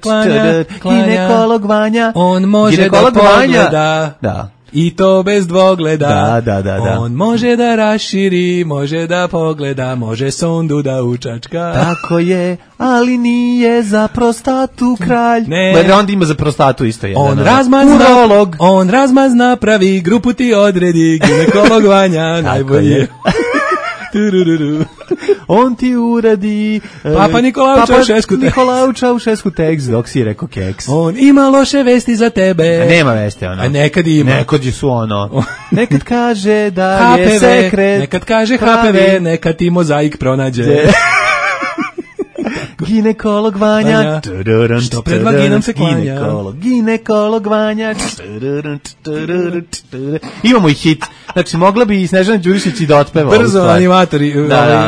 klanja, ginekolog Vanja, on može da pogleda. Da. I to bez dvogleda. Da. On može da raširi, može da pogleda, može sondu da učačka. Tako je, ali nije za prostatu kralj. Ne. Onda ima za prostatu isto jedan. On razmazna, pravi, grupu ti odredi, ginekolog Vanja, najbolje. On ti uradi Papa Nikolao Čaušesku tekst dok si rekao keks. On ima loše vesti za tebe. A nema vesti ono. A nekad ima. Nekad su ono. Nekad kaže da je sekret. Nekad kaže HPV, nekad ti mozaik pronađe. Ginekolog Vanja, što pred vaginom se klanja. Ginekolog Vanja. Imamo i hit. Znači, mogla bi i Snežana Đurišić i da otpeva. Brzo, animatori,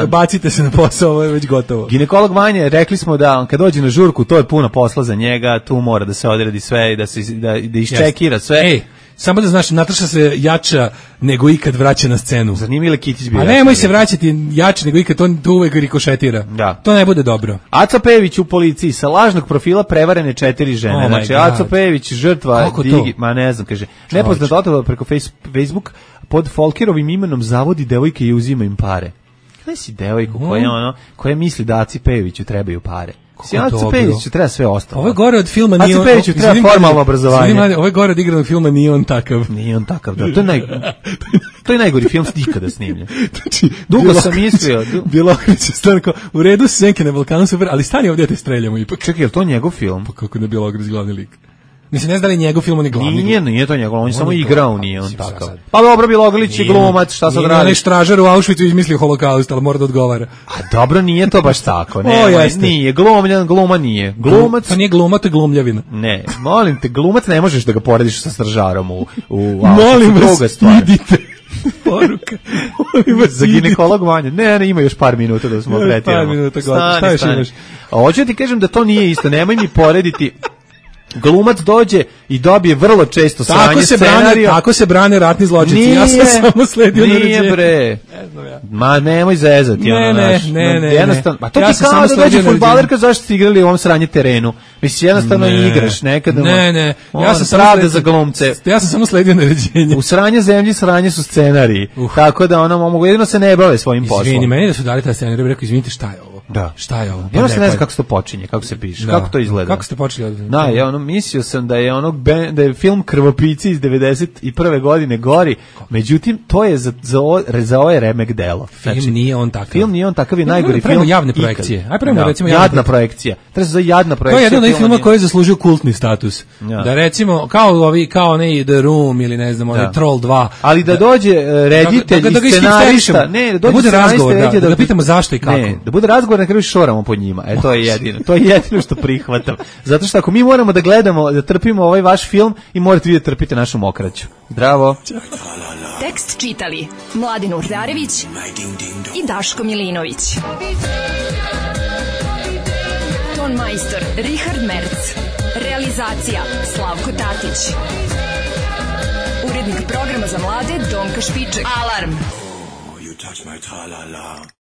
bacite se na posao, ovo je već gotovo. Ginekolog Vanja, rekli smo da kad dođe na žurku, to je puno posla za njega, tu mora da se odredi sve i da iščekira sve. Samo da znaš, Nataša se jača nego ikad vraća na scenu. Zar nije Mile Kitić bio? A nemoj se vraćati jače nego ikad, to uvek rikošetira. Da. To ne bude dobro. Aco Pejević u policiji, sa lažnog profila prevarene 4 žene. Znači, Aco Pejević, žrtva, ma ne znam, kaže, nepoznat otova preko Facebook pod Folkerovim imenom zavodi devojke i uzima im pare. Kada si devojku koja misli da Aci Pejeviću trebaju pare? Aco Pejeviću treba sve ostalo. Ovo je gore od filma Nije on... Aco Pejeviću treba formalno obrazovanje. Ovo je gore od igranog filma Nije on takav. Nije on takav, da. To je najgori film ikada snimljen. Dugo sam mislio. Bjelokrić je stanko, u redu senke na Balkanu super, ali stani ovdje te streljamo ipak. Čekaj, je li to njegov film? Pa kako ne Bjelokrić glavni lik? Mislim, ne znam da li njegov film, on je glavni. Nije to njegov, on je samo igrao, nije on takav. Pa dobro, Bjelogrlić je glumac, šta sad radi? Onaj stražar u Auschwitzu izmislio holokaust, ali mora da odgovara. A dobro, nije to baš tako. Nije, gluma nije. Glumac... To nije gluma, to je glumljavina. Ne, molim te, glumac ne možeš da ga porediš sa stražarom u Auschwitzu. Molim vas, idite. Poruka. Za ginekolog Vanja. Ne, ima još par minuta da smo pretiramo. Par minuta, šta još imaš? Hoću ti kažem da to nije isto, nemoj mi porediti. Glumac dođe i dobije vrlo često sranje scenarija. Tako se brane ratni zločinci. Ja sam samo sledio naređenje. Nije bre. Ma nemoj zezati. Ne. Jednostavno, pa to ti kao da dođe fudbalerka zašto ste igrali u ovom sranje terenu. Mislim, jednostavno igraš nekada. Ne. Ja sam pravda za glumce. Ja sam samo sledio naređenje. U sranje zemlji sranje su scenariji. Tako da mogu jedino se ne bave svojim poslom. Izvini, meni da su dali taj scenarij, rekao, izvinite, šta je ovo? Da. Šta je ovo? Ja se ne znam kako se to počinje, kako se piše, kako to izgleda. Kako ste počeli? Mislio sam da je da je film Krvopici iz 91. godine gori, međutim to je za ovaj remek delo. Film nije on takav. Film nije on takav, je najgori film. Javne projekcije. Aj prema recimo jadna projekcija. Treba se za jadna projekcija. To je jedan od filmova koji je zaslužio kultni status. Da recimo kao onaj The Room ili ne znam, onaj Troll 2. Ali da dođe reditelj i scenarista, da bude razgovor, da ga pitamo zašto i kako. Ne, da bude razgovor, na kraju šoramo pod njima. To je jedino. To je jedino što prihvatam. Zato što ako mi moramo da gledamo, da trpimo ovaj vaš film, i morate vi da trpite našu mokraću. Zdravo. Tekst čitali Mladin Urdarević i Daško Milinović. Ton majstor Richard Merc. Realizacija Slavko Tatić. Urednik programa za mlade Donka Špiček. Alarm!